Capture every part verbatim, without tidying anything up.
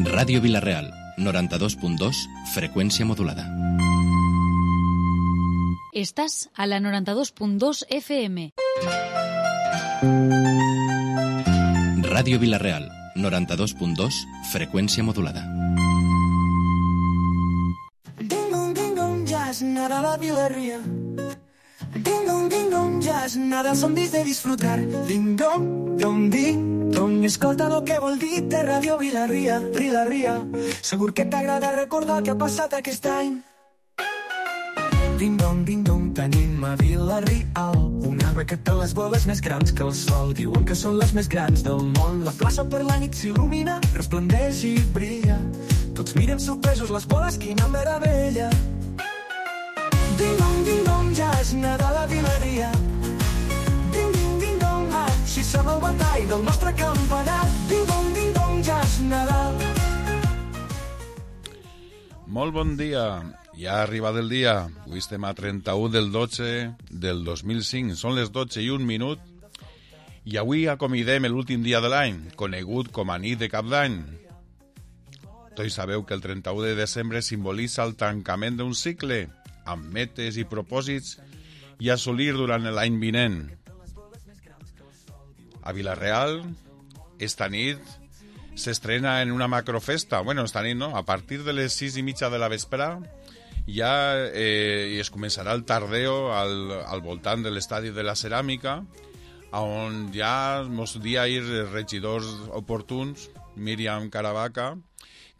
Ràdio Vila-real, noranta-dos punt dos, freqüència modulada. Estàs a la noranta-dos punt dos F M. Ràdio Vila-real, noranta-dos punt dos, freqüència modulada. Ding-dong, ding-dong, ja és Nadal a Vila-real. Ding-dong, ding-dong, ja és Nadal, som dits de disfrutar. Ding-dong, dong, ding-dong, escolta lo que vol dir de Ràdio Vila-real, Vila-real. Segur que t'agrada recordar què ha passat aquest any. Ding-dong, ding-dong, tenim a Vila-real un arbre que té les boles més grans que el sol. Diuen que són les més grans del món. La plaça per la nit s'il·lumina, resplendeix i brilla. Tots miren sorpresos les boles, quina meravella. Ding-dong, ding-dong, ja és Nadal a Vila-real. Ding-ding, ding-dong, així sona el batall del nostre campanar. Ding-dong, ding-dong, ja és Nadal. Molt bon dia. Ja ha arribat el dia. Avui estem a trenta-u del dotze del dos mil cinc. Són les dotze i un minut. I avui acomidem l'últim dia de l'any, conegut com a nit de cap d'any. Tots sabeu que el trenta-u de desembre simbolitza el tancament d'un cicle, amb metes i propòsits i assolir durant l'any vinent. A Vila-real, esta nit s'estrena en una macrofesta. Bueno, esta nit no, a partir de les sis i mitja de la vespre ja eh, es començarà el tardeo al, al voltant de l'estadi de la Ceràmica, on ja mos dia ir regidors oportuns, Míriam Caravaca,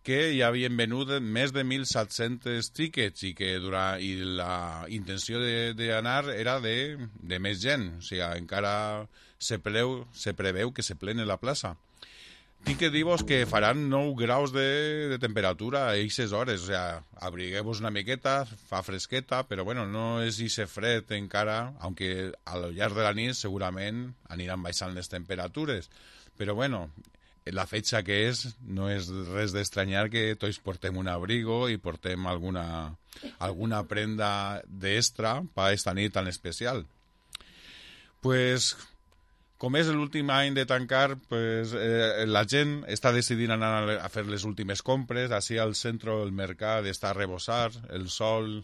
que ja havien venut més de mil set-cents tickets i que durant, i la intenció d'anar era de, de més gent. O sigui, encara se, preu, se preveu que se plene la plaça. Tinc que dir-vos que faran nou graus de, de temperatura a aquestes hores. O sigui, abrigueu-vos una miqueta, fa fresqueta, però bueno, no és ixe fred encara, aunque al llarg de la nit segurament aniran baixant les temperatures. Però bueno, la fetge que és, no és res d'estranyar que tots portem un abrigo i portem alguna, alguna prenda d'extra per esta nit tan especial. Pues, com és l'últim any de tancar, pues, eh, la gent està decidint anar a fer les últimes compres. Així al centre del mercat està a rebossar, el sol,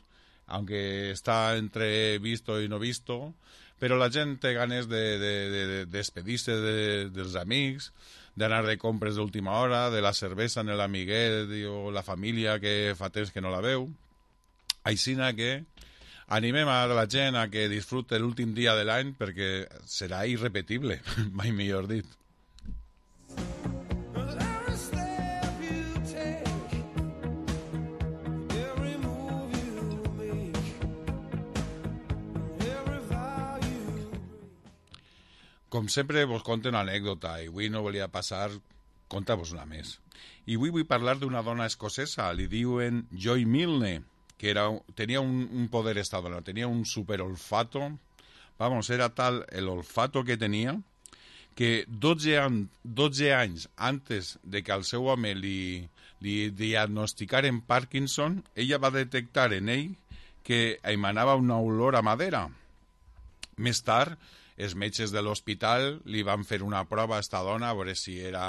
aunque està entre visto i no visto, però la gent té ganes de, de, de, de despedir-se de, dels amics, d'anar de compres d'última hora, de la cervesa en l'amiguet o la família que fa temps que no la veu. Aixina que animem a la gent a que disfrute l'últim dia de l'any perquè serà irrepetible, mai millor dit. Com sempre, vos conto una anècdota i avui no volia passar, conta-vos una més. I avui vull parlar d'una dona escocesa, li diuen Joy Milne, que era, tenia un, un poder esta dona, tenia un superolfato, vamos, era tal el olfato que tenia, que dotze, an, dotze anys antes de que al seu home li, li diagnosticaren Parkinson, ella va detectar en ell que emanava una olor a madera. Més tard, els metges de l'hospital li van fer una prova a esta dona a veure si era,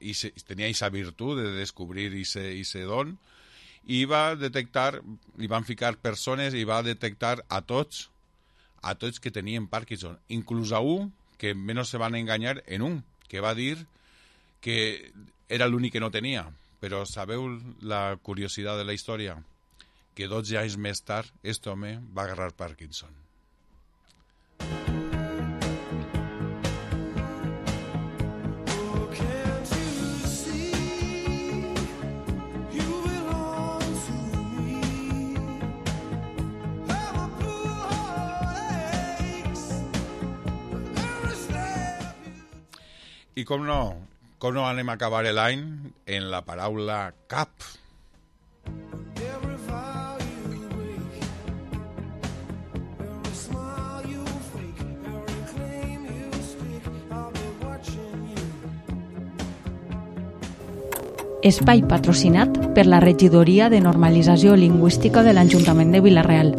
i se, tenia aquesta virtut de descobrir aquest don, i va detectar, li van ficar persones i va detectar a tots, a tots que tenien Parkinson, inclús a un que menys se van enganyar en un, que va dir que era l'únic que no tenia. Però sabeu la curiositat de la història? Que dotze anys més tard, aquest home va agarrar Parkinson. I com no, com no anem a acabar l'any en la paraula cap. Espai patrocinat per la Regidoria de Normalització Lingüística de l'Ajuntament de Vila-real.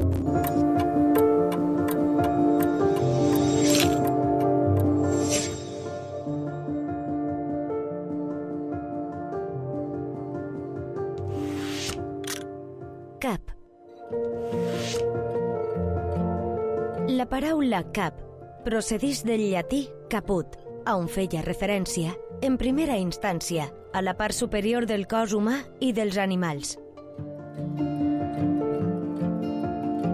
La paraula cap procedeix del llatí caput, on feia referència, en primera instància, a la part superior del cos humà i dels animals.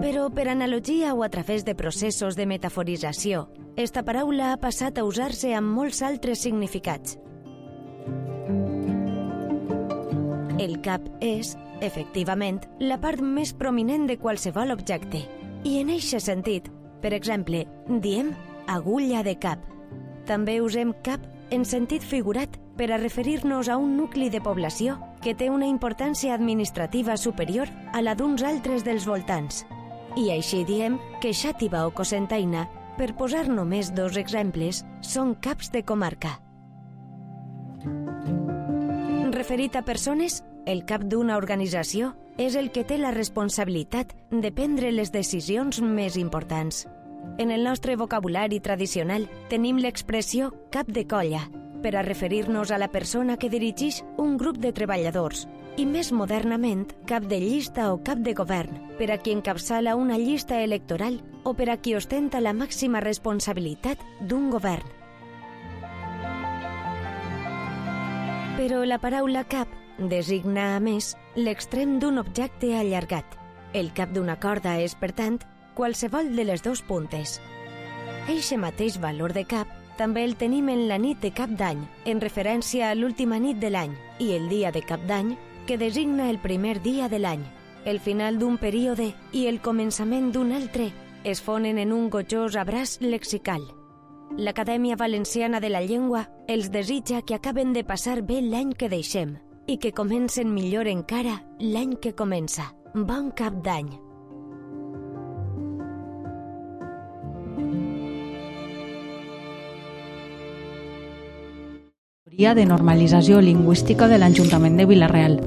Però per analogia o a través de processos de metaforització, esta paraula ha passat a usar-se amb molts altres significats. El cap és, efectivament, la part més prominent de qualsevol objecte. I en eixe sentit, per exemple, diem agulla de cap. També usem cap en sentit figurat per a referir-nos a un nucli de població que té una importància administrativa superior a la d'uns altres dels voltants. I així diem que Xàtiva o Cocentaina, per posar només dos exemples, són caps de comarca. Referit a persones, el cap d'una organització és el que té la responsabilitat de prendre les decisions més importants. En el nostre vocabulari tradicional tenim l'expressió cap de colla, per a referir-nos a la persona que dirigeix un grup de treballadors, i més modernament cap de llista o cap de govern, per a qui encapçala una llista electoral o per a qui ostenta la màxima responsabilitat d'un govern. Però la paraula cap designa, a més, l'extrem d'un objecte allargat. El cap d'una corda és, per tant, qualsevol de les dos puntes. Eixe mateix valor de cap també el tenim en la nit de cap d'any, en referència a l'última nit de l'any, i el dia de cap d'any, que designa el primer dia de l'any. El final d'un període i el començament d'un altre es fonen en un gojós abraç lexical. L'Acadèmia Valenciana de la Llengua els desitja que acaben de passar bé l'any que deixem i que comencen millor encara l'any que comença. Bon cap d'any! De normalització lingüística de l'Ajuntament de Vila-real.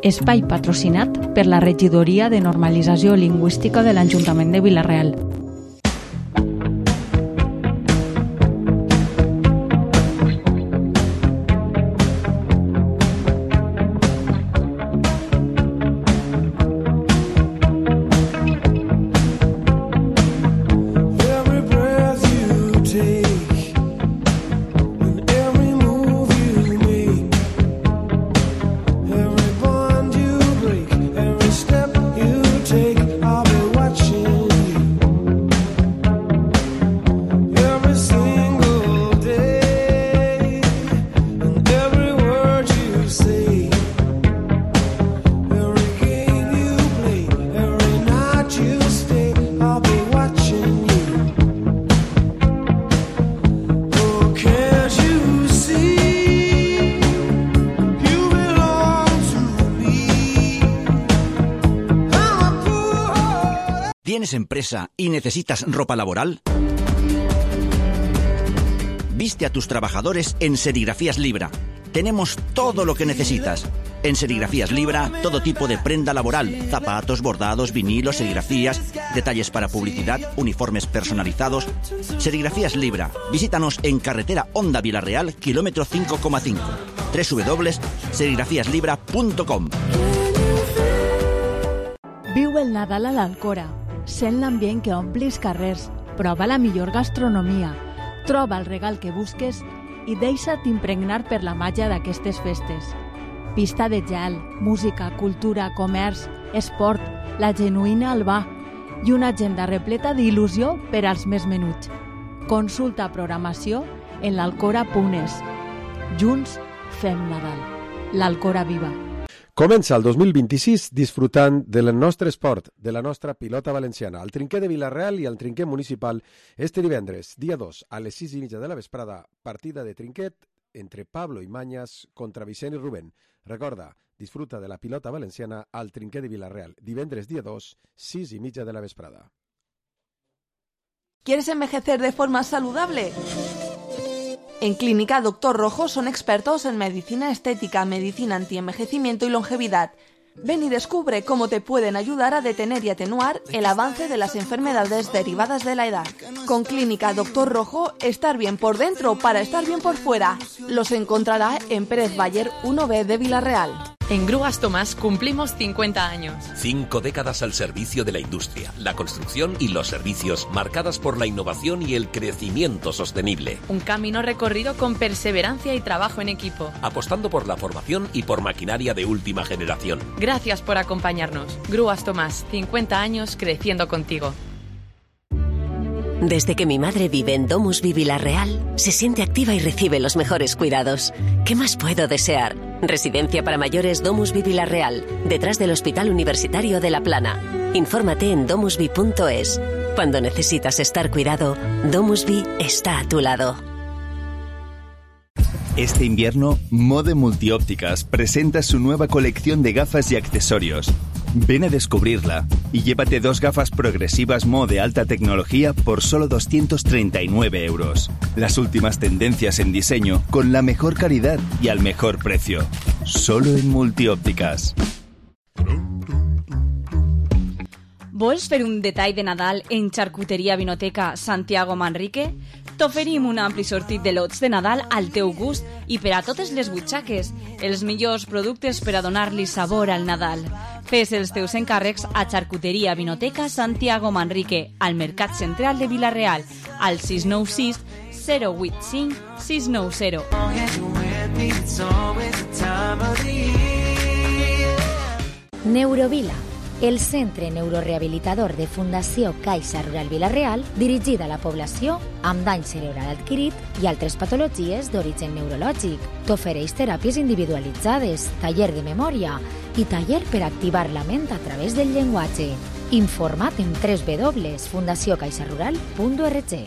Espai patrocinat per la Regidoria de Normalització Lingüística de l'Ajuntament de Vila-real. ¿Tienes empresa y necesitas ropa laboral? Viste a tus trabajadores en Serigrafías Libra. Tenemos todo lo que necesitas. En Serigrafías Libra, todo tipo de prenda laboral, zapatos, bordados, vinilos, serigrafías, detalles para publicidad, uniformes personalizados. Serigrafías Libra. Visítanos en carretera Honda Vila-real, kilómetro cinco coma cinco. doble u doble u doble u punt serigrafías libra punt com. Viu el Nadal a l'Alcora. Sent l'ambient que ompli els carrers, prova la millor gastronomia, troba el regal que busques i deixa't impregnar per la màgia d'aquestes festes. Pista de gel, música, cultura, comerç, esport, la genuïna Albà i una agenda repleta d'il·lusió per als més menuts. Consulta programació en l'alcora punt es. Junts fem Nadal. L'Alcora viva. Comença el dos mil vint-i-sis disfrutant del nostre esport, de la nostra pilota valenciana. El trinquer de Vila-real i el trinquer municipal este divendres, dia dos, a les sis i mitja de la vesprada, partida de trinquet entre Pablo Imañas contra Vicent i Rubén. Recorda, disfruta de la pilota valenciana al trinquer de Vila-real, divendres dia dos, sis i mitja de la vesprada. ¿Quieres envejecer de forma saludable? En Clínica Doctor Rojo son expertos en medicina estética, medicina antienvejecimiento y longevidad. Ven y descubre cómo te pueden ayudar a detener y atenuar el avance de las enfermedades derivadas de la edad. Con Clínica Doctor Rojo, estar bien por dentro para estar bien por fuera. Los encontrará en Pérez Bayer uno B de Vila-real. En Grúas Tomás cumplimos cincuenta años. Cinco décadas al servicio de la industria, la construcción y los servicios, marcadas por la innovación y el crecimiento sostenible. Un camino recorrido con perseverancia y trabajo en equipo. Apostando por la formación y por maquinaria de última generación. Gracias por acompañarnos. Grúas Tomás, cincuenta años creciendo contigo. Desde que mi madre vive en DomusVi Vila-real, se siente activa y recibe los mejores cuidados. ¿Qué más puedo desear? Residencia para mayores DomusVi Vila-real, detrás del Hospital Universitario de La Plana. Infórmate en domusvi punto es. Cuando necesitas estar cuidado, DomusVi está a tu lado. Este invierno, Mode Multiópticas presenta su nueva colección de gafas y accesorios. Ven a descubrirla y llévate dos gafas progresivas Mo de alta tecnología por solo doscientos treinta y nueve euros. Las últimas tendencias en diseño con la mejor calidad y al mejor precio. Solo en Multiópticas. Vols fer un detall de Nadal en Xarcuteria Vinoteca Santiago Manrique? T'oferim un ampli sortit de lots de Nadal al teu gust i per a totes les butxaques, els millors productes per a donar-li sabor al Nadal. Fes els teus encàrrecs a Xarcuteria Vinoteca Santiago Manrique, al Mercat Central de Vila-real, al sis nou sis zero vuit cinc sis nou zero. Neurovila, el centre neurorehabilitador de Fundació Caixa Rural Vila-real, dirigida a la població amb dany cerebral adquirit i altres patologies d'origen neurològic. T'ofereix teràpies individualitzades, taller de memòria i taller per activar la ment a través del llenguatge. Informa't en w w w punt fundació caixa rural punt org.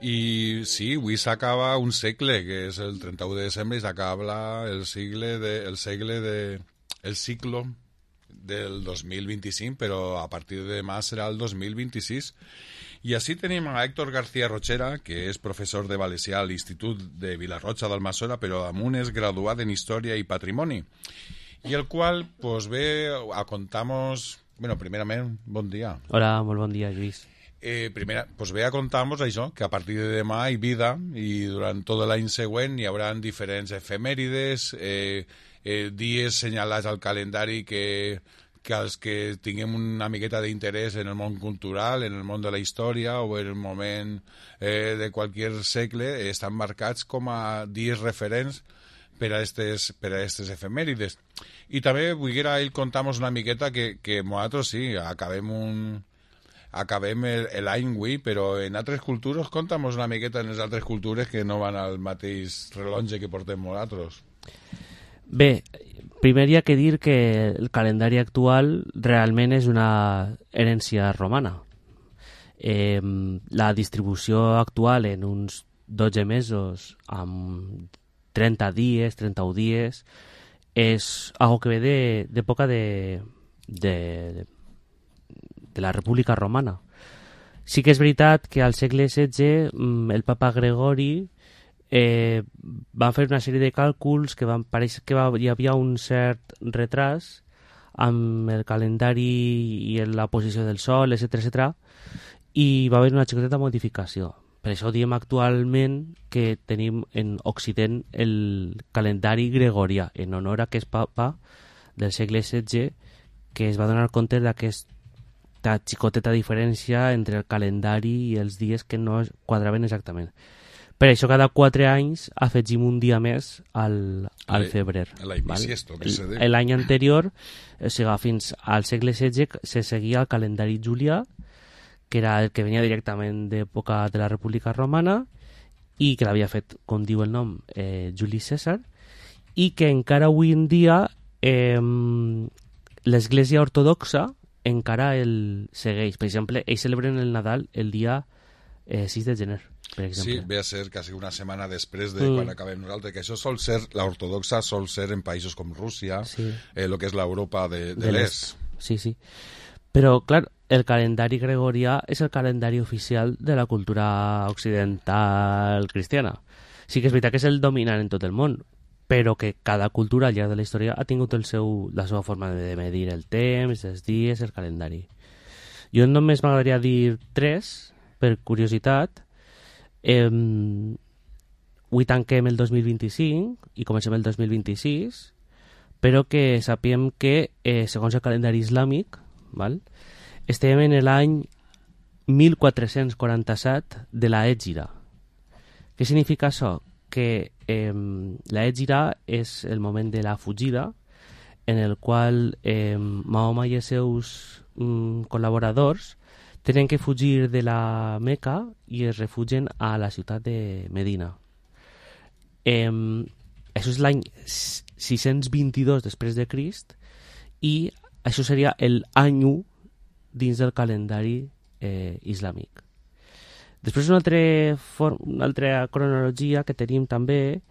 I sí, avui s'acaba un segle, que és el trenta-u de desembre, i s'acaba el segle de, el segle de, el ciclo del dos mil vint-i-cinc, però a partir de demà serà el dos mil vint-i-sis. I així tenim a Héctor García Rochera, que és professor de valencià a l'Institut de Vilarrocha d'Almassora, però amunt és graduat en Història i Patrimoni, i el qual pues, ve a contar-nos... Bueno, primerament, bon dia. Hola, molt bon dia, Lluís. Eh, primera, pues ve a contar-nos això, que a partir de demà hi vida i durant tot l'any següent hi haurà diferents efemèrides, eh, eh, dies senyalats al calendari que, que els que tinguem una miqueta d'interès en el món cultural, en el món de la història o en el moment eh, de qualsevol segle estan marcats com a dies referents per a estes, per a estes efemèrides. I també volguera ell contar-nos una miqueta que, que nosaltres sí, acabem un... acabem l'any avui, però en altres cultures, conta'm una miqueta en les altres cultures que no van al mateix rellotge que portem nosaltres. Bé, primer hi ha que dir que el calendari actual realment és una herència romana. Eh, la distribució actual en uns dotze mesos, amb trenta dies, trenta-un dies, és algo que ve d'època de... de, de de la República Romana. Sí que és veritat que al segle setze el papa Gregori eh, va fer una sèrie de càlculs que van pareix que va, hi havia un cert retras amb el calendari i la posició del sol, etcètera, etcètera, i va haver una xicoteta modificació. Per això diem actualment que tenim en Occident el calendari gregorià, en honor a aquest papa del segle setze que es va donar compte d'aquest xicoteta diferència entre el calendari i els dies que no quadraven exactament. Per això cada quatre anys afegim un dia més al, al febrer. L'any anterior, o sigui, fins al segle setze, se seguia el calendari julià, que era el que venia directament d'època de la República Romana i que l'havia fet, com diu el nom, eh, Juli Cèsar, i que encara avui en dia eh, l'Església Ortodoxa encara el segueix. Per exemple, ells celebren el Nadal el dia eh, sis de gener, per exemple. Sí, ve a ser quasi una setmana després de mm. quan acabem nosaltres, que això sol ser, la ortodoxa sol ser en països com Rússia, sí. eh, el que és l'Europa de, de, de l'est. Sí, sí. Però, clar, el calendari gregorià és el calendari oficial de la cultura occidental cristiana. Sí que és veritat que és el dominant en tot el món, però que cada cultura al llarg de la història ha tingut el seu, la seva forma de medir el temps, els dies, el calendari. Jo només m'agradaria dir tres, per curiositat. Eh, avui tanquem el dos mil vint-i-cinc i comencem el dos mil vint-i-sis, però que sapiem que, eh, segons el calendari islàmic, val? Estem en l'any mil quatre-cents quaranta-set de la Hègira. Què significa això? Que eh, la Hègira és el moment de la fugida en el qual eh, Mahoma i els seus mm, col·laboradors tenen que fugir de la Meca i es refugien a la ciutat de Medina. Eh, això és l'any sis-cents vint-i-dos després de Crist i això seria l'any u dins del calendari eh, islàmic. Després una altra, form, una altra cronologia que tenim també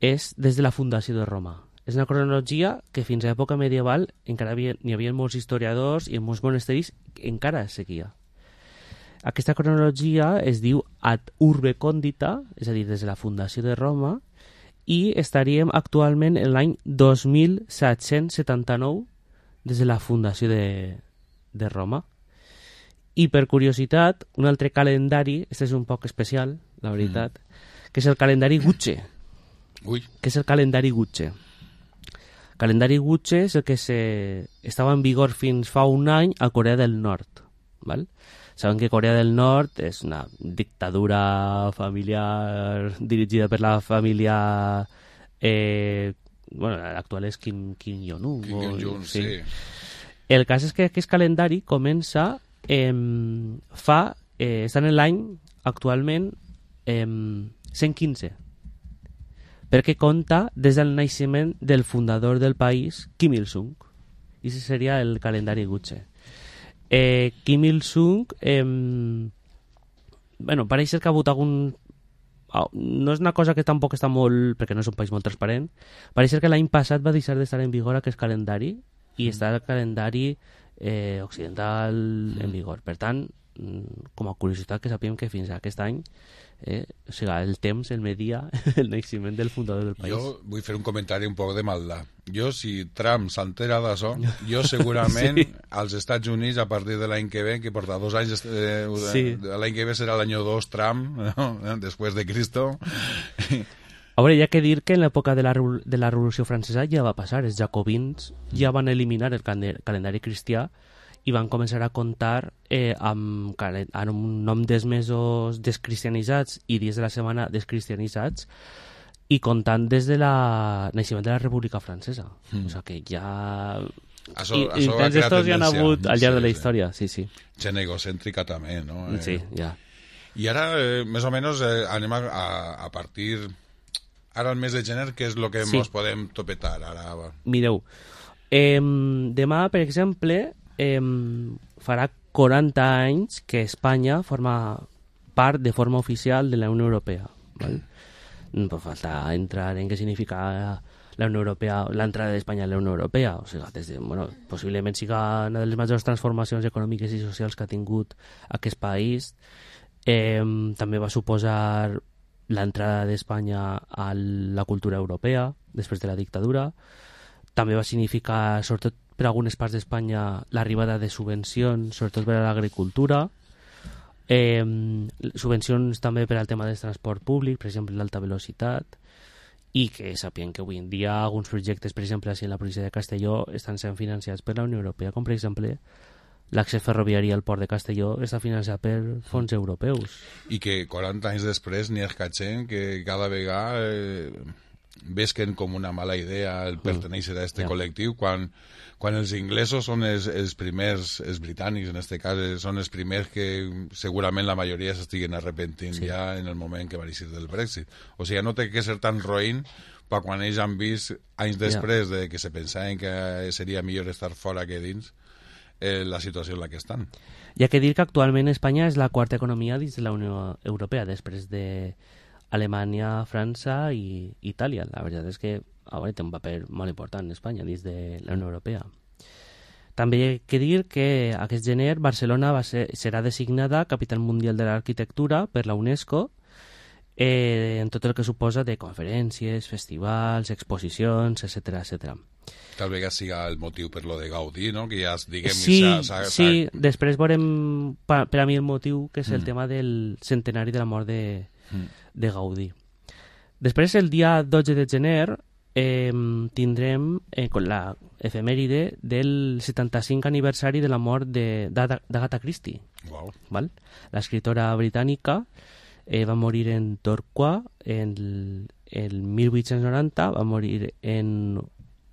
és des de la fundació de Roma. És una cronologia que fins a l'època medieval encara havia, n'hi havia molts historiadors i en molts monasteris que encara es seguia. Aquesta cronologia es diu ad urbe condita, és a dir, des de la fundació de Roma, i estaríem actualment en l'any dos mil set-cents setanta-nou des de la fundació de, de Roma. I per curiositat, un altre calendari, este és un poc especial, la veritat, mm. que és el calendari Guche. Ui. Que és el calendari Guche. El calendari Guche és el que se... estava en vigor fins fa un any a Corea del Nord. Val? Saben que Corea del Nord és una dictadura familiar dirigida per la família... Eh, bueno, l'actual és Kim, Kim Jong-un. Kim Jong-un, sí. sí. El cas és que aquest calendari comença... Eh, fa, eh, estan en l'any actualment eh, cent quinze, perquè compta des del naixement del fundador del país, Kim Il-sung, i aquest seria el calendari Guche. eh, Kim Il-sung eh, bueno, pareix ser que ha hagut algun oh, no és una cosa que tampoc està molt, perquè no és un país molt transparent, pareix ser que l'any passat va deixar d'estar en vigor aquest calendari i està el calendari Eh, occidental en vigor. Per tant, com a curiositat que sapiem que fins a aquest any eh, o sigui, el temps, el media el naixement del fundador del país. Jo vull fer un comentari un poc de maldat. Jo, si Trump s'entera d'això, jo segurament sí. als Estats Units, a partir de l'any que ve, que porta dos anys, eh, sí. l'any que ve serà l'any dos Trump, no? Després de Cristo. A veure, hi ha que dir que en l'època de, la, de la Revolució Francesa ja va passar. Els jacobins ja van eliminar el calendari cristià i van començar a comptar eh, amb, amb un nom dels mesos descristianitzats i dies de la setmana descristianitzats i comptant des de la naixement de la República Francesa. Mm. O sigui que ja... Això, I, això i tants estos ja han hagut al llarg sí, de la història, sí, sí. Gent egocèntrica també, no? Eh, sí, ja. I ara, eh, més o menys, eh, anem a, a partir... Ara el mes de gener, què és el que sí. ens podem topetar? Ara... Mireu, eh, demà, per exemple, eh, farà quaranta anys que Espanya forma part de forma oficial de la Unió Europea. ¿Vale? No pot faltar entrar en què significa la Unió Europea, l'entrada d'Espanya a la Unió Europea. O sigui, des de, bueno, possiblement siga una de les majors transformacions econòmiques i socials que ha tingut aquest país. Eh, també va suposar l'entrada d'Espanya a la cultura europea després de la dictadura. També va significar, sobretot per algunes parts d'Espanya, l'arribada de subvencions, sobretot per a l'agricultura, eh, subvencions també per al tema del transport públic, per exemple l'alta velocitat, i que sapien que avui en dia alguns projectes, per exemple, així en la província de Castelló, estan sent financiats per la Unió Europea, com per exemple l'accés ferroviari al port de Castelló està financiat per fons europeus. I que quaranta anys després n'hi ha escatxent que cada vegada eh, vesquen com una mala idea el pertenèixer a aquest yeah. col·lectiu, quan, quan els inglesos són els, els primers, els britànics en aquest cas, són els primers que segurament la majoria s'estiguen arrepentint sí. ja en el moment que va eixir del Brexit. O sigui, no té que ser tan roïn per quan ells han vist anys després yeah. de que se pensaven que seria millor estar fora que dins eh, la situació en la que estan. Hi ha que dir que actualment Espanya és la quarta economia dins de la Unió Europea, després de Alemanya, França i Itàlia. La veritat és que ara té un paper molt important Espanya dins de la Unió Europea. També hi ha que dir que aquest gener Barcelona va ser, serà designada Capital Mundial de l'Arquitectura per la UNESCO, eh, en tot el que suposa de conferències, festivals, exposicions, etcètera, etcètera. Tal vegada siga el motiu per lo de Gaudí, no? Que ja, diguem... Sí, sa, sa, sa... sí, després veurem per, per a mi el motiu, que és el Mm. tema del centenari de la mort de, Mm. de Gaudí. Després, el dia dotze de gener, eh, tindrem eh, con la efemèride del setanta-cinc aniversari de la mort de- d'Ada- d'Agatha Christie. Wow. Val? L'escriptora britànica eh, va morir en Torquay en el mil vuit-cents noranta, va morir en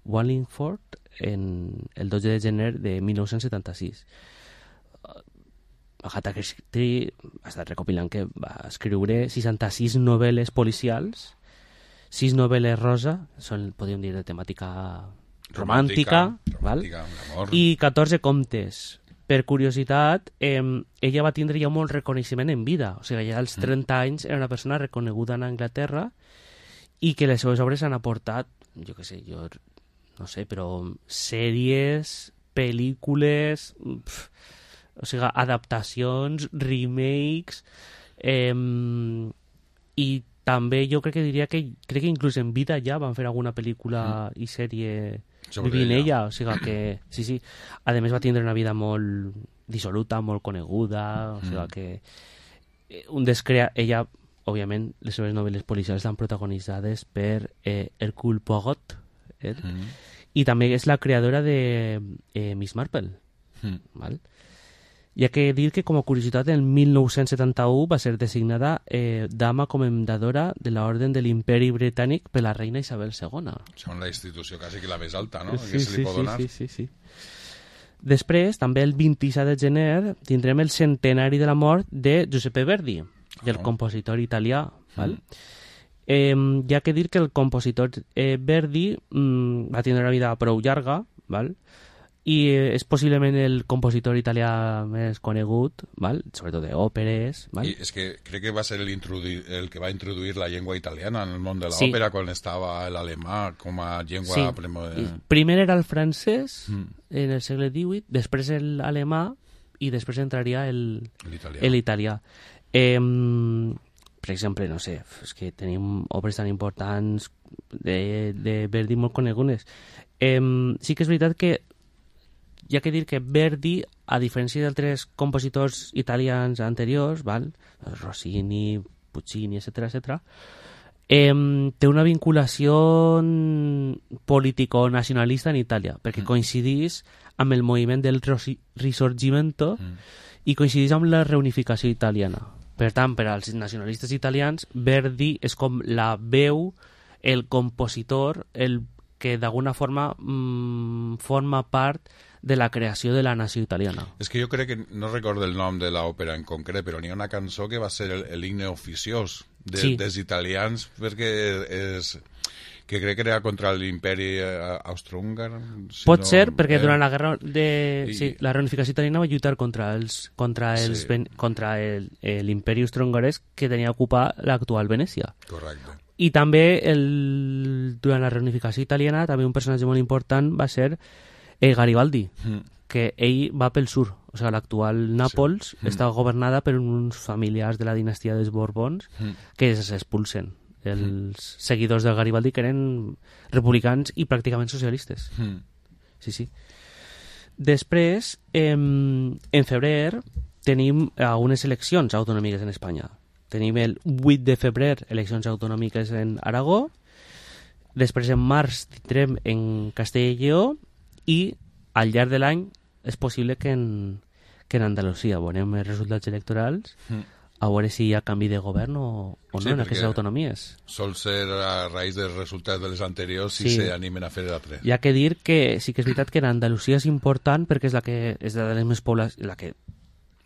Wallingford en el dotze de gener de mil nou-cents setanta-sis. Agatha Christie ha estat recopilant que va escriure seixanta-sis novel·les policials, sis novel·les rosa, són, podríem dir, de temàtica romàntica, Romàntica, val? romàntica, amor. I catorze contes. Per curiositat, eh, ella va tindre ja molt reconeixement en vida, o sigui, ja als trenta anys era una persona reconeguda en Anglaterra i que les seves obres han aportat, jo què sé, jo no sé, però sèries, pel·lícules, pf, o sigui, adaptacions, remakes, eh, i també jo crec que diria que crec que inclús en vida ja van fer alguna pel·lícula i sèrie Sobre vivint ella. ella, o sigui que sí, sí, a més va tindre una vida molt dissoluta, molt coneguda, o sigui Mm. que eh, un descrea... ella, òbviament, les seves novel·les policials estan protagonitzades per eh, Hercule Poirot, eh? Mm. i també és la creadora de eh, Miss Marple. Mm. Val? Hi ha que dir que, com a curiositat, en mil nou-cents setanta-u va ser designada eh, dama comendadora de l'Orden de l'Imperi Britànic per la reina Isabel segona. Són la institució quasi que la més alta, no? Sí, que se li sí, pot sí, donar. sí, sí, sí. Després, també el vint-i-set de gener, tindrem el centenari de la mort de Giuseppe Verdi, del Oh. compositor italià. Val? Eh, hi ha que dir que el compositor eh, Verdi mm, va tindre una vida prou llarga, val? i eh, és possiblement el compositor italià més conegut, val? Sobretot d'òperes. Val? I és que crec que va ser el, introduir, el que va introduir la llengua italiana en el món de Sí. l'òpera quan estava l'alemà com a llengua Sí. premoderna. Primer era el francès Mm. en el segle divuit, després l'alemà i després entraria el- L'italià. el italià. Eh, per exemple, no sé, és que tenim obres tan importants de, de Verdi molt conegudes. Eh, sí que és veritat que hi ha que dir que Verdi, a diferència d'altres compositors italians anteriors, val? Rossini, Puccini, etcètera, etcètera, eh, té una vinculació político-nacionalista en Itàlia, perquè coincidís amb el moviment del Rosi- Risorgimento i coincidís amb la reunificació italiana. Per tant, per als nacionalistes italians, Verdi és com la veu, el compositor, el que d'alguna forma mm, forma part de la creació de la nació italiana. És que jo crec que, no recordo el nom de l'òpera en concret, però n'hi ha una cançó que va ser el, el himne oficiós de, Sí. dels italians, perquè és, que crec que era contra l'imperi eh, austrohúngar. Si Pot no, ser, perquè eh, durant la guerra de... i- Sí, la reunificació italiana va lluitar contra els contra els Sí. ben- contra el- eh, l'imperi austrohongarès que tenia a ocupar l'actual Venècia. Correcte. I també el, durant la reunificació italiana també un personatge molt important va ser eh, Garibaldi, Mm. que ell va pel sur, o sigui, l'actual Nàpols Mm. està governada per uns familiars de la dinastia dels Borbons Mm. que s'expulsen. Els seguidors del Garibaldi que eren republicans i pràcticament socialistes. Mm. Sí, sí. Després, eh, en febrer, tenim algunes eleccions autonòmiques en Espanya. Tenim el vuit de febrer eleccions autonòmiques en Aragó, després en març tindrem en Castella i Lleó i al llarg de l'any és possible que en, que en Andalusia veurem els resultats electorals Mm. a veure si hi ha canvi de govern o, o Sí, no en perquè aquestes autonomies. Sol ser a raïs dels resultats de les anteriors si Sí. s'animen a fer l'altre. Hi ha que dir que sí que és veritat que en Andalusia és important perquè és la que és de les més pobla la que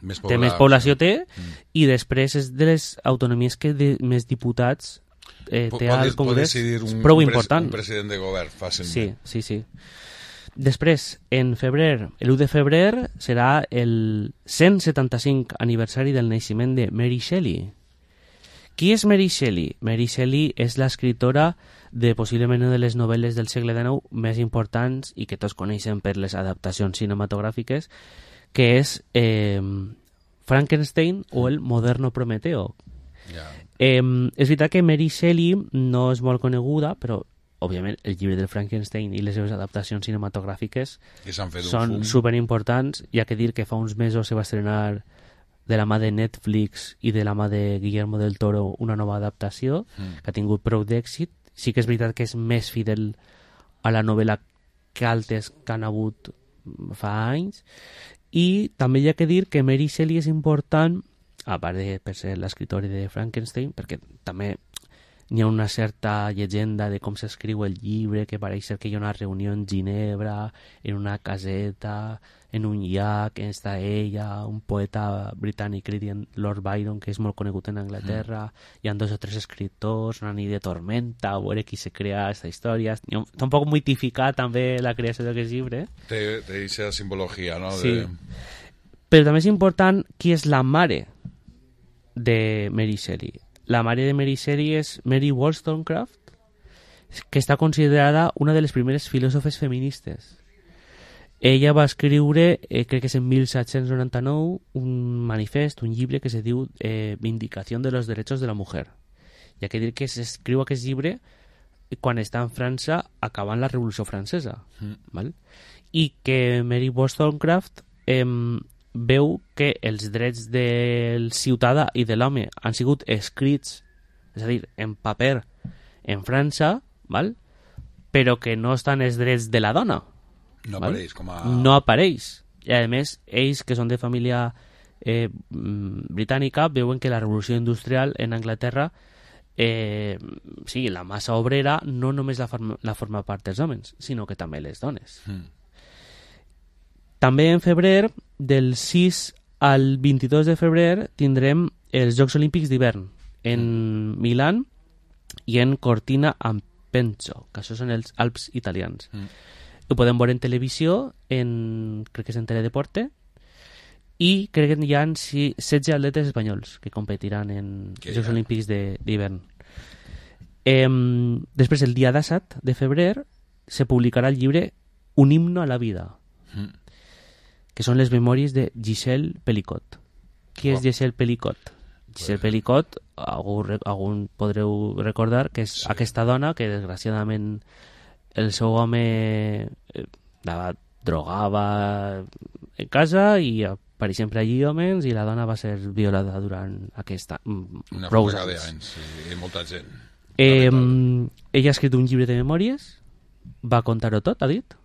Més té més poblat, població sí. té i després és de les autonomies que de, més diputats eh, Po- té pot- al pot Congrés. decidir un- És prou un pres- important. un president de govern fàcilment. Sí, sí, sí. Després, en febrer, l'u de febrer, serà el cent setanta-cinc aniversari del naixement de Mary Shelley, Qui és Mary Shelley? Mary Shelley és l'escriptora de possiblement una de les novel·les del segle dinou més importants i que tots coneixen per les adaptacions cinematogràfiques, que és eh, Frankenstein o el moderno Prometeo. Yeah. Eh, és veritat que Mary Shelley no és molt coneguda, però òbviament el llibre del Frankenstein i les seves adaptacions cinematogràfiques són superimportants. Hi ha que dir que fa uns mesos se va estrenar de la mà de Netflix i de la mà de Guillermo del Toro una nova adaptació mm. que ha tingut prou d'èxit. Sí que és veritat que és més fidel a la novel·la que altres que han hagut fa anys. I també hi ha que dir que Mary Shelley és important, a part de per ser l'escriptora de Frankenstein, perquè també hi ha una certa llegenda de com s'escriu el llibre, que pareix ser que hi ha una reunió en Ginebra, en una caseta, en un llac, on està ella, un poeta britànic, Lord Byron, que és molt conegut en Anglaterra, mm. hi ha dos o tres escriptors, una nit de tormenta, a veure qui se crea aquesta història. Està un poc mitificat també la creació d'aquest llibre. Té aquesta simbologia, no? Sí. De... Però també és important qui és la mare de Mary Shelley. La mare de Mary Shelley és Mary Wollstonecraft, que està considerada una de les primeres filòsofes feministes. Ella va escriure, eh, crec que és en mil set-cents noranta-nou, un manifest, un llibre que se diu eh, Vindicación de los Derechos de la Mujer. Hi ha que dir que s'escriu aquest llibre quan està en França acabant la Revolució Francesa. Mm. Val? I que Mary Wollstonecraft eh, veu que els drets del ciutadà i de l'home han sigut escrits, és a dir, en paper en França, val? Però que no estan els drets de la dona. No val? apareix com a... No apareix. I a més, ells, que són de família eh, britànica, veuen que la revolució industrial en Anglaterra, eh, sí, la massa obrera no només la forma, la forma part dels homes, sinó que també les dones. Mm. També en febrer, del sis al vint-i-dos de febrer, tindrem els Jocs Olímpics d'hivern en mm. Milán i en Cortina d'Ampezzo, que això són els Alps italians. Mm. Ho podem veure en televisió, en, crec que és en Teledeporte, i crec que hi ha setze atletes espanyols que competiran en que els Jocs ja. Olímpics d'hivern. Eh, després, el dia disset de febrer, se publicarà el llibre Un himno a la vida, mm. que són les memòries de Gisèle Pelicot. Qui wow. és Gisèle Pelicot? Gisèle pues... Pelicot, algú, algun podreu recordar que és sí. aquesta dona que desgraciadament el seu home eh, la drogava en casa i per exemple allí homes i la dona va ser violada durant aquesta una prou fracada d'anys i molta gent. Eh, ella ha escrit un llibre de memòries, va contar-ho tot, ha dit,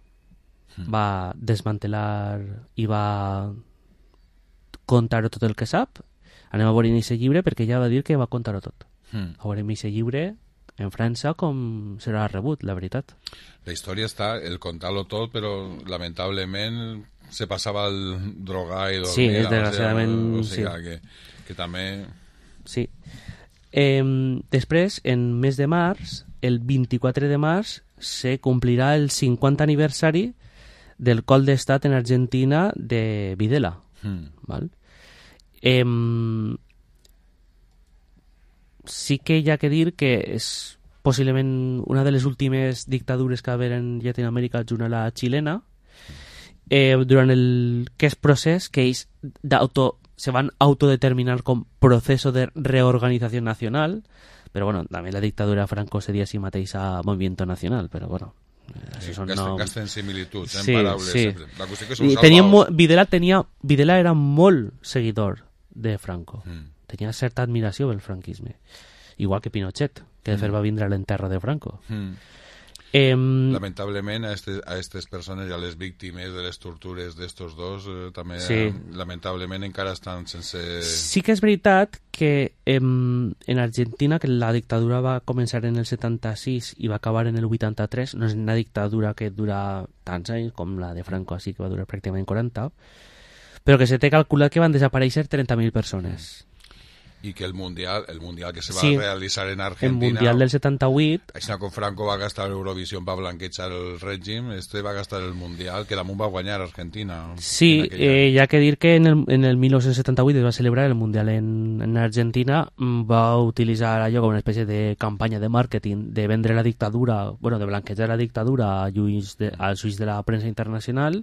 va desmantelar i va contar tot el que sap. Anem a veure en aquest llibre perquè ella va dir que va contar-ho tot. Mm. A veure en aquest llibre en França com serà rebut, la veritat. La història està, el contar-lo tot, però lamentablement se passava el drogar i dormir. Sí, desgraciadament, o sigui, sí. Que, que també... Sí. Eh, després, en mes de març, el vint-i-quatre de març, se complirà el cinquanta aniversari del col d'estat en Argentina de Videla. Mm. Val? Eh, sí que hi ha que dir que és possiblement una de les últimes dictadures que va haver en Llatinoamèrica junt a la xilena, eh, durant el que és procés que ells d'auto, se van autodeterminar com proceso de reorganització nacional, però bueno, també la dictadura Franco seria si mateix a Movimiento Nacional, però bueno, sí, gasten, no... gasten similituds en sí, paraules sí. sempre. La qüestió que són tenia mo... Videla, tenia... Videla era molt seguidor de Franco, mm. tenia certa admiració pel franquisme, igual que Pinochet, que de fet mm. va vindre a l'enterro de Franco. Mm. Eh, lamentablement a aquestes persones i a les víctimes de les tortures d'estos dos eh, també sí. eh, lamentablement encara estan sense... Sí que és veritat que eh, en Argentina, que la dictadura va començar en el setanta-sis i va acabar en el vuitanta-tres, no és una dictadura que dura tants anys com la de Franco, així que va durar pràcticament quaranta, però que se té calculat que van desaparèixer trenta mil persones. i que el Mundial, el mundial que se va sí, realitzar en Argentina... El Mundial del setanta-vuit... Així com Franco va gastar l'Eurovisió per blanquejar el règim, este va gastar el Mundial, que damunt va guanyar Argentina. Sí, eh, hi ha que dir que en el, en el mil nou-cents setanta-vuit es va celebrar el Mundial en, en Argentina, va utilitzar allò com una espècie de campanya de màrqueting, de vendre la dictadura, bueno, de blanquejar la dictadura a lluís de, als ulls de la premsa internacional.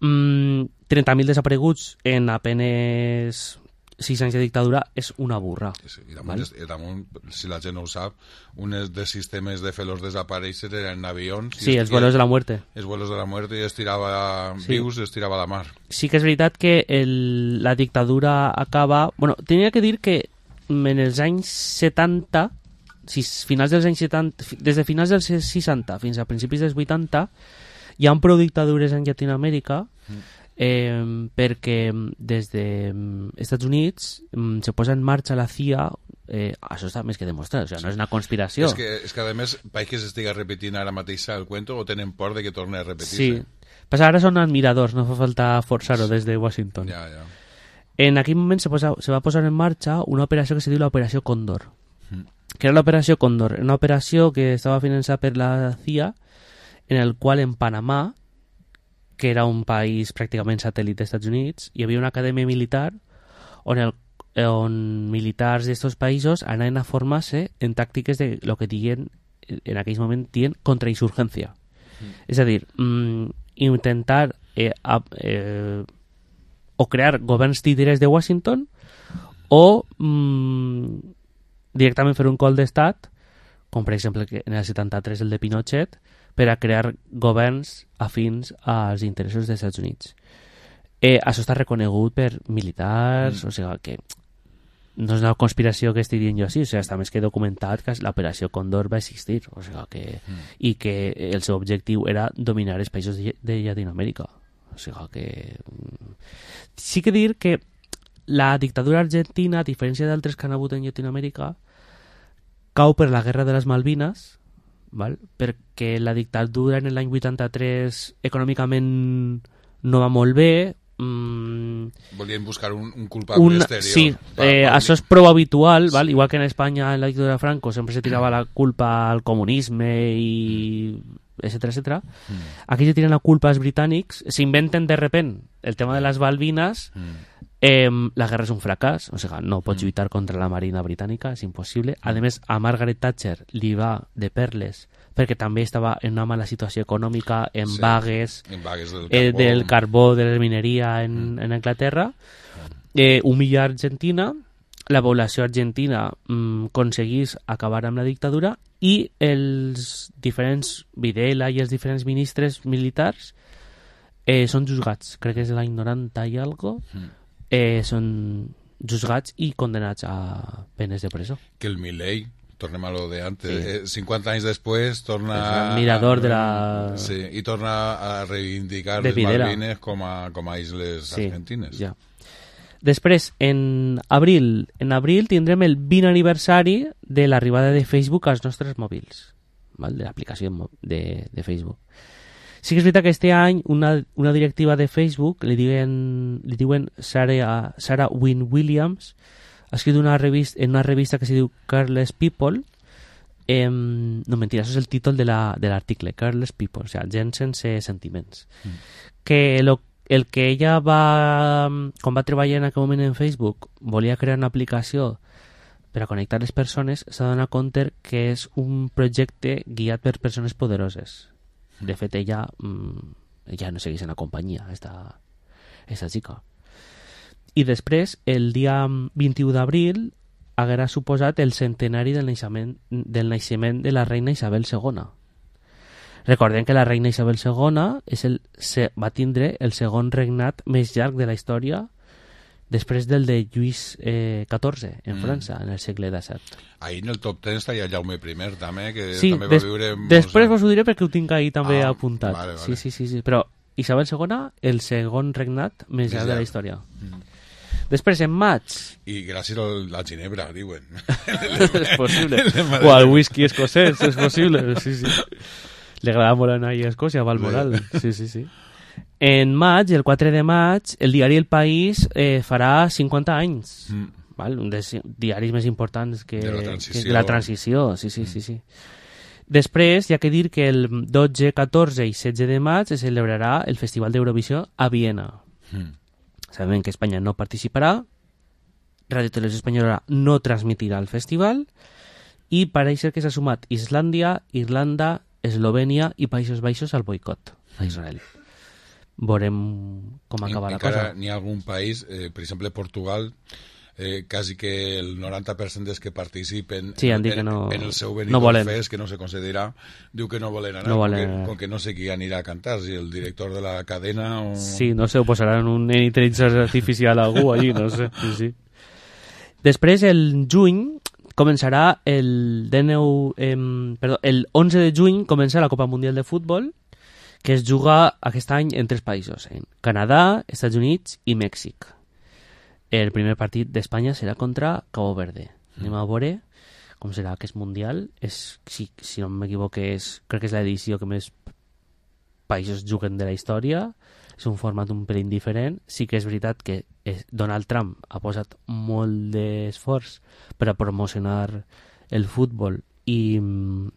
Mm, trenta mil desapareguts en apenes sis anys de dictadura és una burra. Sí, i damunt, i damunt, si la gent no ho sap, un dels sistemes de fer-los desaparèixer eren avions. Sí, els vuelos de la muerte. Els vuelos de la muerte i es tirava sí. vius, es tirava a la mar. Sí que és veritat que el, la dictadura acaba... Bueno, tenia que dir que en els anys setanta, si, finals dels anys setanta, des de finals dels seixanta fins a principis dels vuitanta, hi ha prou dictadures en Llatinoamèrica, mm. Eh, perquè des dels Estats Units eh, se posa en marxa la C I A, eh, això està més que demostrat, o sigui, no és una conspiració. És que, és que a més, pareix que s'estiga repetint ara mateix el cuento o tenen por de que torni a repetir-se. Sí, però ara són admiradors, no fa falta forçar-ho des de Washington. Ja, ja. En aquell moment se, posa, se va posar en marxa una operació que se diu l'Operació Còndor. Mm. Que era l'Operació Còndor, una operació que estava finançada per la C I A, en el qual en Panamà, que era un país pràcticament satèl·lit dels Estats Units, hi havia una acadèmia militar on, el, on militars d'estos països anaven a formar-se en tàctiques de lo que diguen, en aquell moment diguen contrainsurgència. Mm. És a dir, mm, intentar eh, a, eh, o crear governs títeres de Washington o mm, directament fer un cop d'estat, com per exemple en el setanta-tres el de Pinochet, per a crear governs afins als interessos dels Estats Units. Eh, això està reconegut per militars, mm. o sigui que no és una conspiració que estigui dient jo així, o sigui, està més que documentat que l'operació Còndor va existir, o sigui que, mm. i que el seu objectiu era dominar els països de, de Llatinoamèrica. O sigui que... Sí que dir que la dictadura argentina, a diferència d'altres que han hagut en Llatinoamèrica, cau per la guerra de les Malvines, val? Perquè la dictadura en l'any vuitanta-tres econòmicament no va molt bé. Mm, volien buscar un, un culpable un, exterior. Sí, pa, eh, pa, això és prou habitual, val? Sí. Igual que en Espanya en la dictadura de Franco sempre se tirava la culpa al comunisme i etcètera, etcètera. Mm. Aquí se tiren la culpa als britànics, s'inventen de repent el tema de les Malvines. Mm. Eh, la guerra és un fracàs, o sigui, no pots lluitar contra la marina britànica, és impossible. A més, a Margaret Thatcher li va de perles perquè també estava en una mala situació econòmica, en sí, vagues, en vagues del, eh, carbó. del carbó, de la mineria en, mm. en Anglaterra. Eh, humilla Argentina, la població argentina mm, aconseguís acabar amb la dictadura i els diferents Videla i els diferents ministres militars eh, són juzgats, crec que és l'any noranta i algo, mm. Eh, són juzgats i condenats a penes de presó. Que el Milei, tornem a lo de antes, sí. eh, cinquanta anys després torna el mirador a, de la... Sí, i torna a reivindicar de les Videla. Malvines com a, com a isles sí, argentines. Ja. Després, en abril, en abril tindrem el vint aniversari de l'arribada de Facebook als nostres mòbils, val? De l'aplicació de, de Facebook. Sí que és veritat que este any una, una directiva de Facebook, li diuen, li diuen Sarah, Sarah Wynne Williams, ha escrit una revista, en una revista que se diu Careless People, eh, no mentira, això és el títol de l'article, la, Careless People, o sigui, gent sense sentiments. Mm. Que lo, el que ella va, quan va treballar en aquell moment en Facebook, volia crear una aplicació per a connectar les persones, s'ha donat compte que és un projecte guiat per persones poderoses. De fet, ella mmm, ja no segueix en la companyia, esta, esta xica. I després, el dia vint-i-u d'abril, haguera suposat el centenari del naixement, del naixement de la reina Isabel segona. Recordem que la reina Isabel segona és el, se, va tindre el segon regnat més llarg de la història després del de Lluís eh, catorze en mm. França, en el segle disset. Ahí en el top ten està ja Jaume I també, que sí, també va des, viure... Després vos ho diré perquè ho tinc ahí també ah, apuntat. Vale, vale. Sí, sí, sí, sí, però Isabel segona, el segon regnat més llarg de la història. Mm. Després, en maig... I gràcies a la ginebra, diuen. És possible. O al whisky escocès, és possible. Sí, sí. Li agrada molt anar a Escòcia, a Balmoral. Sí, sí, sí. En maig, el quatre de maig, el diari El País eh, farà cinquanta anys. Mm. val? Un dels diaris més importants que, de la transició. que la transició. Sí, sí, sí, sí. Després, hi ha que dir que el dotze, catorze i setze de maig es celebrarà el Festival d'Eurovisió a Viena. Mm. Sabem que Espanya no participarà, Radio Televisió Espanyola no transmitirà el festival i pareix ser que s'ha sumat Islàndia, Irlanda, Eslovènia i Països Baixos al boicot a Israel. Veurem com acaba I, la cosa. N'hi ha algun país, eh, per exemple Portugal, eh, quasi que el noranta per cent dels que participen sí, en, en, no, en el seu no Benidorm Fest, que no se concedirà, diu que no volen anar, no volen com, que, com que no sé qui anirà a cantar, si el director de la cadena o... Sí, no sé, ho posaran un intel·ligència artificial a algú allí, no sé. Sí, sí. Després, el juny, començarà el dinou, eh, perdó, el onze de juny comença la Copa Mundial de Futbol, que es juga aquest any en tres països, en Canadà, Estats Units i Mèxic. El primer partit d'Espanya serà contra Cabo Verde. Mm. Anem a veure com serà aquest Mundial. És, si, si no m'equivoque, és, crec que és l'edició que més països juguen de la història. És un format un pelín diferent. Sí que és veritat que Donald Trump ha posat molt d'esforç per a promocionar el futbol i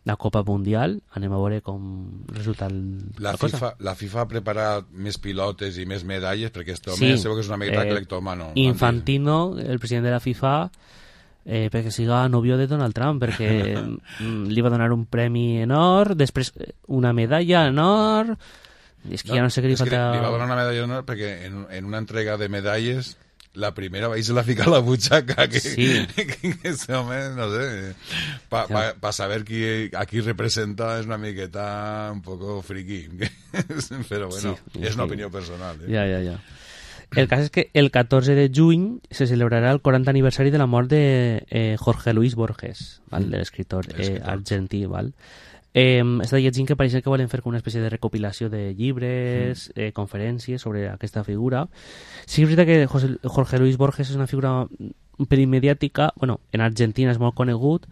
la Copa Mundial. Anem a veure com resulta el, la, la cosa. FIFA, la FIFA ha preparat més pilotes i més medalles perquè aquest home sí, segur que és una miqueta eh, cleptomano. Infantino, el president de la FIFA, eh, perquè siga novio de Donald Trump, perquè li va donar un premi en or, després una medalla en or... És que no, ja no sé què li falta... Li va donar una medalla d'honor perquè en, en una entrega de medalles la primera va i se la fica a la butxaca que, sí. que, que ese home, no sé, para pa, pa saber qui, a qui representa és una miqueta un poco friki. Però bueno, sí, és una opinió personal. Eh? Ja, ja, ja. El cas és que el catorze de juny se celebrarà el quaranta aniversari de la mort de eh, Jorge Luis Borges, val? De l'escriptor eh, argentí, val? Eh, està llegint que pareix que volen fer una espècie de recopilació de llibres, mm. eh, conferències sobre aquesta figura. Sí que és veritat que José, Jorge Luis Borges és una figura un pelín mediàtica, bueno, en Argentina és molt conegut,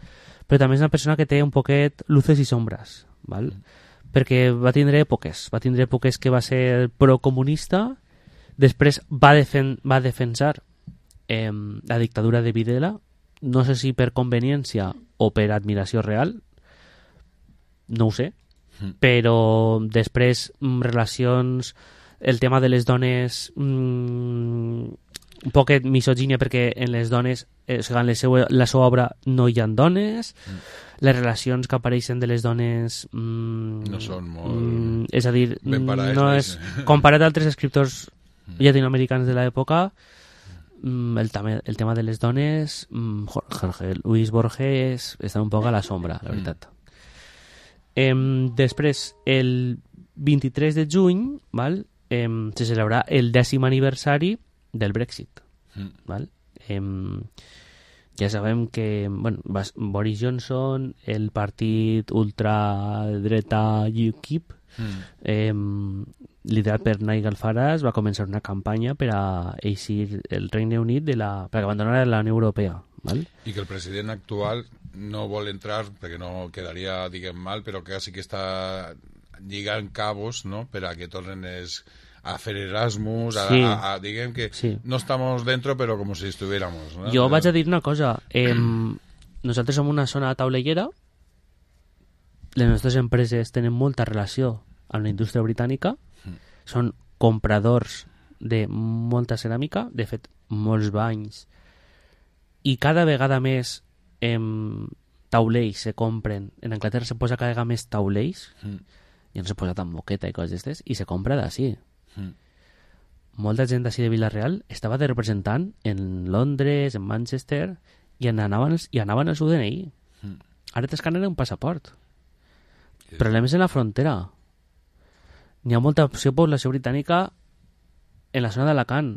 però també és una persona que té un poquet luces i sombres, val? Mm. Perquè va tindre èpoques, va tindre èpoques que va ser procomunista, després va, defen va defensar eh, la dictadura de Videla, no sé si per conveniència o per admiració real, no ho sé, mm. però després mm, relacions, el tema de les dones, mm, un poquet misogínia perquè en les dones, eh, segons la seva, la seva obra no hi ha dones, mm. les relacions que apareixen de les dones mm, no són molt... Mm, és a dir, parades, no és, comparat a altres escriptors mm. llatinoamericans de l'època, mm, el, tema, el tema de les dones, mm, Jorge Luis Borges està un poc a la sombra, la veritat. Mm. Eh, després, el vint-i-tres de juny, val, eh, se celebrarà el dècim aniversari del Brexit. Mm. Val? Eh, ja sabem que bueno, Boris Johnson, el partit ultradreta U KIP, mm. eh, liderat per Nigel Farage, va començar una campanya per a eixir el Regne Unit de la, per abandonar la Unió Europea. Val? I que el president actual no vol entrar perquè no quedaria, diguem, mal, però que sí que està lligant cabos, no?, per a que tornen es, a fer Erasmus, a, sí. a, a, diguem que sí. No estamos dentro, però com si estuviéramos, ¿no? Jo vaig a dir una cosa, eh, nosaltres som una zona taulellera, les nostres empreses tenen molta relació amb la indústria britànica, mm. són compradors de molta ceràmica, de fet, molts banys, i cada vegada més em, taulells se compren. En Anglaterra se posa cada vegada més taulells, mm. ja no se posa tan moqueta i coses d'estes, i se compra d'ací. Mm. Molta gent d'ací de Vila-real estava de representant en Londres, en Manchester, i anaven, i anaven al seu D N I. Mm. Ara t'escaneren un passaport. Sí. Problemes en la frontera. N'hi ha molta opció població britànica en la zona d'Alacant.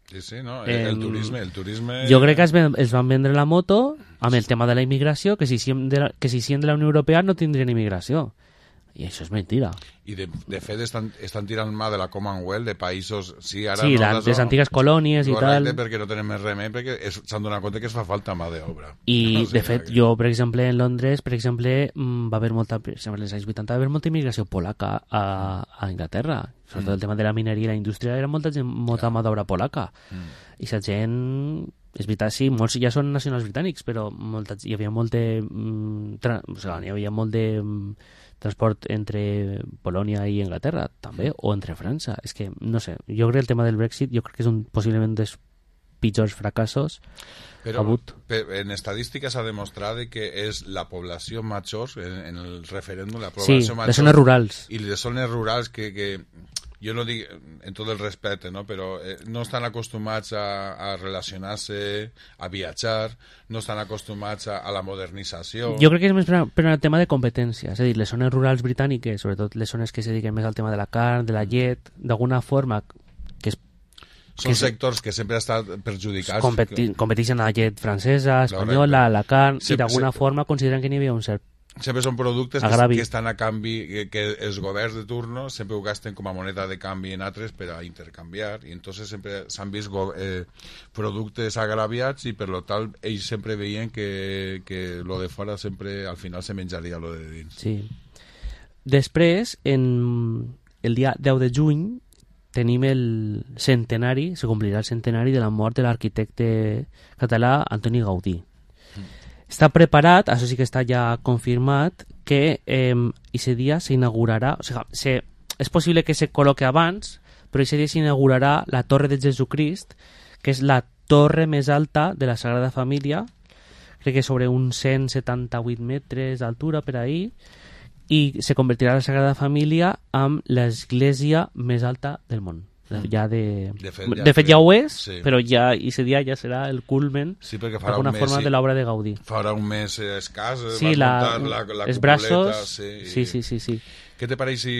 Sí, sí, no? El, el turisme, el turisme... Jo crec que es, es van vendre la moto amb el tema de la immigració, que si siguem de la, que si siguem de la Unió Europea no tindrien immigració. I això és mentira. I de, de fet estan, estan tirant mà de la Commonwealth, de països... Sí, ara sí no, la, les, les antigues colònies i tal. Perquè no tenen més remei, perquè s'han donat compte que es fa falta mà d'obra. I, no, de sí, fet, que... jo, per exemple, en Londres, per exemple, va haver molta... Per exemple, als anys vuitanta va haver molta immigració polaca a, a Inglaterra. Sobretot mm. el tema de la mineria i la indústria era molta, gent, molta mà d'obra polaca. Mm. I la gent és veritat, sí, molts ja són nacionals britànics, però molta, hi havia molt de... Mm, tra, o sigui, hi havia molt de mm, transport entre Polònia i Anglaterra, també, o entre França. És que, no sé, jo crec que el tema del Brexit, jo crec que és un, possiblement un dels pitjors fracassos Però en estadística s'ha demostrat que és la població major, en, en el referèndum, la població sí, major... les zones rurals. I les zones rurals que, que jo no dic en tot el respecte, no? Però eh, no estan acostumats a, a relacionar-se, a viatjar, no estan acostumats a, a la modernització... Jo crec que és més per, per el tema de competència, és a dir, les zones rurals britàniques, sobretot les zones que se dediquen més al tema de la carn, de la llet, d'alguna forma... que és Són que sectors que sempre han estat perjudicats. Competi competeixen a la llet francesa, espanyola, la carn, sempre, i d'alguna forma consideren que n'hi havia un cert sempre són productes que, que estan a canvi, que, que els governs de turno sempre ho gasten com a moneda de canvi en altres per a intercanviar, i entonces sempre s'han vist eh, productes agraviats, i per lo tal ells sempre veien que, que lo de fora sempre al final se menjaria lo de dins. Sí. Després, en el dia deu de juny, tenim el centenari, se complirà el centenari de la mort de l'arquitecte català Antoni Gaudí. Està preparat, això sí que està ja confirmat, que eh, ese dia s'inaugurarà, o sigui, se, és possible que se col·loque abans, però ese dia s'inaugurarà la Torre de Jesucrist, que és la torre més alta de la Sagrada Família, crec que sobre uns cent setanta-vuit metres d'altura per ahí, i se convertirà la Sagrada Família en l'església més alta del món. Ja de... De fet, ja, de fet ja ho és, sí. Però ja ese dia ja serà el culmen sí, d'alguna forma de l'obra de Gaudí. Farà un mes escàs, sí, la, la, la els braços, sí, sí, sí, sí, sí. Què te pareix si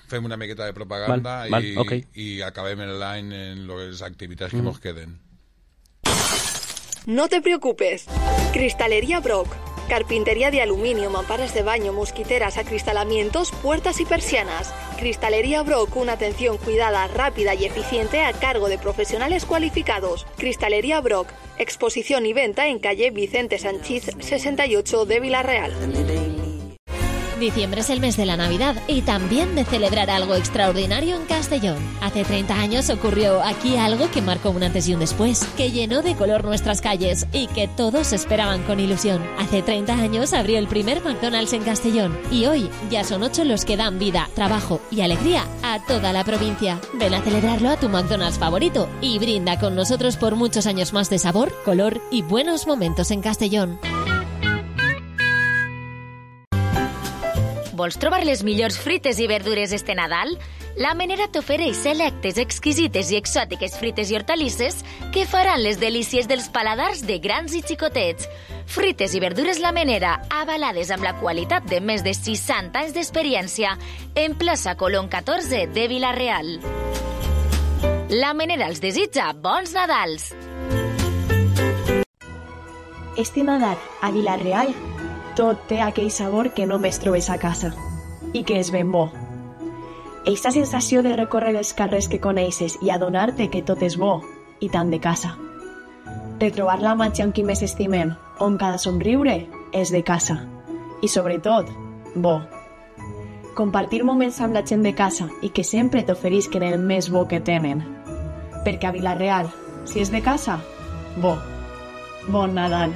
fem una miqueta de propaganda val, val, i, okay. i acabem l'any en les activitats que mm. nos queden? No te preocupes. Cristalería Brock. Carpintería de aluminio, mamparas de baño, mosquiteras, acristalamientos, puertas y persianas. Cristalería Brock, una atención cuidada, rápida y eficiente a cargo de profesionales cualificados. Cristalería Brock, exposición y venta en calle Vicente Sanchís sesenta y ocho de Villarreal. Diciembre es el mes de la Navidad y también de celebrar algo extraordinario en Castellón. Hace treinta años ocurrió aquí algo que marcó un antes y un después, que llenó de color nuestras calles y que todos esperaban con ilusión. Hace treinta años abrió el primer McDonald's en Castellón y hoy ya son ocho los que dan vida, trabajo y alegría a toda la provincia. Ven a celebrarlo a tu McDonald's favorito y brinda con nosotros por muchos años más de sabor, color y buenos momentos en Castellón. Vols trobar les millors frites i verdures este Nadal? La Menera t'ofereix selectes, exquisites i exòtiques frites i hortalisses que faran les delícies dels paladars de grans i xicotets. Frites i verdures La Menera, avalades amb la qualitat de més de seixanta anys d'experiència, en plaça Colón catorze de Vila-real. La Menera els desitja bons Nadals! Este Nadal, a Vila-real, tot té aquell sabor que només trobes a casa i que és ben bo. Eixa sensació de recórrer els carrers que coneixes i adonar-te que tot és bo i tant de casa. Retrobar la matxa amb qui més estimem, on cada somriure és de casa i, sobretot, bo. Compartir moments amb la gent de casa i que sempre t'oferisquen el més bo que tenen. Perquè a Vila-real, si és de casa, bo. Bon Nadal.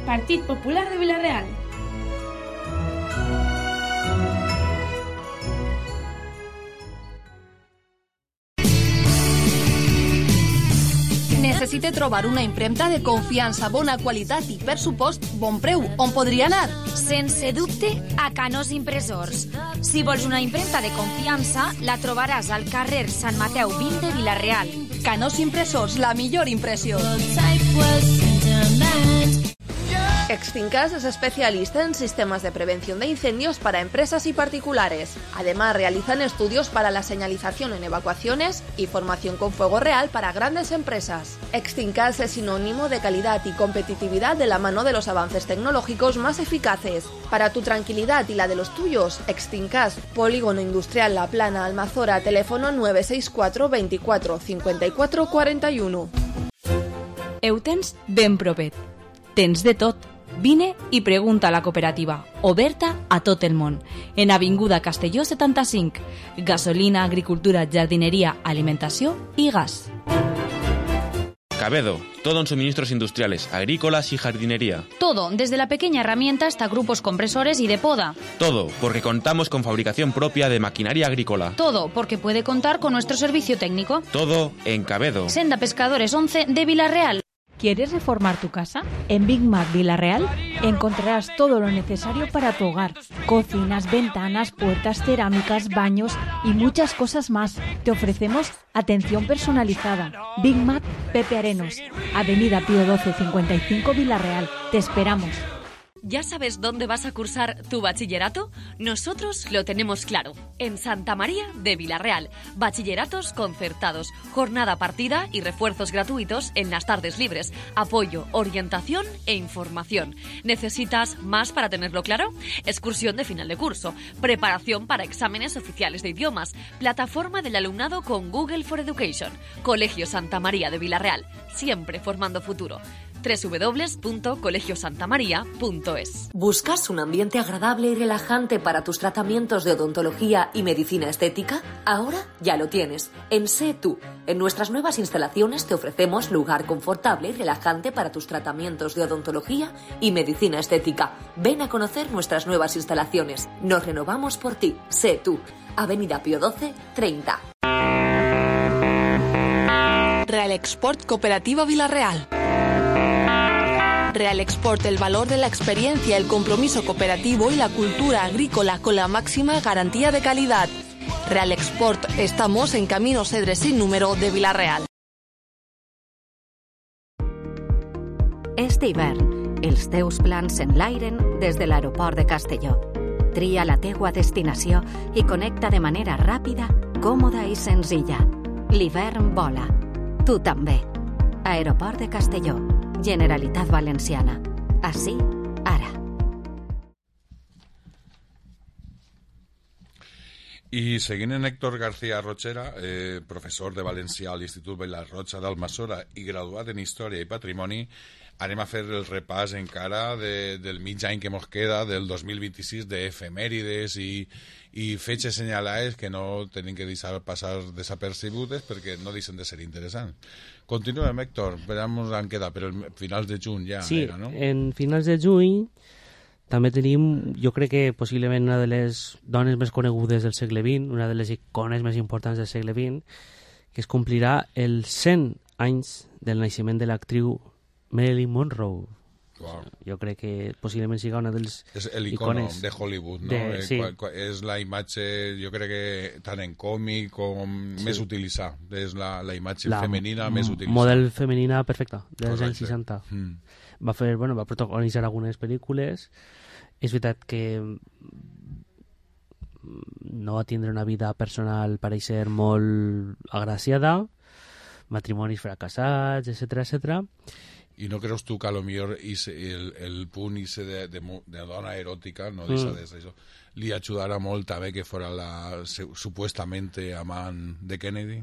Partit Popular de Vila-real. Necessite trobar una impremta de confiança, bona qualitat i, per supost, bon preu. On podria anar? Sense dubte, a Canós Impressors. Si vols una impremta de confiança, la trobaràs al carrer Sant Mateu vint de Vila-real. Canós Impressors, la millor impressió. Extincas es especialista en sistemas de prevención de incendios para empresas y particulares. Además, realizan estudios para la señalización en evacuaciones y formación con fuego real para grandes empresas. Extincas es sinónimo de calidad y competitividad de la mano de los avances tecnológicos más eficaces. Para tu tranquilidad y la de los tuyos, Extincas, Polígono Industrial La Plana, Almazora, teléfono nueve seis cuatro veinticuatro cincuenta y cuatro cuarenta y uno. Eutens ben propet. Tens de tot. Vine i pregunta a la cooperativa, oberta a tot el món, en Avinguda Castelló setanta-cinc. Gasolina, agricultura, jardineria, alimentació i gas. Cabedo, todo en suministros industriales, agrícolas y jardinería. Todo, desde la pequeña herramienta hasta grupos compresores y de poda. Todo, porque contamos con fabricación propia de maquinaria agrícola. Todo, porque puede contar con nuestro servicio técnico. Todo en Cabedo. Senda Pescadores once de Villarreal. ¿Quieres reformar tu casa? En Big Mac Villarreal encontrarás todo lo necesario para tu hogar. Cocinas, ventanas, puertas, cerámicas, baños y muchas cosas más. Te ofrecemos atención personalizada. Big Mac Pepe Arenos, Avenida Pío doce cincuenta y cinco Villarreal. Te esperamos. ¿Ya sabes dónde vas a cursar tu bachillerato? Nosotros lo tenemos claro. En Santa María de Villarreal. Bachilleratos concertados, jornada partida y refuerzos gratuitos en las tardes libres. Apoyo, orientación e información. ¿Necesitas más para tenerlo claro? Excursión de final de curso. Preparación para exámenes oficiales de idiomas. Plataforma del alumnado con Google for Education. Colegio Santa María de Villarreal. Siempre formando futuro. doble u doble u doble u punto colegio santa maría punto es. ¿Buscas un ambiente agradable y relajante para tus tratamientos de odontología y medicina estética? Ahora ya lo tienes. En Sé Tú. En nuestras nuevas instalaciones te ofrecemos lugar confortable y relajante para tus tratamientos de odontología y medicina estética. Ven a conocer nuestras nuevas instalaciones. Nos renovamos por ti. Sé Tú. Avenida Pío doce treinta. Real Export Cooperativa Villarreal. Real Export, el valor de la experiencia, el compromiso cooperativo y la cultura agrícola con la máxima garantía de calidad. Real Export, estamos en Camino Cedre sin número de Villarreal. Este hivern, els teus plans s'enlairen des de l'aeroport de Castelló. Tria la teua destinació i connecta de manera ràpida, còmoda i senzilla. L'hivern vola. Tu també. Aeroport de Castelló. Generalitat Valenciana. Así, ara. I seguint en Héctor García Rochera, eh, professor de Valencià a l'Institut Bella-Rocha d'Almassora i graduat en Història i Patrimoni, anem a fer el repàs encara de, del mig any que mos queda, del dos mil vint-i-sis, d'efemèrides i, i fetges senyalades que no tenim que deixar passar desapercebudes perquè no deixen de ser interessants. Continuem, Héctor, veurem on queda, però a finals de juny ja sí, era, no? En finals de juny també tenim, jo crec que possiblement una de les dones més conegudes del segle vint, una de les icones més importants del segle vint, que es complirà els cent anys del naixement de l'actriu Marilyn Monroe. Wow. Jo crec que possiblement siga una dels és l'icono icones de Hollywood, no? De, sí. Qua, qua, és la imatge, jo crec que tant en còmic com sí. més utilitzada. És la, la imatge la femenina més utilitzada. Model femenina perfecta, dels Correcte. anys seixanta. Mm. Va fer, bueno, va protagonitzar algunes pel·lícules. És veritat que no va tindre una vida personal, pareix ser molt agraciada, matrimonis fracassats, etcètera, etcètera. I no creus tu que a lo millor el, el punt ese de, de, de dona eròtica, no deixa mm. d'això, li ajudarà molt també que fora la supuestamente amant de Kennedy?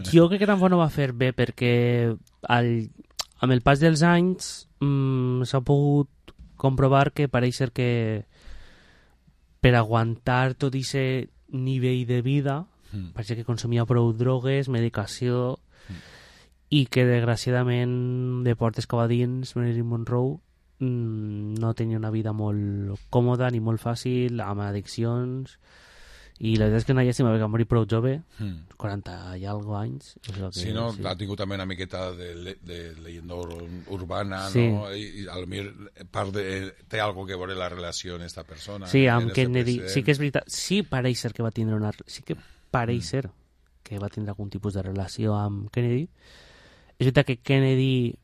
Jo crec que tampoc no va fer bé perquè al, amb el pas dels anys mmm, s'ha pogut comprovar que pareix ser que per aguantar tot aquest nivell de vida mm. pareix que consumia prou drogues, medicació mm. i que desgraciadament de portes cap a dins Marilyn Monroe mmm, no tenia una vida molt còmoda ni molt fàcil, amb addiccions, i la veritat és que una llàstima perquè va morir prou jove, mm. quaranta i algo anys. És que, sí, no? Sí. Ha tingut també una miqueta de, de leyenda urbana, sí. no? I, i a lo millor part de, té algo que veure la relació amb esta persona. Sí, amb Kennedy. Sí que és veritat. Sí pareix ser que va tindre una... Sí que pareix mm. ser que va tindre algun tipus de relació amb Kennedy. És veritat que Kennedy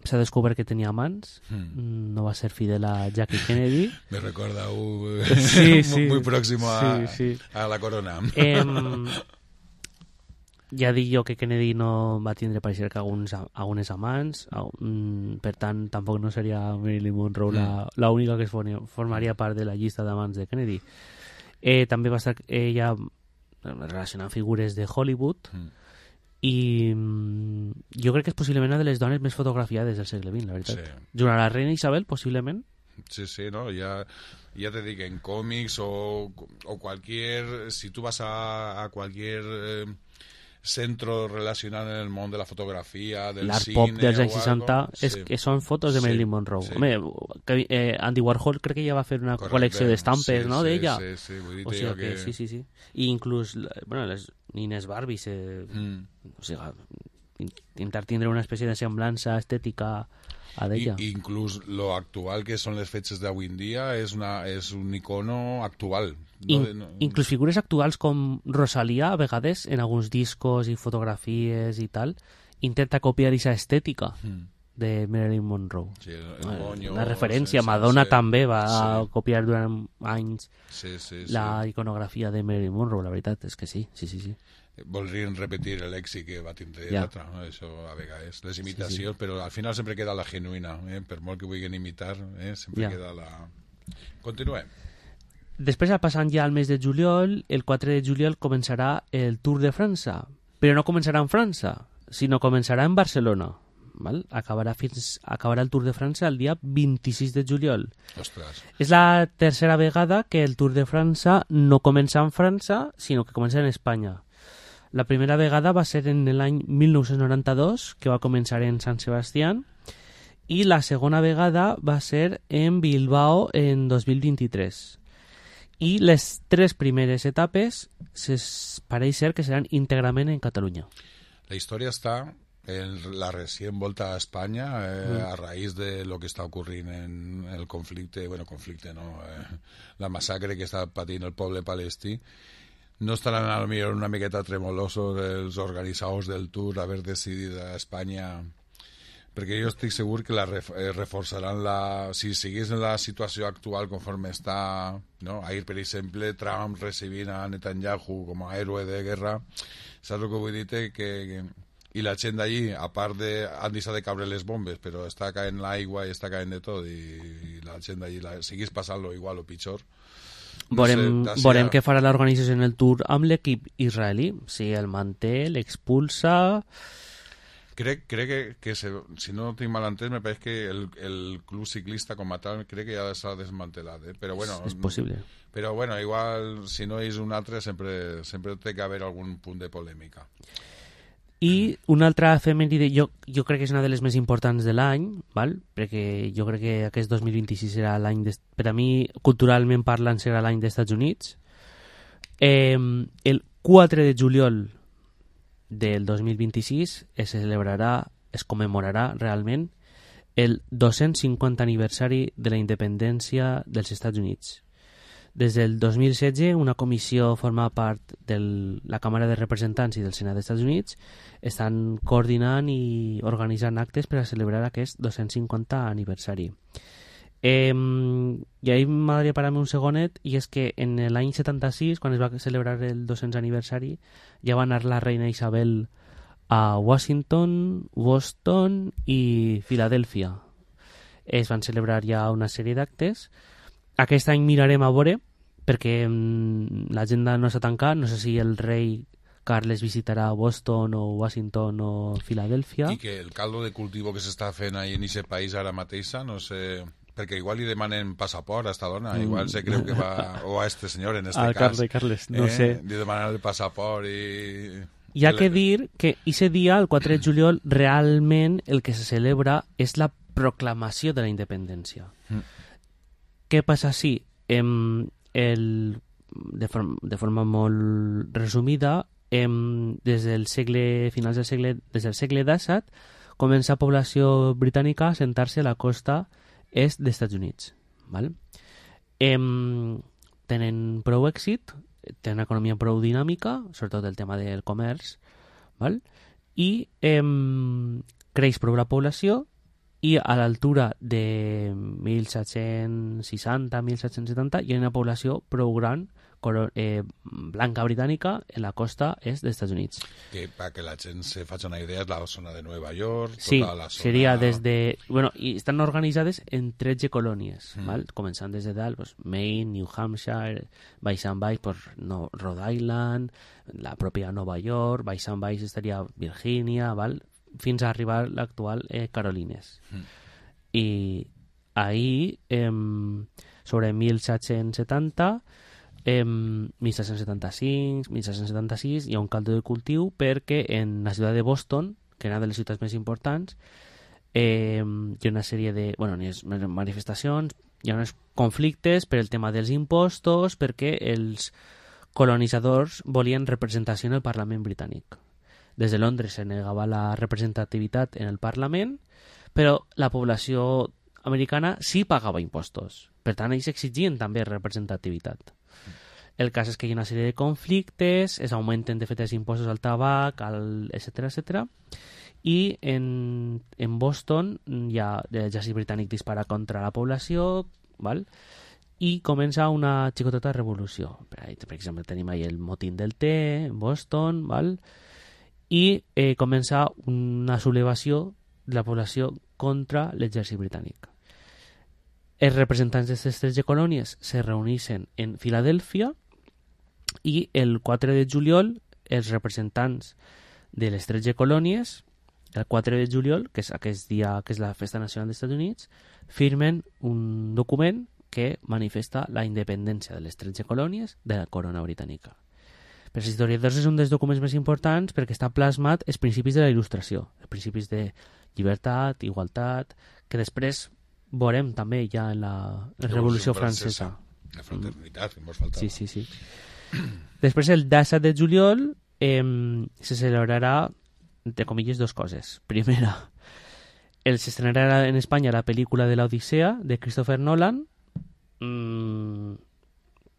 s'ha descobert que tenia amants, mm. no va ser fidel a Jackie Kennedy. Me recorda uh, sí, sí, muy próximo a, sí, sí. a la corona. Eh, ja dic jo que Kennedy no va tindre pareixer que alguns, algunes amants, per tant tampoc no seria Marilyn Monroe mm. la única que es formaria part de la llista d'amants de Kennedy. Eh, també va estar ella relacionant figures de Hollywood, mm. i mm, jo crec que és possiblement una de les dones més fotografiades del segle vint, la veritat. Sí. Junt a la reina Isabel, possiblement. Sí, sí, no, ya, ya te digo, en cómics o, o cualquier, si tú vas a, a cualquier eh, centro relacionat en el món de la fotografia, del l'art cine... pop dels anys seixanta és, sí. que són fotos de Marilyn Sí, Monroe. sí. Home, que, eh, Andy Warhol crec que ja va fer una Correcte. col·lecció d'estampes, Sí, no, sí, d'ella? sí, sí, vull dir O sigui jo que... que- Sí, sí, sí. I inclús, bueno, les nines Barbies, eh, Mm. o sigui, intentar tindre una espècie de semblança estètica a d'ella. I, inclús lo actual que són les fetges d'avui en dia és, una, és un icono actual. In, No, no, inclús figures actuals com Rosalía, a vegades, en alguns discos i fotografies i tal, intenta copiar aquesta estètica Mm. de Marilyn Monroe. Sí, el Eh, moño, una referència. sí, Madonna sí, també va sí. copiar durant anys Sí, sí, sí. la iconografia de Marilyn Monroe, la veritat és que sí, sí, sí, sí. Voldrien repetir l'èxit que va tindre Ja. l'altra, no? Això a vegades, les imitacions, però al final sempre queda la genuïna, eh? Per molt que vulguin imitar, eh? sempre Ja. queda la... Continuem. Després, passant ja al mes de juliol, el quatre de juliol començarà el Tour de França, però no començarà en França, sinó començarà en Barcelona. Val? Acabarà, fins, acabarà el Tour de França el dia vint-i-sis de juliol. Ostres. És la tercera vegada que el Tour de França no comença en França, sinó que comença en Espanya. La primera vegada va ser en l'any mil nou-cents noranta-dos, que va començar en Sant Sebastián, i la segona vegada va ser en Bilbao en dos mil vint-i-tres. I les tres primeres etapes es pareix ser que seran íntegrament en Catalunya. La història està en la recient volta a Espanya eh, Mm. a raïs de lo que està ocorrint en el conflicte, bueno, conflicte no, eh, la massacre que està patint el poble palestí. No estaran a lo millor una miqueta tremolosos els organitzadors del Tour haver decidit a Espanya, perquè jo estic segur que la ref, eh, reforçaran la... Si seguís en la situació actual conforme està, no? Ahir, per exemple, Trump recibint a Netanyahu com a héroe de guerra, saps el que vull dir? Que, que, i la gent d'allí, a part de... han deixat de caure les bombes, però està caent l'aigua i està caent de tot, i, i la gent d'allí la, seguís passant-lo igual o pitjor. No Veurem, sé, veurem ja... què farà l'organització en el Tour amb l'equip israelí. Si el manté, l'expulsa... Crec, crec que, que se, si no tinc mal entès, me pareix que el, el club ciclista com a tal crec que ja s'ha desmantelat, eh? Però bueno... És possible. Però bueno, igual, si no és un altre, sempre, sempre té que haver algun punt de polèmica. I una altra efemèride, jo, jo crec que és una de les més importants de l'any, val? Perquè jo crec que aquest dos mil vint-i-sis serà l'any, de, per a mi, culturalment parlant, serà l'any dels Estats Units. Eh, el quatre de juliol del dos mil vint-i-sis es celebrarà, es commemorarà realment el dos-cents cinquanta aniversari de la independència dels Estats Units. Des del dos mil setze, una comissió formada part de la Càmera de Representants i del Senat dels Estats Units estan coordinant i organitzant actes per a celebrar aquest dos-cents cinquanta aniversari. Eh, I ahir m'agradaria parar-me un segonet, i és que en l'any setanta-sis, quan es va celebrar el dos-cents aniversari, ja va anar la reina Isabel a Washington, Boston i Filadèlfia. Es van celebrar ja una sèrie d'actes. Aquest any mirarem a veure, perquè mm, l'agenda no està tancada, no sé si el rei Carles visitarà Boston o Washington o Filadèlfia. I que el caldo de cultivo que s'està fent ahí en aquest país ara mateixa, no sé... Perquè igual li demanen passaport a esta dona, Mm. igual se creu que va... O a este senyor, en este Al cas. Carles, Carles, no eh? sé. Li demanen el passaport i... Hi ha que dir que ese dia, el quatre de juliol, realment el que se celebra és la proclamació de la independència. Mm. Què passa si, em, el, de, forma, de forma molt resumida, em, des del segle, finals del segle, des del segle disset, comença la població britànica a sentar-se a la costa est dels Estats Units. Val? Em, tenen prou èxit, tenen una economia prou dinàmica, sobretot el tema del comerç, val? I em, creix prou la població, i a l'altura de mil set-cents seixanta a mil set-cents setanta hi ha una població prou gran eh, blanca britànica en la costa est dels Estats Units. Que perquè la gent se faci una idea és la zona de Nova York, tota Sí, la zona... seria des de... Bueno, i estan organitzades en tretze colònies, Mm. val? Començant des de dalt, pues, Maine, New Hampshire, baix en baix, pues, no, Rhode Island, la pròpia Nova York, baix en baix estaria Virgínia, val? Fins a arribar a l'actual eh, Carolines. Mm. I ahir, eh, sobre mil set-cents setanta, eh, disset setanta-cinc, disset setanta-sis hi ha un caldo de cultiu perquè en la ciutat de Boston, que era una de les ciutats més importants, eh, hi ha una sèrie de bueno, manifestacions, hi ha uns conflictes per el tema dels impostos, perquè els colonitzadors volien representació en el Parlament britànic. Des de Londres se negava la representativitat en el Parlament, però la població americana sí pagava impostos. Per tant, ells exigien també representativitat. El cas és que hi ha una sèrie de conflictes, es augmenten de fet els impostos al tabac, al etcètera, etcètera, i en, en Boston hi ha l'exèrcit britànic dispara contra la població, val? I comença una xicoteta revolució. Per, ahí, per exemple, tenim ahí el motín del té en Boston, val? I eh, comença una sublevació de la població contra l'exèrcit britànic. Els representants d'aquestes tretze colònies se reuneixen en Filadèlfia i el quatre de juliol els representants de les tretze colònies, el quatre de juliol, que és aquest dia que és la Festa Nacional dels Estats Units, firmen un document que manifesta la independència de les tretze colònies de la corona britànica. Per als historiadors és un dels documents més importants perquè està plasmat els principis de la il·lustració, els principis de llibertat, igualtat, que després veurem també ja en la Revolució Francesa. La fraternitat, que ens faltava. Sí, sí, sí. Després, el disset de juliol, eh, se celebrarà, entre comilles, dos coses. Primera, el se estrenarà en Espanya la pel·lícula de l'Odissea, de Christopher Nolan. Mm,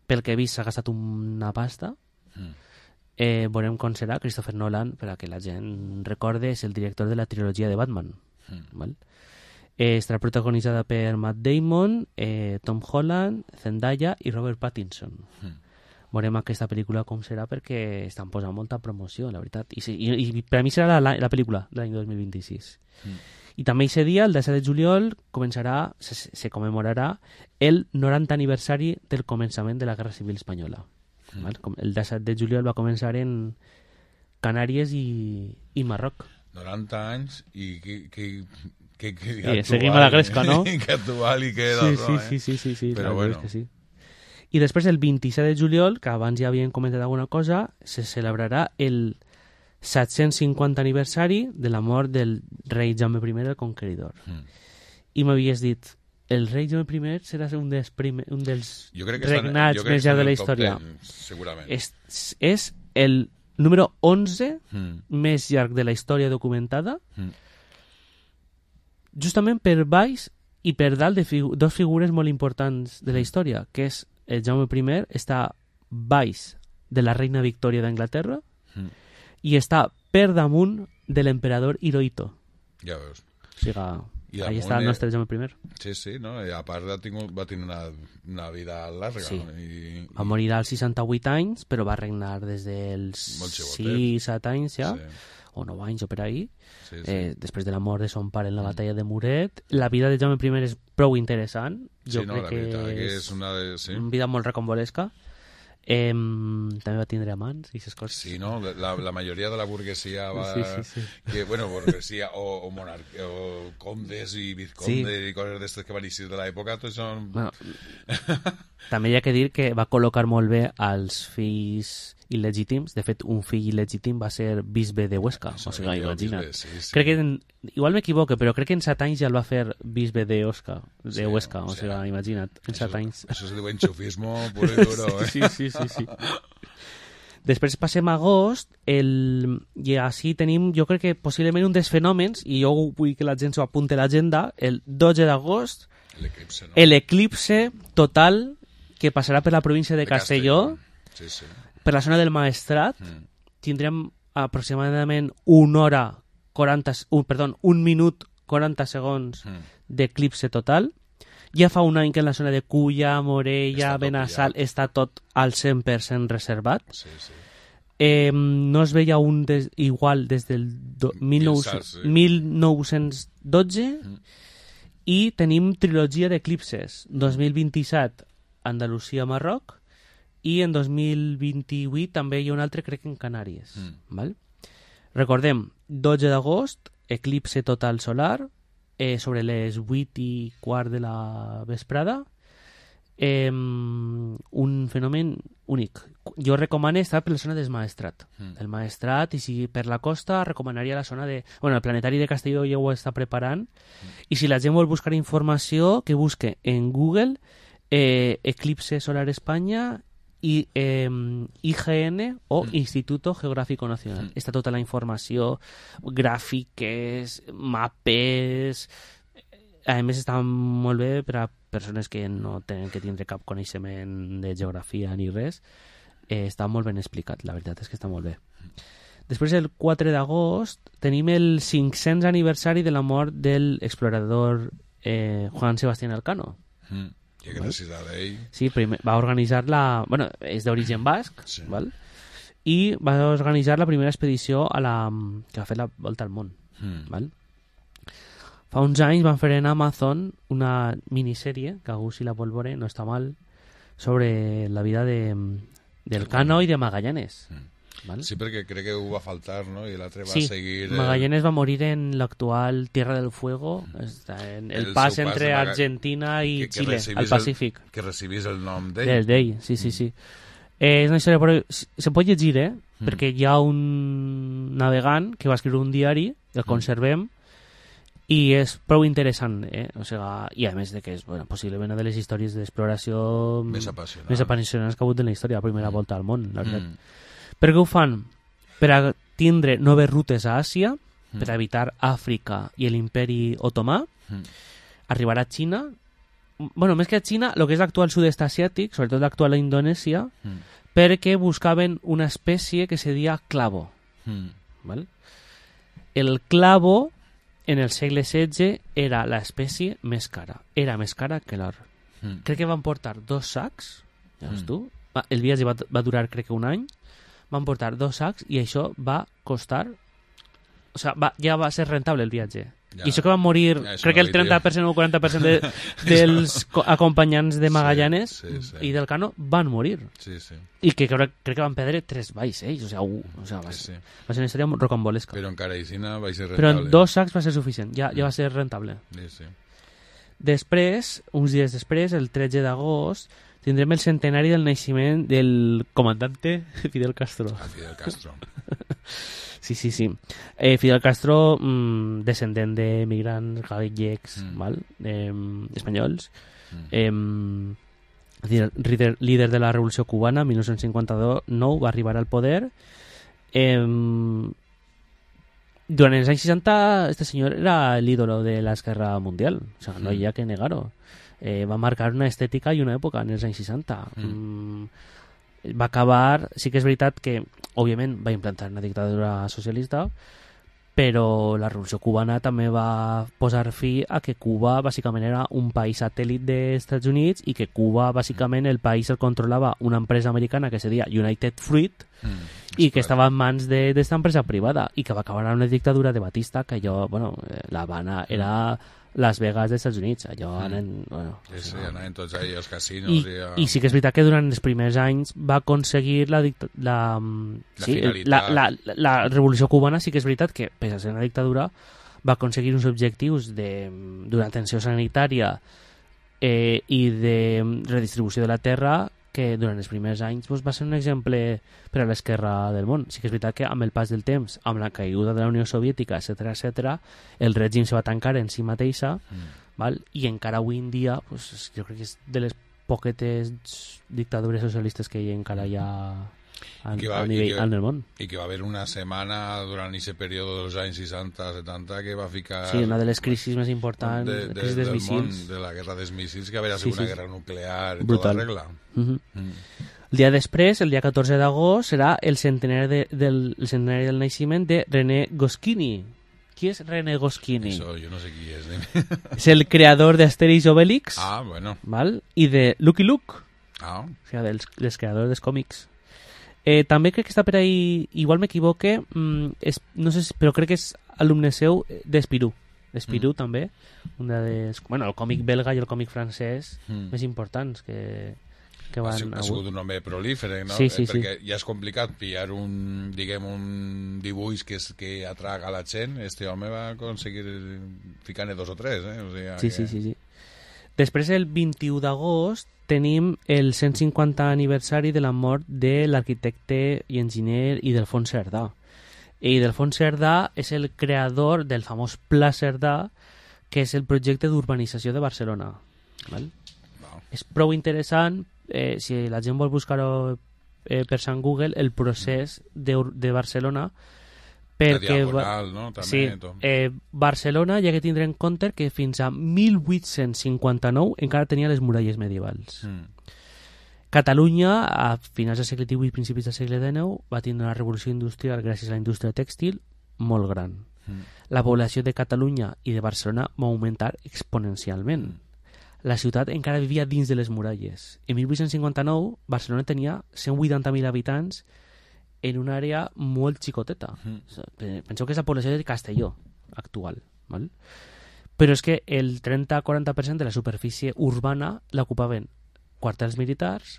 pel que he vist, s'ha gastat una pasta. Mm. Eh, veurem com serà. Christopher Nolan, per a que la gent recorde, és el director de la trilogia de Batman. Mm. Val? Eh, estarà protagonitzada per Matt Damon, eh, Tom Holland, Zendaya i Robert Pattinson. Mm. Veurem aquesta pel·lícula com serà perquè estan posant molta promoció, la veritat. I, i, i per a mi serà la, la pel·lícula de l'any dos mil vint-i-sis. Mm. I també aquest dia, el disset de juliol, començarà, se, se commemorarà el noranta aniversari del començament de la Guerra Civil Espanyola. Mm. Val? El disset de juliol va començar en Canàries i, i Marroc. noranta anys i que... que... Que, que eh, actual, seguim a la gresca, no? Que actual i que... Sí, no, sí, eh? sí, sí, sí, sí, però bueno. Que sí. I després, el vint-i-set de juliol, que abans ja havien comentat alguna cosa, se celebrarà el set-cents cinquanta aniversari de la mort del rei Jaume I el Conqueridor. Mm. I m'havies dit, el rei Jaume I serà un dels, primer, un dels regnats més llargs de la història. ten, segurament. És, és el número onze mm. més llarg de la història documentada, mm. justament per baix i per dalt de figu dos figures molt importants de la història, que és el Jaume I, està baix de la reina Victòria d'Anglaterra mm. i està per damunt de l'emperador Hirohito. Ja veus. O sigui, ahí està el nostre Jaume I. Sí, sí, no? I a part ha tingut, va tenir una, una vida llarga. Sí. No? I, va morir als seixanta-vuit anys, però va regnar des dels sis set anys ja. Sí. O nou anys o per ahí, sí, sí. Eh, després de la mort de son pare en la batalla de Muret. La vida de Jaume I és prou interessant. Jo sí, no, crec la que, que és una, de, sí. una vida molt recombolesca. Eh, també va tindre amants i aquestes coses. Sí, no? La, la majoria de la burguesia va... Sí, sí, sí. Que, bueno, burguesia o, o, monarc... o condes i vizcondes sí. i coses d'estes que van eixir de l'època, tots són... Bueno, també hi ha que dir que va col·locar molt bé als fills il·legítims. De fet, un fill il·legítim va ser bisbe de Huesca. O sigui, imagina't. Bisbe, sí, sí. Crec que, en, igual m'equivoque, però crec que en set anys ja el va fer bisbe de Huesca. De sí, Huesca, o, o sigui, imagina't, en set anys. Això se diu enxufismo puro i duro, eh? Sí, sí, sí, sí. Després passem a agost, el... i així tenim, jo crec que possiblement un dels fenòmens, i jo vull que la gent s'ho apunti a l'agenda, el dotze d'agost, l'eclipse, no? l'eclipse total que passarà per la província de, de Castelló, Castelló. Sí, sí. Per la zona del Maestrat. Mm. Tindrem aproximadament una hora quaranta, un, perdó, un minut quaranta segons mm. d'eclipse total. Ja fa un any que en la zona de Culla, Morella, Benassal està tot al cent per cent reservat. Sí, sí. Eh, no es veia un des, igual des del do, mil nou-cents dotze mm. i tenim trilogia d'eclipses. dos mil vint-i-set Andalusia, Marroc, i en dos mil vint-i-vuit també hi ha un altre, crec que en Canàries. Mm. Val? Recordem, dotze d'agost, eclipse total solar, eh, sobre les vuit i quart de la vesprada. eh, un fenomen únic. Jo recomano estar per la zona del Maestrat. Mm. El Maestrat, i si per la costa, recomanaria la zona de... Bueno, el Planetari de Castelló ja ho està preparant, mm. i si la gent vol buscar informació, que busque en Google eh, Eclipse Solar España i eh, I G N o mm. Instituto Geográfico Nacional. Mm. Està tota la informació, gràfiques, mapes... A més, està molt bé per a persones que no tenen que tindre cap coneixement de geografia ni res. Eh, està molt ben explicat, la veritat és que està molt bé. Després, el quatre d'agost, tenim el cinc-cents aniversari de la mort del explorador eh, Juan Sebastián Elcano. Mm. I gràcies a ell. Sí, primer, va organitzar la... Bueno, és d'origen basc, sí. Val? I va organitzar la primera expedició a la... que va fer la volta al món. Mm. Val? Fa uns anys van fer en Amazon una minissèrie, que algú si la vol veure, no està mal, sobre la vida de, del Cano i de Magallanes. Mm. Val? Sí, perquè crec que ho va faltar, no? I l'altre va sí, seguir... Sí, Magallanes va morir en l'actual Tierra del Fuego, està en el, el pas entre pas Argentina i que, que Xile, al Pacífic. El, que recibís el nom d'ell. Del d'ell, sí, sí, sí. Mm. Eh, és una història, però se pot llegir, eh? Mm. Perquè hi ha un navegant que va escriure un diari, el conservem, mm. i és prou interessant, eh? O sigui, i a més de que és bueno, possiblement una de les històries d'exploració més apassionants més apassionants que ha hagut en la història, la primera mm. volta al món, la veritat. Mm. Per què ho fan? Per a tindre noves rutes a Àsia, mm. per a evitar Àfrica i l'imperi otomà, mm. arribar a Xina, bueno, més que a Xina, el que és l'actual sud-est asiàtic, sobretot l'actual Indonèsia, mm. perquè buscaven una espècie que se deia clavo. Mm. Val? El clavo en el segle setze era l'espècie més cara. Era més cara que l'or. Mm. Crec que van portar dos sacs, ja veus mm. tu, el viatge va, va durar crec que un any, van portar dos sacs i això va costar... O sigui, va, ja va ser rentable el viatge. Ja. I això que van morir, ja, crec que el trenta per cent o quaranta per cent de, dels acompanyants de Magallanes sí, sí, sí. i del Cano van morir. Sí, sí. I que crec, crec que van perdre tres vaixells. O sigui, uh, o sigui va, sí, sí. va ser una història rocambolesca. Però encara Isina va ser rentable. Però en dos sacs va ser suficient, ja, ja va ser rentable. Sí, sí. Després, uns dies després, el tretze d'agost, tindrem el centenari del naixement del comandante Fidel Castro. Ah, Fidel Castro. Sí, sí, sí. Eh, Fidel Castro, mmm, descendent de migrants gallecs, mm. val? Eh, espanyols, mm. eh, líder, líder de la Revolució Cubana, mil nou-cents cinquanta-nou, va arribar al poder. Eh, durant els anys seixanta, este senyor era l'ídolo de l'esquerra mundial. O sigui, no hi ha que negar-ho. Eh, va marcar una estètica i una època en els anys seixanta. Mm. Mm, va acabar, sí que és veritat que òbviament va implantar una dictadura socialista, però la Revolució Cubana també va posar fi a que Cuba bàsicament era un país satèl·lit dels Estats Units i que Cuba bàsicament el país el controlava una empresa americana que se deia United Fruit mm, i que estava en mans d'esta empresa privada i que va acabar en una dictadura de Batista que allò, bueno, la Habana era Las Vegas dels Estats Units, allò mm. anen, bueno, sí, sí, anaven tots ahí als casinos i, i, a... i sí que és veritat que durant els primers anys va aconseguir la, la, la, sí, la, la, la revolució cubana, sí que és veritat que pese a ser una dictadura va aconseguir uns objectius d'una atenció sanitària eh, i de redistribució de la terra que durant els primers anys doncs, va ser un exemple per a l'esquerra del món. Sí que és veritat que amb el pas del temps, amb la caiguda de la Unió Soviètica, etcètera, etcètera, el règim se va tancar en si mateixa, mm. val? I encara avui en dia doncs, jo crec que és de les poquetes dictadures socialistes que hi encara hi ha a, va, a nivell que, en el món. I que va haver una setmana durant aquest període dels anys seixanta setanta que va ficar... Sí, una de les crisis més importants, de, de, crisis dels missils. Món, de la guerra dels míssils, que va haver sí, una sí. guerra nuclear i brutal. Tota regla. Uh-huh. Mm. El dia després, el dia catorze d'agost, serà el centenari, de, del, el centenari del naixement de René Goscinny. Qui és René Goscinny? Eso, jo no sé qui és. Eh? És el creador d'Asterix i Obelix. Ah, bueno. Val? I de Lucky Luke. Ah. O sigui, dels, dels creadors dels còmics. Eh, també crec que està per ahí, igual m'equivoque, mm, és, no sé, però crec que és alumne seu d'Espirú. D'Espirú mm. també. Una des, bueno, el còmic belga i el còmic francès mm. més importants que, que van... Ha sigut un home prolífer, no? Sí, sí, eh, perquè sí. ja és complicat pillar un, diguem, un dibuix que, és, que atraga a la gent. Este home va aconseguir ficar-ne dos o tres, eh? O sigui, sí, que... sí, sí, sí. Després, el vint-i-u d'agost, tenim el cent cinquanta aniversari de la mort de l'arquitecte i enginyer Ildefonso Cerdà. I Ildefonso Cerdà és el creador del famós Pla Cerdà, que és el projecte d'urbanització de Barcelona. Val? Wow. És prou interessant, eh, si la gent vol buscar-ho eh, per Sant Google, el procés de, de Barcelona, perquè la diagonal, no? També, sí, eh, Barcelona hi ha que tindre en compte que fins a mil vuit-cents cinquanta-nou encara tenia les muralles medievals. Mm. Catalunya, a finals del segle divuit i principis del segle dinou, va tindre una revolució industrial gràcies a la indústria tèxtil molt gran. Mm. La població de Catalunya i de Barcelona va augmentar exponencialment. Mm. La ciutat encara vivia dins de les muralles. En mil vuit-cents cinquanta-nou, Barcelona tenia cent vuitanta mil habitants en una àrea molt xicoteta. Mm. Penseu que és la població de Castelló actual. Val? Però és que el trenta a quaranta per cent de la superfície urbana l'ocupaven quartels militars,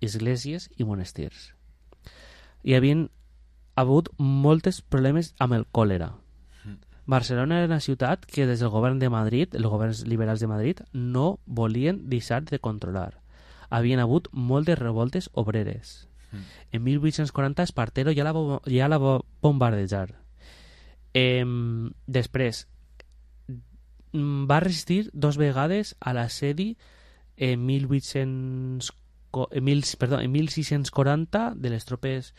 esglésies i monestirs. Hi havia hagut molts problemes amb el còlera. Mm. Barcelona era una ciutat que des del govern de Madrid, els governs liberals de Madrid, no volien deixar de controlar. Havien hagut moltes revoltes obreres. En mil vuit-cents quaranta Espartero ja la, ja la va bombardejar. Eh, després va resistir dos vegades a l'assedi en mil vuit-cents mil, perdó, en mil sis-cents quaranta de les tropes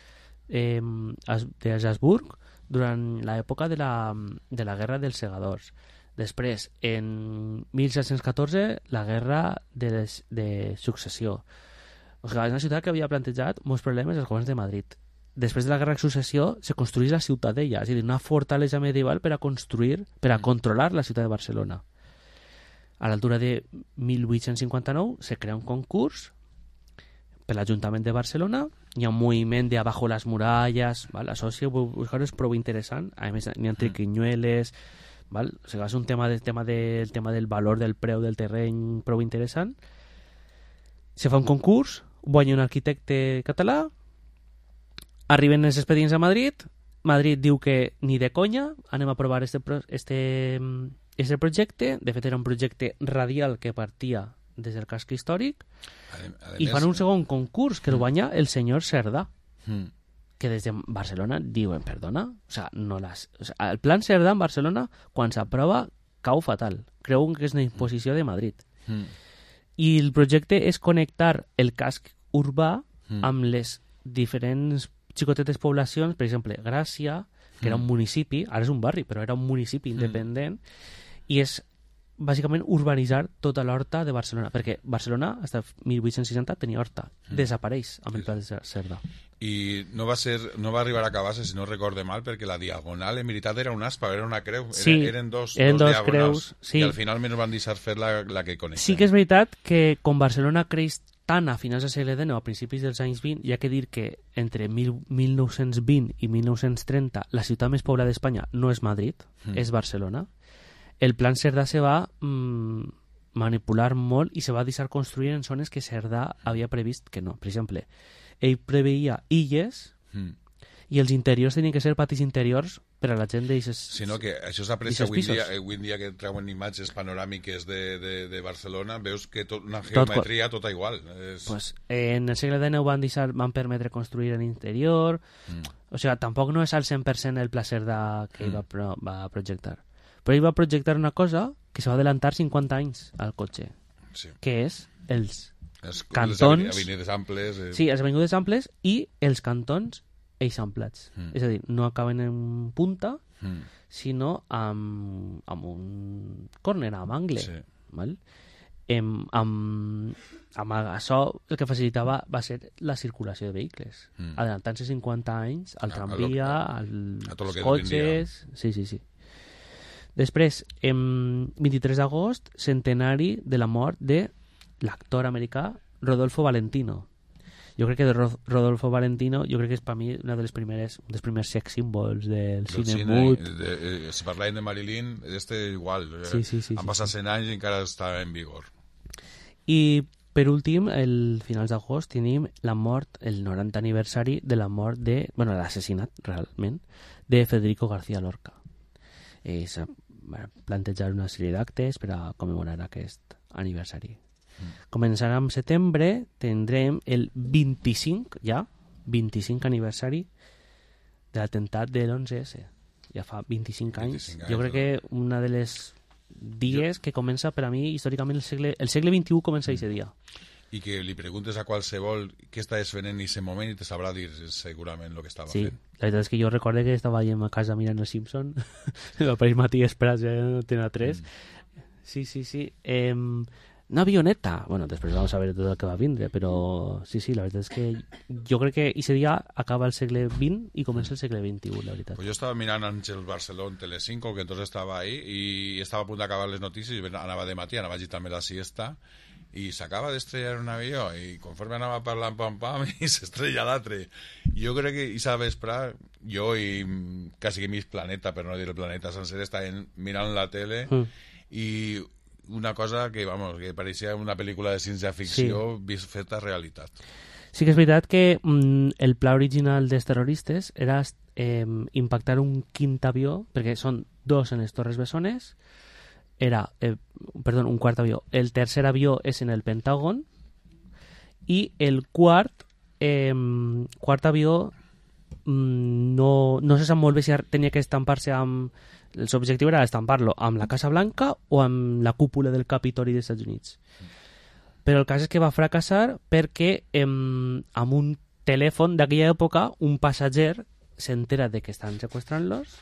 eh, de Habsburg durant l'època de la, de la guerra dels segadors. Després, en mil set-cents catorze, la guerra de, les, de successió. O sigui, és una ciutat que havia plantejat molts problemes als governs de Madrid. Després de la guerra de successió se construís la ciutadella, és a dir, una fortalesa medieval per a construir, per a controlar la ciutat de Barcelona. A l'altura de mil vuit-cents cinquanta-nou se crea un concurs per l'Ajuntament de Barcelona, hi ha un moviment de abajo les muralles, val? Això si ho buscar és prou interessant, a més n'hi ha triquinyueles, val? O sigui, és un tema, de, tema, de, el tema del valor del preu del terreny prou interessant. Se fa un concurs, guanya un arquitecte català, arriben els expedients a Madrid, Madrid diu que ni de conya, anem a aprovar este, este, este projecte, de fet era un projecte radial que partia des del casc històric, a, a i fan un segon concurs que el guanya el senyor Cerdà, mm. que des de Barcelona diuen, perdona, o sea, no las, o sea, el plan Cerdà en Barcelona, quan s'aprova, cau fatal. Creuen que és una imposició de Madrid. Mm. I el projecte és connectar el casc urbà mm. amb les diferents xicotetes poblacions, per exemple, Gràcia, que era un municipi, ara és un barri, però era un municipi independent, mm. i és bàsicament urbanitzar tota l'horta de Barcelona, perquè Barcelona, fins a mil vuit-cents seixanta, tenia horta. Mm. Desapareix amb el pla de Cerdà. I no va ser, no va arribar a acabar-se, si no recorde mal, perquè la diagonal en veritat era un aspa, era una creu. Sí, eren, eren dos, eren dos, dos diagonals. Creus, sí. I al final menos van deixar fer la, la que coneixem. Sí que és veritat que com Barcelona creix tant a finals del segle dinou, a principis dels anys vint, hi ha que dir que entre mil nou-cents vint i mil nou-cents trenta la ciutat més poblada d'Espanya no és Madrid, mm. és Barcelona. El plan Cerdà se va mmm, manipular molt i se va deixar construir en zones que Cerdà havia previst que no. Per exemple, ell preveia illes mm. i els interiors tenien que ser patis interiors per a la gent d'aixes pisos. Sinó que això s'aprecia avui dia, avui dia que treuen imatges panoràmiques de, de, de Barcelona, veus que tot, una geometria tot, tota igual. És... Pues, en el segle dinou van, deixar, van permetre construir en interior, mm. o sigui, tampoc no és al cent per cent el pla Cerdà que ell mm. va, pro, va projectar. Però ell va projectar una cosa que se va adelantar cinquanta anys al cotxe, sí. que és els es, cantons... Les avenides amples... Eh... Sí, les avenides amples i els cantons eixamplats. Mm. És a dir, no acaben en punta, mm. sinó amb, amb un córner, amb angle. Sí. Val? Em, amb, amb això el que facilitava va ser la circulació de vehicles. Mm. Adelantant-se cinquanta anys al tramvia, als cotxes... Sí, sí, sí. Després, en vint-i-tres d'agost, centenari de la mort de l'actor americà Rodolfo Valentino. Jo crec que de Rodolfo Valentino, jo crec que és per mi una de les primeres, un dels primers sex símbols del, del cine, cine mut. De, eh, si parlàvem de Marilyn, este igual. Sí, sí, sí, han passat cent anys i encara està en vigor. I per últim, el finals d'agost tenim la mort, el noranta aniversari de la mort de, bueno, l'assassinat realment, de Federico García Lorca. Eh, s'ha plantejat una sèrie d'actes per a commemorar aquest aniversari. Començant amb setembre, tindrem el vint-i-cinc, ja, vint-i-cinc aniversari de l'atemptat de l'onze esse. Ja fa vint-i-cinc anys. vint-i-cinc anys, jo crec que una de les dies que comença per a mi històricament el segle, el segle vint-i-u comença aquest dia. I que li preguntes a qualsevol què estaves fent en aquest moment i te sabrà dir segurament el que estava sí, fent. La veritat és que jo recorde que estava allà a casa mirant els Simpson el parell matí esperat ja no tenia tres. Mm. Sí, sí, sí. Eh, una avioneta. Bueno, després vam saber tot el que va vindre, però sí, sí, la veritat és que jo crec que aquest dia acaba el segle vint i comença el segle vint-i-u, la veritat. Pues jo estava mirant Àngel Barcelona Telecinco, que entonces estava ahí, i estava a punt d'acabar les notícies, i anava de matí, anava allí també la siesta, i s'acaba d'estrellar un avió, i conforme anava parlant pam pam, i s'estrella l'altre. Jo crec que aquesta vespre, jo i quasi que mig planeta, per no dir el planeta sencer, estaven mirant la tele, mm. i una cosa que, vamos, que pareixia una pel·lícula de ciència-ficció sí. feta realitat. Sí que és veritat que mm, el pla original dels terroristes era eh, impactar un quint avió, perquè són dos en les Torres Bessones, era, eh, perdó, un quart avió. El tercer avió és en el Pentàgon i el quart eh, quart avió mm, no, no se sap molt bé si tenia que estampar-se amb... El seu objectiu era estampar-lo amb la Casa Blanca o amb la cúpula del Capitoli dels Estats Units. Però el cas és que va fracassar perquè eh, amb un telèfon d'aquella època un passatger s'entera de que estan seqüestrant-los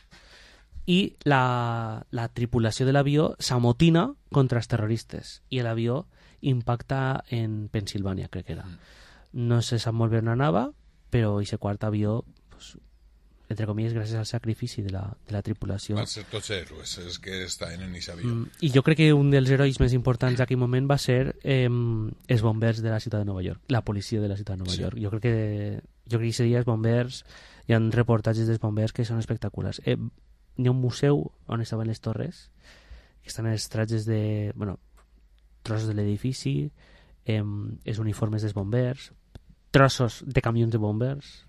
i la, la tripulació de l'avió s'amotina contra els terroristes i l'avió impacta en Pensilvània, crec que era. No se sap molt bé on anava, però aquest quart avió, pues, entre comilles, gràcies al sacrifici de la, de la tripulació. Van ser tots héroes, és que estaven en aquest avió. Mm, I jo crec que un dels herois més importants d'aquell moment va ser eh, els bombers de la ciutat de Nova York, la policia de la ciutat de Nova sí. York. Jo crec que jo crec que aquest dia els bombers, hi ha reportatges dels bombers que són espectaculars. Eh, hi ha un museu on estaven les torres, que estan els tratges de... bueno, trossos de l'edifici, eh, els uniformes dels bombers, trossos de camions de bombers...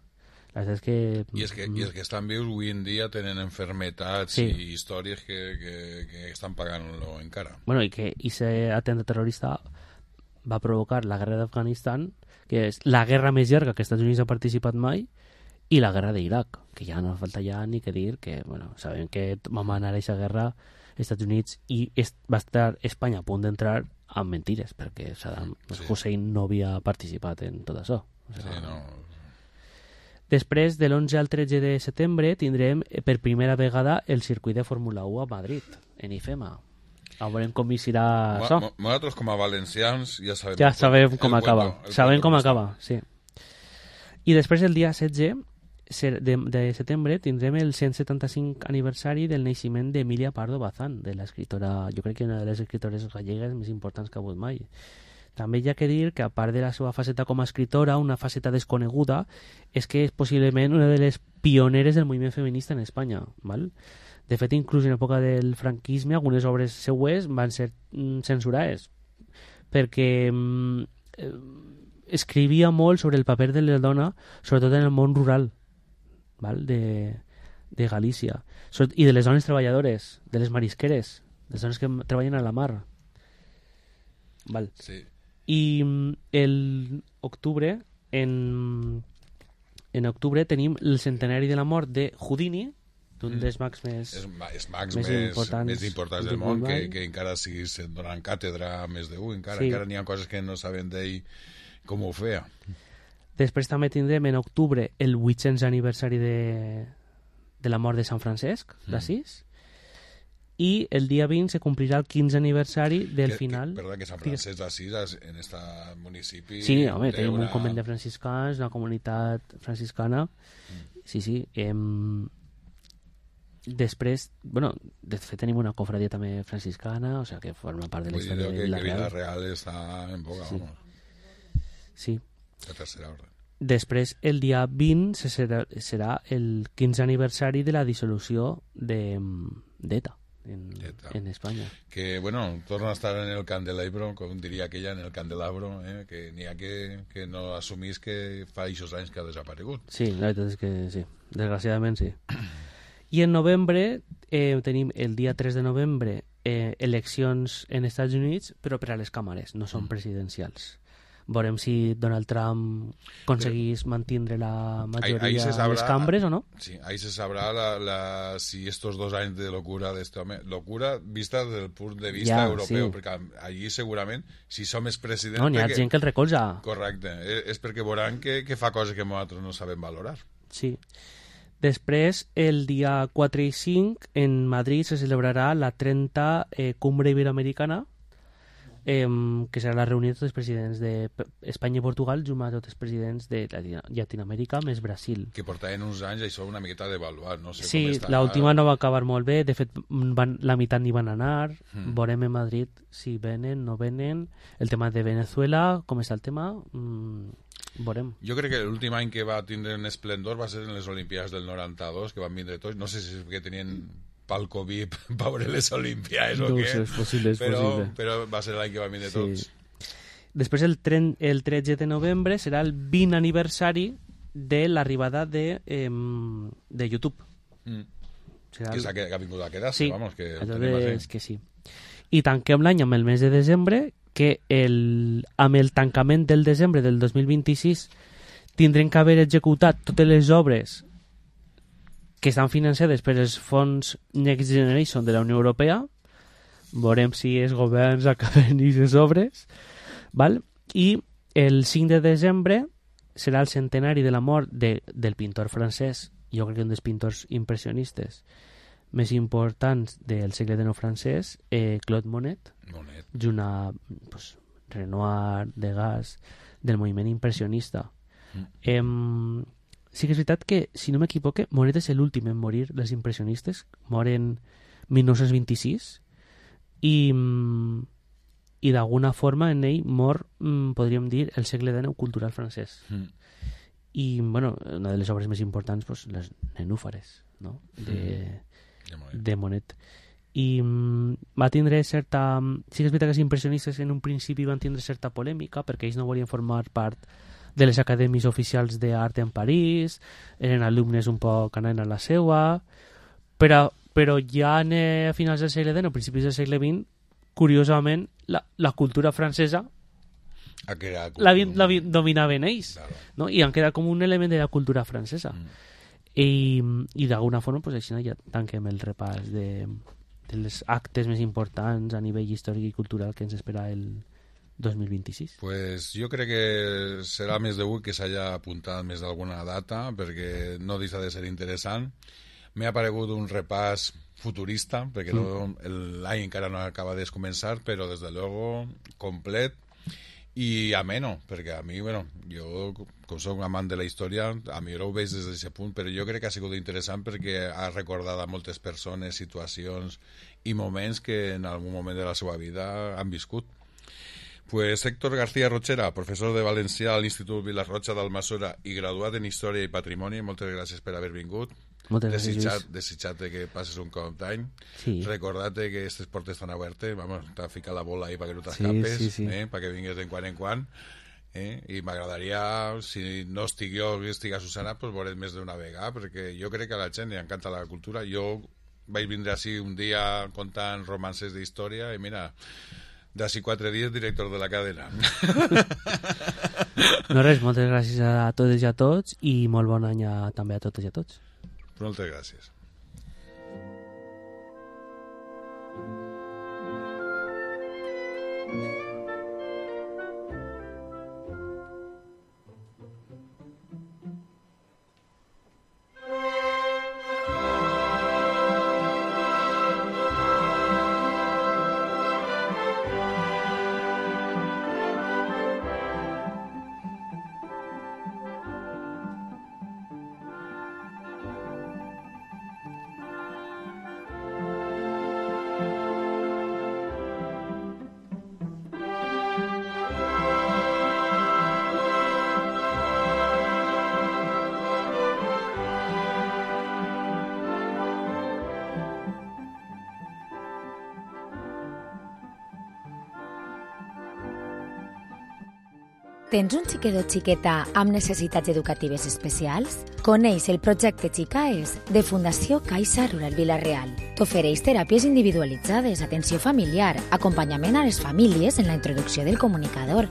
La veritat és que... I és que, i és que estan vius avui en dia tenen enfermetats sí. i històries que, que, que estan pagant-lo encara. Bueno, i que aquest atemptat terrorista va provocar la guerra d'Afganistan, que és la guerra més llarga que els Estats Units ha participat mai, i la guerra d'Iraq, que ja no falta ja ni que dir que, bueno, sabem que vam anar a aquesta guerra als Estats Units i est, va estar Espanya a punt d'entrar amb mentires, perquè Saddam sí. Hussein no havia participat en tot això. O sigui, sí, no... Després, de l'onze al tretze de setembre, tindrem per primera vegada el circuit de Fórmula u a Madrid, en IFEMA. A veurem com hi serà això. Nosaltres, com a valencians, ja sabem, ja sabem com acaba. Sabem com acaba, sí. I després, el dia setze de, de setembre, tindrem el cent setanta-cinc aniversari del naixement d'Emilia Pardo Bazán, de l'escriptora, jo crec que una de les escriptores gallegues més importants que ha hagut mai. També hi ha que dir que, a part de la seva faceta com a escritora, una faceta desconeguda és que és possiblement una de les pioneres del moviment feminista en Espanya. Val? De fet, inclús en època del franquisme, algunes obres seues van ser mm, censurades perquè mm, eh, escrivia molt sobre el paper de la dona, sobretot en el món rural, val? De, de Galícia, i de les dones treballadores, de les marisqueres, de les dones que treballen a la mar. Val? Sí. I el octubre en, en octubre tenim el centenari de la mort de Houdini, d'un dels mags més, és, és mags més, més importants, més importants del món, que, que encara siguis donant càtedra més d'un, encara, sí. encara n'hi ha coses que no saben d'ell com ho feia. Després també tindrem en octubre el vuit-cents aniversari de, de la mort de Sant Francesc d'Assís, mm. i el dia vint se complirà el quinze aniversari del que, final... Que, perdó, que Sant Francesc d'Assís en este municipi... Sí, home, tenim una... un convent de franciscans, una comunitat franciscana. Mm. Sí, sí. Em... Després, bueno, de fet tenim una cofradia també franciscana, o sigui que forma part de la història de Vila Real. Vila Real està en boga, sí. Vamos. Sí. La tercera ordre. Després, el dia vint serà, serà el quinze aniversari de la dissolució de d'ETA. En, en Espanya. Que, bueno, torna a estar en el candelabro, com diria aquella, en el candelabro, eh? Que n'hi ha que, que no assumís que fa eixos anys que ha desaparegut. Sí, la veritat és que sí, desgraciadament sí. I en novembre eh, tenim el dia tres de novembre eh, eleccions en Estats Units, però per a les càmeres, no són presidencials. Veurem si Donald Trump aconseguís mantenir la majoria de les cambres o no. Sí, ahí se sabrá la, la, si estos dos años de locura de este home, locura vista desde el punto de vista ja, europeu, sí. perquè allí segurament, si som els presidents... No, n'hi ha perquè, gent que el recolza. Correcte, és perquè veuran que, que fa coses que nosaltres no sabem valorar. Sí. Després, el dia quatre i cinc, en Madrid se celebrarà la trenta eh, Cumbre Iberoamericana, eh, que serà la reunió de tots els presidents d'Espanya i Portugal, junt amb tots els presidents de Llatinoamèrica més Brasil. Que portaven uns anys això una miqueta d'avaluar, no sé sí, com està. l'última no va acabar molt bé, de fet van, la meitat n'hi van anar, Mm. veurem en Madrid si venen, no venen, el tema de Venezuela, com està el tema, mm, veurem. Jo crec que l'últim any que va tindre un esplendor va ser en les Olimpiades del noranta-dos, que van vindre tots, no sé si és que tenien palco V I P per veure les Olimpiades o no, què, és possible, és però, possible. però va ser l'any que van vindre sí. tots. Després el, tren, el tretze de novembre serà el vint aniversari de l'arribada de, eh, de YouTube. Mm. Serà que, el... que, que ha vingut a quedar-se, sí, vamos, que és que sí. I tanquem l'any amb el mes de desembre, que el, amb el tancament del desembre del dos mil vint-i-sis tindrem que haver executat totes les obres que estan financiades per els fons Next Generation de la Unió Europea. Veurem si els governs acaben aquestes obres, val? I el cinc de desembre serà el centenari de la mort de, del pintor francès, jo crec que un dels pintors impressionistes més importants del segle dinou francès, eh, Claude Monet, Monet. junt a pues, Renoir, Degas, del moviment impressionista. Mm. Eh, sí que és veritat que, si no m'equivoque, Monet és l'últim en morir dels impressionistes, mor en mil nou-cents vint-i-sis, i, i d'alguna forma en ell mor, podríem dir, el segle dinou cultural francès. Mm. I, bueno, una de les obres més importants, pues, les nenúfares, no?, de, mm. de Monet. I mm, va tindre certa... Sí que és veritat que els impressionistes en un principi van tindre certa polèmica, perquè ells no volien formar part de les acadèmies oficials d'art en París, eren alumnes un poc anant a la seua, però, però ja a finals del segle dinou, a principis del segle vint, curiosament, la, la cultura francesa la, la dominaven ells, claro. No? I han quedat com un element de la cultura francesa. Mm. I, i d'alguna forma, pues, així ja tanquem el repàs de, dels actes més importants a nivell històric i cultural que ens espera el dos mil vint-i-sis. Pues jo crec que serà més degut que s'hagi apuntat més d'alguna data, perquè no deixa de ser interessant. M'ha aparegut un repàs futurista, perquè mm. no, l'any encara no acaba de començar, però des de luego complet i ameno, perquè a mi, bueno, jo, com soc un amant de la història, a mi ho veig des d'aquest punt, però jo crec que ha sigut interessant perquè ha recordat a moltes persones, situacions i moments que en algun moment de la seva vida han viscut. Pues Héctor García Rochera, professor de valencià a l'Institut Vilarrocha d'Almassora i graduat en Història i Patrimoni, moltes gràcies per haver vingut. Moltes gràcies, Lluís. Desitjat-te que passes un cop d'any. Sí. Recordar-te que aquestes portes estan obertes, vamos, t'ha ficat la bola ahí perquè no t'escapes, sí, sí, sí. eh, perquè vingues de quan en quan. Eh? I m'agradaria, si no estic jo que estic a Susana, pues veure't més d'una vegada, perquè jo crec que a la gent li encanta la cultura. Jo vaig vindre així un dia contant romances d'història i mira, d'ací quatre dies director de la cadena. No res, moltes gràcies a totes i a tots i molt bon any a, també a totes i a tots. Moltes gràcies. Tens un xiquet o xiqueta amb necessitats educatives especials? Coneix el projecte Xicaes de Fundació Caixa Rural Vila-real. T'ofereix teràpies individualitzades, atenció familiar, acompanyament a les famílies en la introducció del comunicador,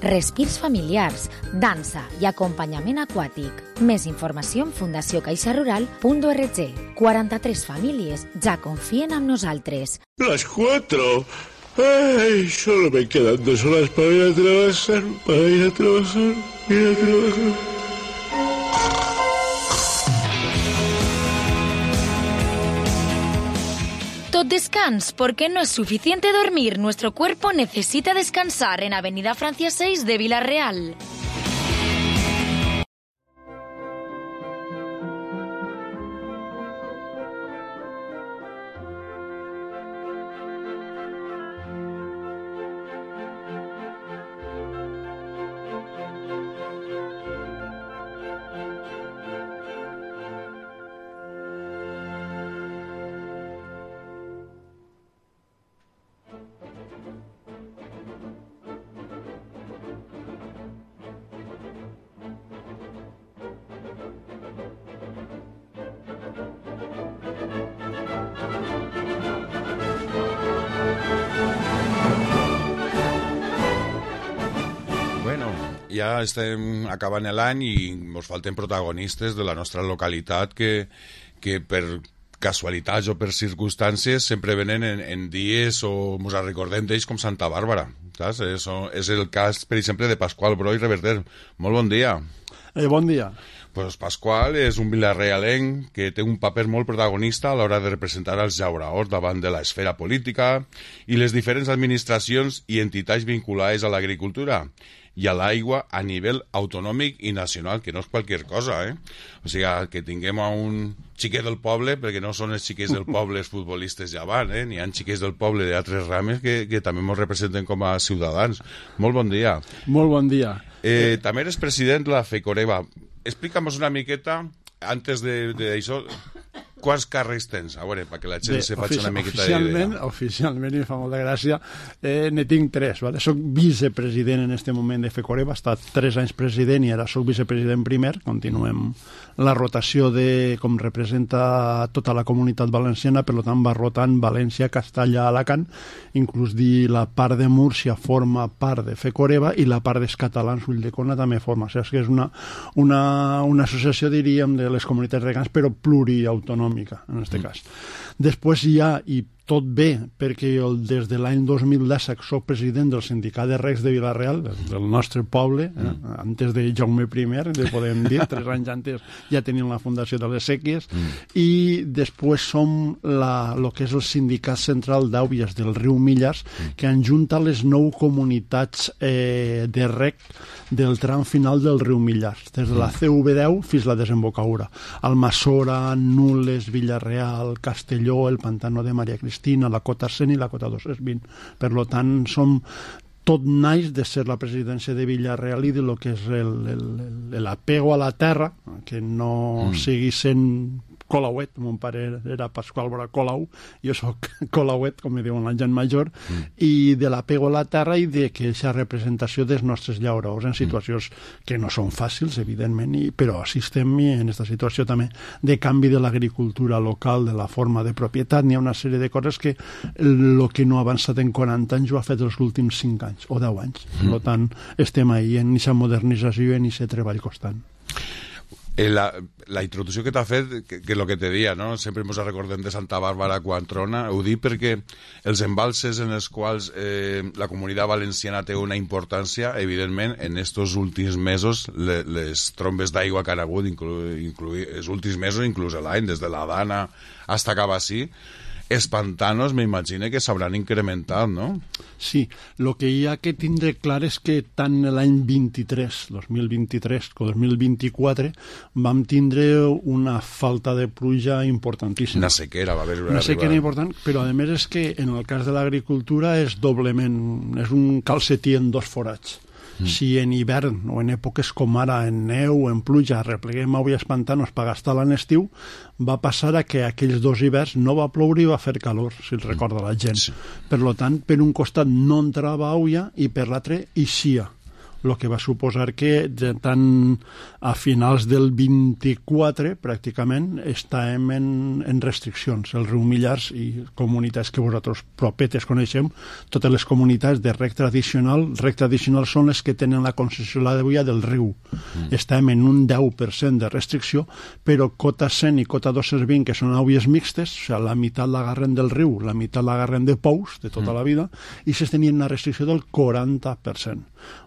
respirs familiars, dansa i acompanyament aquàtic. Més informació en fundació caixa rural punt org. quaranta-tres famílies ja confien en nosaltres. Las cuatro. Ay, solo me quedan dos horas para ir a trabajar, para ir a trabajar, ir a trabajar. Tot descans, porque no es suficiente dormir. Nuestro cuerpo necesita descansar en Avenida Francia seis de Vila-real. Ja estem acabant l'any i ens falten protagonistes de la nostra localitat que, que per casualitats o per circumstàncies sempre venen en, en dies o ens recordem d'ells com Santa Bàrbara. Saps? Eso és el cas, per exemple, de Pasqual Bro i Reverter. Molt bon dia. Eh, bon dia. Pues Pasqual és un vilarrealenc que té un paper molt protagonista a l'hora de representar els llauraors davant de l'esfera política i les diferents administracions i entitats vinculades a l'agricultura i a l'aigua a nivell autonòmic i nacional, que no és qualsevol cosa, eh? O sigui, que tinguem a un xiquet del poble, perquè no són els xiquets del poble els futbolistes ja van, eh? N'hi ha xiquets del poble d'altres rames que, que també ens representen com a ciutadans. Molt bon dia. Molt bon dia. Eh, també eres president de la FECOREVA. Explica'm una miqueta, antes d'això, quants càrrecs tens? A veure, perquè la gent Bé, se faci una miqueta oficialment, d'idea. Oficialment, i fa molta gràcia, eh, ne tinc tres. Vale? Soc vicepresident en este moment de FECOREVA, he estat tres anys president i ara soc vicepresident primer. Continuem la rotació de com representa tota la comunitat valenciana, per tant va rotant València, Castalla, Alacant, inclús dir la part de Múrcia forma part de FECOREVA i la part dels catalans Ulldecona també forma. O sigui, és una, una, una associació, diríem, de les comunitats regants, però pluriautonòmica en aquest mm. cas. Després hi ha, i tot bé, perquè jo des de l'any dos mil disset soc president del sindicat de regs de Vila-real, del nostre poble, eh? mm. antes de Jaume I, de podem dir, tres anys antes ja tenim la Fundació de les Sèquies, mm. i després som la, lo que és el sindicat central d'àuies del riu Millars, mm. que enjunta les nou comunitats eh, de reg del tram final del riu Millars, des de la C V deu fins a la desembocadura. Almassora, Nules, Vila-real, Castelló, el Pantano de Maria Cristina, la cota cent i la cota dos cents vint. Per tant, som tot naix de ser la presidència de Vila-real i de lo que és l'apego a la terra, que no mm. sigui sent Colauet, mon pare era Pasqual Bora Colau, jo soc Colauet, com me diuen la gent major, mm. i de l'apego a la terra i de que aquesta representació dels nostres llauraors en situacions mm. que no són fàcils, evidentment, i, però assistem en aquesta situació també de canvi de l'agricultura local, de la forma de propietat. N'hi ha una sèrie de coses que el que no ha avançat en quaranta anys ho ha fet els últims cinc anys o deu anys. Mm. Per tant, estem ahí en aquesta modernització i en aquest treball constant. La, la introducció que t'ha fet, que, que el que te dia, no? Sempre ens recordem de Santa Bàrbara quan trona, ho dic perquè els embalses en els quals eh, la comunitat valenciana té una importància, evidentment, en estos últims mesos, le, les trombes d'aigua que han hagut, inclu, inclu, els últims mesos, inclús l'any, des de la Dana fins a Cabassí, els pantanos m'imagino que s'hauran incrementat, no? Sí, el que hi ha que tindre clar és que tant l'any vint-i-tres, dos mil vint-i-tres com dos mil vint-i-quatre vam tindre una falta de pluja importantíssima. Una sequera va haver una, una sequera important, però a més és que en el cas de l'agricultura és doblement, és un calcetí en dos forats. Mm. Si en hivern o en èpoques com ara, en neu o en pluja, repleguem avui els pantanos per gastar l'an estiu, va passar a que aquells dos hiverns no va ploure i va fer calor, si el recorda la gent. Sí. Per tant, per un costat no entrava aigua i per l'altre eixia. O el que va suposar que tant a finals del vint-i-quatre pràcticament estàvem en, en restriccions. El riu Millars i comunitats que vosaltres propetes coneixem, totes les comunitats de rec tradicional, rec tradicional són les que tenen la concessió de l'aigua del riu. Mm. Estem en un deu per cent de restricció, però cota cent i cota dos cents vint, que són aigües mixtes, o sigui, la meitat l'agarren del riu, la meitat l'agarren de pous, de tota mm. la vida, i s'es tenien una restricció del quaranta per cent.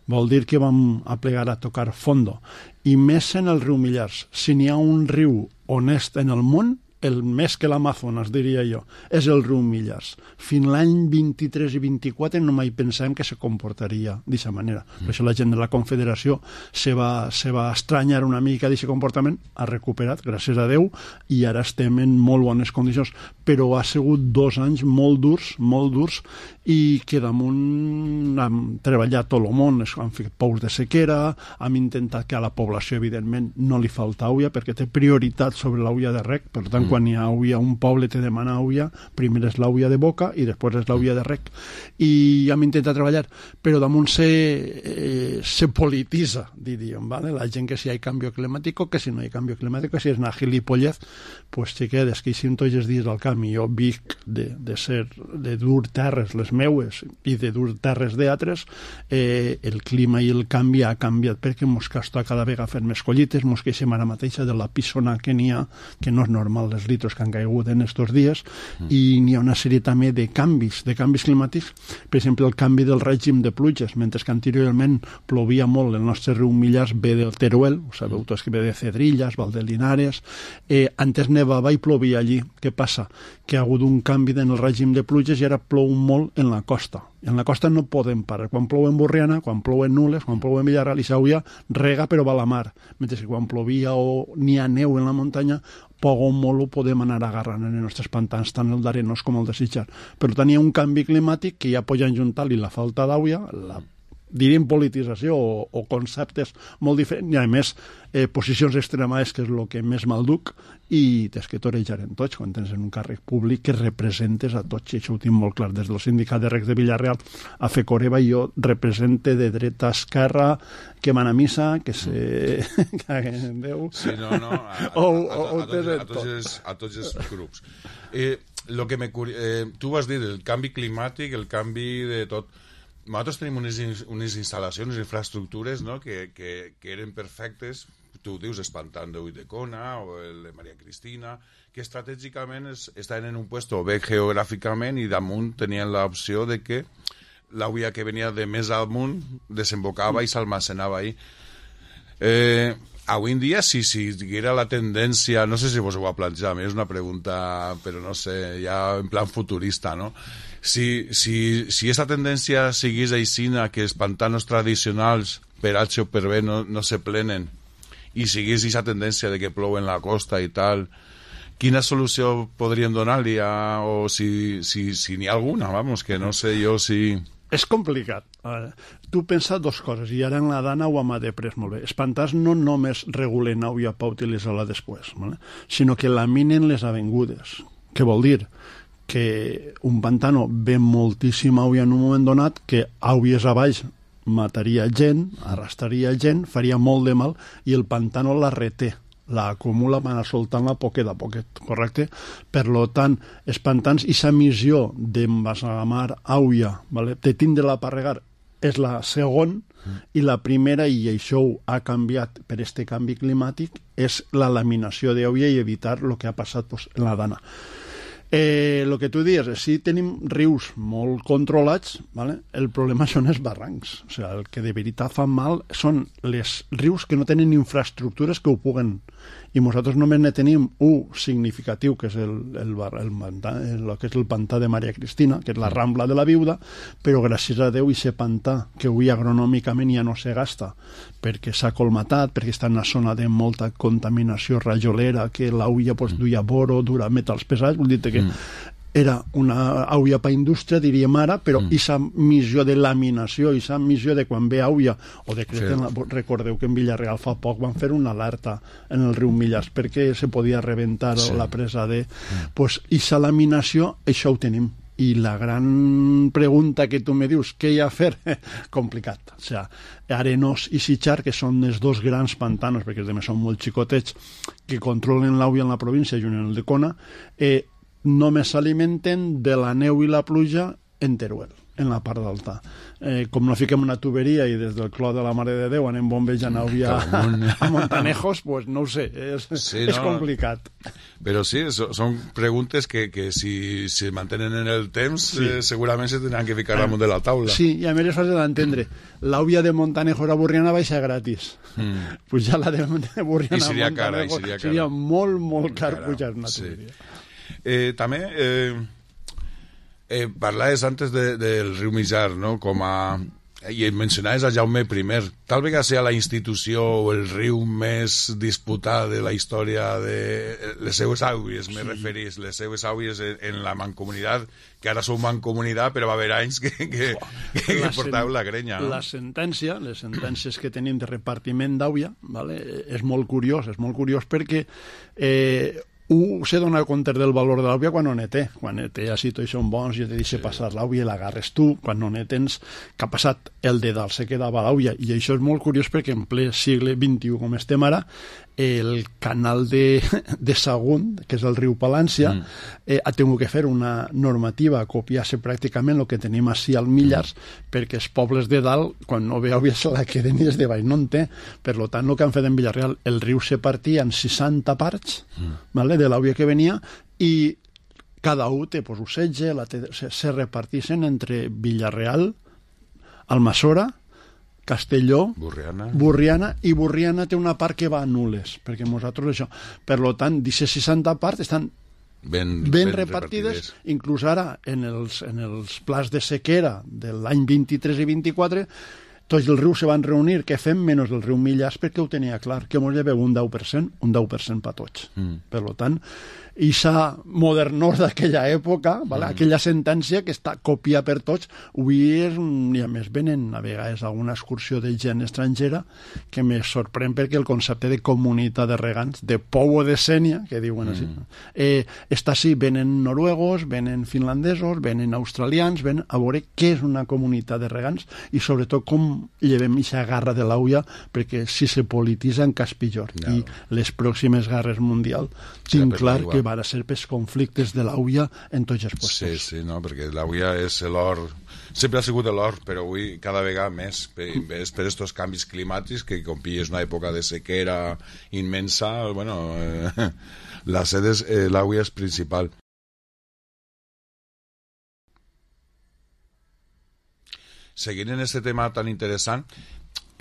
Vol dir que vam aplegar a tocar fondo. I més en el riu Millars. Si n'hi ha un riu honest en el món, el més que l'Amazones, diria jo, és el riu Millars. Fins l'any vint-i-tres i vint-i-quatre no mai pensem que se comportaria d'aquesta manera. Mm. Per això la gent de la Confederació se va, se va estranyar una mica d'aquest comportament, ha recuperat, gràcies a Déu, i ara estem en molt bones condicions. Però ha sigut dos anys molt durs, molt durs, i que damunt hem treballat tot el món, hem fet pous de sequera, hem intentat que a la població, evidentment, no li falta aigua, perquè té prioritat sobre l'aigua de rec, per tant, mm. quan hi ha aigua, un poble te demana aigua, primer és l'aigua de boca i després és l'aigua de rec. I hem intentat treballar, però damunt se, eh, se polititza, diríem, ¿vale? La gent que si hi ha canvi climàtic, que si no hi ha canvi climàtic, si és una gilipollez, pues te quedes que hi són tots els dies al camp, i jo vic de, de ser, de dur terres les meues i de dur terres d'altres, eh, el clima i el canvi ha canviat perquè mos costa cada vegada fer més collites, mos queixem ara mateixa de la pissona que n'hi ha, que no és normal les litros que han caigut en estos dies, mm. i n'hi ha una sèrie també de canvis, de canvis climàtics, per exemple el canvi del règim de pluges, mentre que anteriorment plovia molt, el nostre riu Millars ve del Teruel, ho sabeu tots que ve de Cedrillas, Valdelinares, eh, antes nevava i plovia allí. Què passa? Que ha hagut un canvi en el règim de pluges i ara plou molt en la costa. En la costa no podem parar. Quan plou en Borriana, quan plou en Nules, quan plou en Villarreal i Sauia, rega però va a la mar. Mentre que quan plovia o n'hi ha neu en la muntanya, poc o molt ho podem anar agarrant en els nostres pantans, tant el d'Arenós com el de Sitjar. Per tant, hi ha un canvi climàtic que ja poden juntar-li la falta d'aigua, la diríem politització o, o conceptes molt diferents, i a més eh, posicions extremades, que és el que més mal duc, i tens que torejar en tots quan tens en un càrrec públic que representes a tots, i això ho tinc molt clar des del sindicat de rec de Villarreal a Fecoreba, i jo represente de dreta a esquerra, que van a missa, que se caguen en Déu, sí, no, no, a, a, o, a, a, o, a, tots, a, tots els, a tots els grups. Eh, lo que me, eh, tu vas dir el canvi climàtic, el canvi de tot. Nosaltres tenim unes, unes instal·lacions, infraestructures, no?, que, que, que eren perfectes. Tu dius Espantant de Ulldecona o el de Maria Cristina, que estratègicament es, estaven en un puesto bé geogràficament i damunt tenien l'opció de que l'aigua que venia de més amunt desembocava i s'almacenava ahí. Eh, avui en dia, si, si diguera la tendència, no sé si vos ho va plantejar, a mi és una pregunta, però no sé, ja en plan futurista, no?, Si, si, si aquesta tendència sigués aixina, que els pantanos tradicionals per H o per B no, no se plenen, i sigués aquesta tendència de que plou en la costa i tal, quina solució podríem donar-li a, o si, si, si n'hi ha alguna, vamos, que no sé jo si... És complicat. Uh, tu pensa dos coses, i ara en la Dana ho hem après molt bé. Els pantans no només regulen aigua per utilitzar-la després, ¿vale?, sinó que laminen les avingudes. Què vol dir? Que un pantano ve moltíssima aigua en un moment donat, que aigües a baix mataria gent, arrastraria gent, faria molt de mal, i el pantano la reté, la acumula, va anar soltant-la poquet a poquet, correcte? Per lo tant, els pantans, i sa missió d'embasamar aigua, ¿vale?, de tindre-la per regar, és la segona, mm. i la primera, i això ha canviat per este canvi climàtic, és la laminació d'aigua i evitar el que ha passat pues, en la Dana. Eh, el que tu dius, si tenim rius molt controlats, ¿vale?, el problema són els barrancs. O sigui, el que de veritat fa mal són els rius que no tenen infraestructures que ho puguen. I nosaltres només ne tenim un significatiu, que és el, el, el, pantà, el, que és el pantà de Maria Cristina, que és la Rambla de la Viuda, però gràcies a Déu aquest pantà, que avui agronòmicament ja no se gasta, perquè s'ha colmatat, perquè està en una zona de molta contaminació rajolera, que l'aigua pues, duia boro, dura metals pesats, vol dir que mm. era una aigua per indústria, diríem ara, però aquesta mm. missió de laminació, aquesta missió de quan ve aigua, o de sí. la, recordeu que en Villarreal fa poc van fer una alerta en el riu Millars perquè se podia rebentar sí. la presa de... Mm. Pues aquesta laminació, això ho tenim. i la gran pregunta que tu me dius, què hi ha a fer? Complicat. O sigui, Arenós i Sitjar, que són els dos grans pantanos, perquè també són molt xicotets, que controlen l'Àuia en la província i un en el de Kona, eh, només s'alimenten de la neu i la pluja en Teruel, en la part d'alta. Eh, com no fiquem una tuberia i des del clot de la Mare de Déu anem bombejant Àuia a, a Montanejos, pues no ho sé, és, sí, és no, complicat. Però sí, so, són preguntes que, que si se mantenen en el temps, sí. eh, segurament se tindran que ficar damunt de la taula. Sí, i a més és fàcil d'entendre. L'Àuia de Montanejos a Burriana baixa gratis. Mm. Pujar la de, de Burriana a seria Montanejos cara, seria, cara. seria molt, molt car pujar una tuberia. Sí. Eh, també... Eh, Eh, parlaves antes de, del riu Mijar, no? Com a... i mencionaves a Jaume I. Tal vegada sigui la institució o el riu més disputat de la història de les seues àuies, sí. Me referís, les seues àuies en, en la mancomunitat, que ara sou mancomunitat, però va haver anys que, que, que, que portàveu la grenya. No? La sentència, les sentències que tenim de repartiment d'àuia, vale? És molt curiós, és molt curiós perquè... Eh, un se dona compte del valor de l'àuia quan no ne té. Quan ne té, així tots són bons, i te deixa sí. passar l'àuia i l'agarres tu. Quan no ne tens, que ha passat el de dalt, se quedava l'àuia. I això és molt curiós perquè en ple segle vint-i-u, com estem ara, el canal de, de Sagunt, que és el riu Palància, mm. eh, ha tingut que fer una normativa, copiar-se pràcticament el que tenim així al Millars, mm. perquè els pobles de dalt, quan no ve àuia, se la queden i els de baix no en té. Per tant, el que han fet en Villarreal, el riu se partia en seixanta parts, mm. vale, de l'àuia que venia, i cada un té pues, un setge, la té, se, se repartixen entre Villarreal, Almassora, Castelló, Burriana. Burriana, i Burriana té una part que va a Nules, perquè nosaltres això... Per tant, d'aquestes seixanta parts estan ben, ben, ben repartides, repartides, inclús ara en els, en els plans de sequera de l'any vint-i-tres i vint-i-quatre, tots els rius se van reunir, què fem menys el riu Millars, perquè ho tenia clar, que ens lleveu un deu per cent, un deu per cent per tots. Mm. Per tant, ixa modernós d'aquella època, vale? Mm. Aquella sentència que està copiada per tots, avui és, i a més venen a vegades alguna excursió de gent estrangera que me sorprèn perquè el concepte de comunitat de regants, de povo de Sènia, que diuen així, mm. eh, està així, venen noruegos, venen finlandesos, venen australians, venen a veure què és una comunitat de regants i sobretot com llevem aquesta garra de l'àuia, perquè si se polititza en cas pitjor. No. I les pròximes guerres mundials tinc clar que van a ser pels conflictes de l'àuia en tots els puestos. Sí, sí, no, perquè l'àuia és l'or, sempre ha sigut l'or, però avui cada vegada més, per, per estos canvis climàtics, que com pilles una època de sequera immensa, bueno, eh, la sede és, eh, l'àuia és principal. Seguint en aquest tema tan interessant,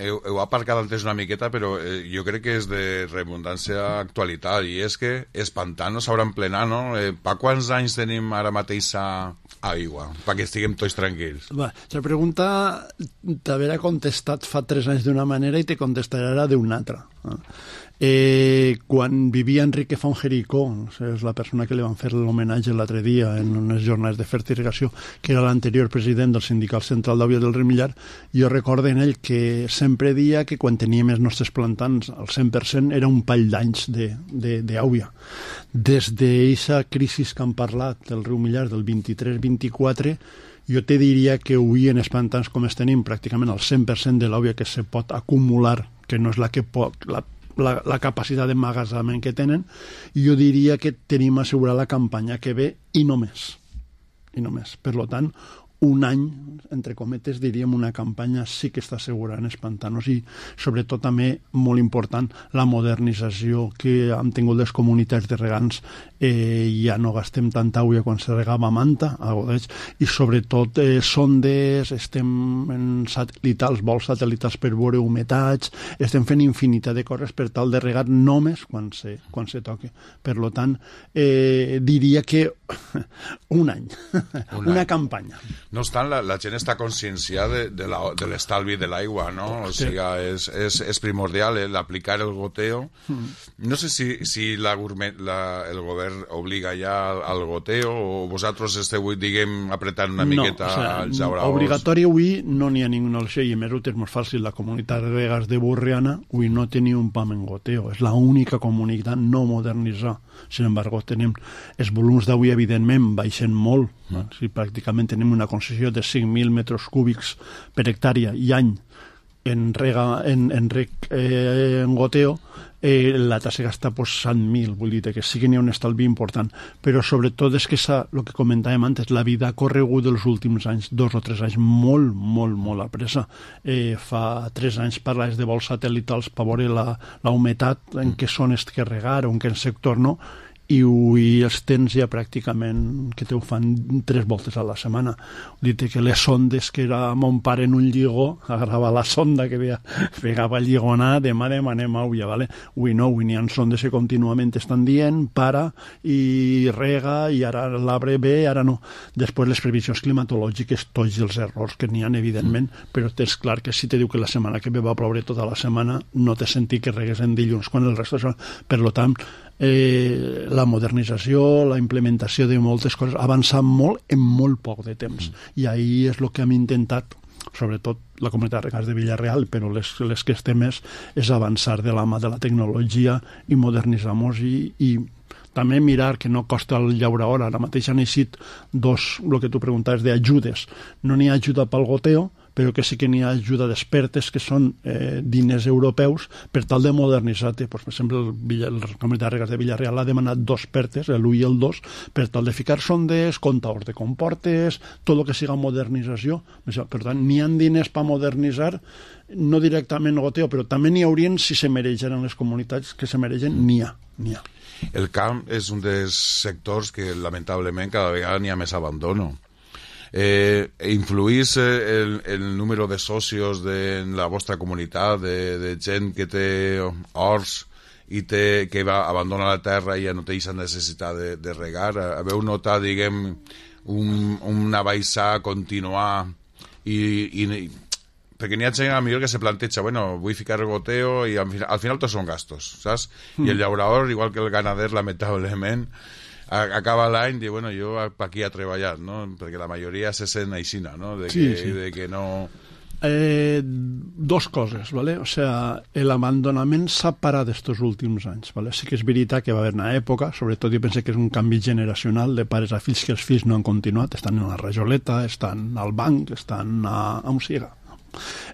heu, heu aparcat antes una miqueta, però eh, jo crec que és de redundància actualitat, i és que els pantanos s'hauran plenat, no? Eh, pa quants anys tenim ara mateix a aigua? Perquè estiguem tots tranquils. Va, la pregunta t'haurà contestat fa tres anys d'una manera i te contestarà ara d'una altra. Eh, quan vivia Enrique Font Jericó, és la persona que li van fer l'homenatge l'altre dia en unes jornades de fertilizació, que era l'anterior president del Sindical Central d'Àuia del Riu Millar, jo recordo en ell que sempre dia que quan teníem els nostres plantans al cent per cent era un pall d'anys d'àuia. Des d'aquesta crisi que han parlat del riu Millar del vint-i-tres vint-i-quatre, jo te diria que avui en els pantans com es tenim pràcticament el cent per cent de l'àuia que se pot acumular, que no és la que pot... La, La, la capacitat d'emmagatzemament que tenen, i jo diria que tenim assegurar la campanya que ve i no més. I no més. Per tant, un any, entre cometes, diríem una campanya sí que està assegurada en els pantanos i, sobretot, també, molt important, la modernització que han tingut les comunitats de regants. Eh, ja no gastem tanta àuia quan se regava manta, i, sobretot, eh, sondes, estem en satelitals, vols satelitals per veure humetats, estem fent infinitat de coses per tal de regar només quan se, quan se toque. Per tant, eh, diria que un any, un una any. campanya. No obstant, la, la gent està conscienciada de, de, de l'estalvi de l'aigua, no? O sigui, és, és, és primordial eh, l'aplicar el goteo. Mm. No sé si, si la, la, el govern obliga ja al, al goteo o vosaltres esteu, diguem, apretant una miqueta no, o sea, als jauraos. Obligatori avui no n'hi ha ninguna opció, i a més ho tens molt fàcil. La comunitat de regants de Burriana avui no tenia un pam en goteo. És l'única comunitat no modernitzada. Sin embargo, tenim els volums d'àuia evidentment, baixen molt. No? Si pràcticament tenim una concessió de cinc mil metres cúbics per hectàrea i any en, rega, en, en, reg, eh, en goteo, eh, la tassa gasta pues, cent mil, vull dir que sí que n'hi ha un estalvi important, però sobretot és que el que comentàvem antes, la vida ha corregut dels últims anys, dos o tres anys, molt, molt, molt a pressa. Eh, fa tres anys parlaves de vols satèl·litals per veure la, la humitat, en què zones que regar o en quin sector no, i avui els tens ja pràcticament que te ho fan tres voltes a la setmana. Vull dir que les sondes que era mon pare en un lligó, agarrava la sonda que veia, pegava el lligonà, demà demanem auia, ¿vale? Avui no, avui n'hi ha sondes que contínuament estan dient, para i rega, i ara l'arbre ve, ara no. Després les previsions climatològiques, tots els errors que n'hi ha, evidentment, però és clar que si te diu que la setmana que ve va ploure tota la setmana, no té sentit que regues en dilluns, quan el resto... Per tant, eh, la modernització, la implementació de moltes coses ha avançat molt en molt poc de temps. Mm. I ahí és el que hem intentat, sobretot la comunitat de regants de Villarreal, però les, les que estem més, és avançar de la mà de la tecnologia i modernitzar-nos i, i també mirar que no costa el llaurador. Ara mateix han eixit dos, el que tu preguntaves, d'ajudes. No n'hi ha ajuda pel goteo, però que sí que n'hi ha ajuda d'expertes, que són eh, diners europeus, per tal de modernitzar-te. Pues, per exemple, el, Villa, el Comunitat de Regants de Villarreal ha demanat dos expertes, l'u i el dos, per tal de ficar sondes, comptadors de comportes, tot el que siga modernització. Per tant, n'hi ha diners per modernitzar, no directament goteo, però també n'hi haurien, si se mereixen en les comunitats que se mereixen, n'hi ha, n'hi ha. El camp és un dels sectors que, lamentablement, cada vegada n'hi ha més abandono. Eh, influís el, el número de socios de, en la vostra comunitat, de, de gent que té horts i té, que va, abandona la terra i ja no té aquesta necessitat de, de regar? Haveu notat, diguem, un, una baixada continuar i, i perquè n'hi ha gent a millor que se planteja, bueno, vull ficar el goteo i al final, al final tots són gastos, saps? Mm. I el llaurador, igual que el ganader, lamentablement, acaba l'any i diu, bueno, jo aquí he treballat, no? Perquè la majoria se sent aixina, no? De que, sí, sí. De que no... Eh, dos coses, ¿vale? O sea, el abandonament s'ha parat estos últims anys, ¿vale? Sí que és veritat que va haver una època, sobretot jo penso que és un canvi generacional de pares a fills, que els fills no han continuat, estan en la rajoleta, estan al banc, estan a, a un siga.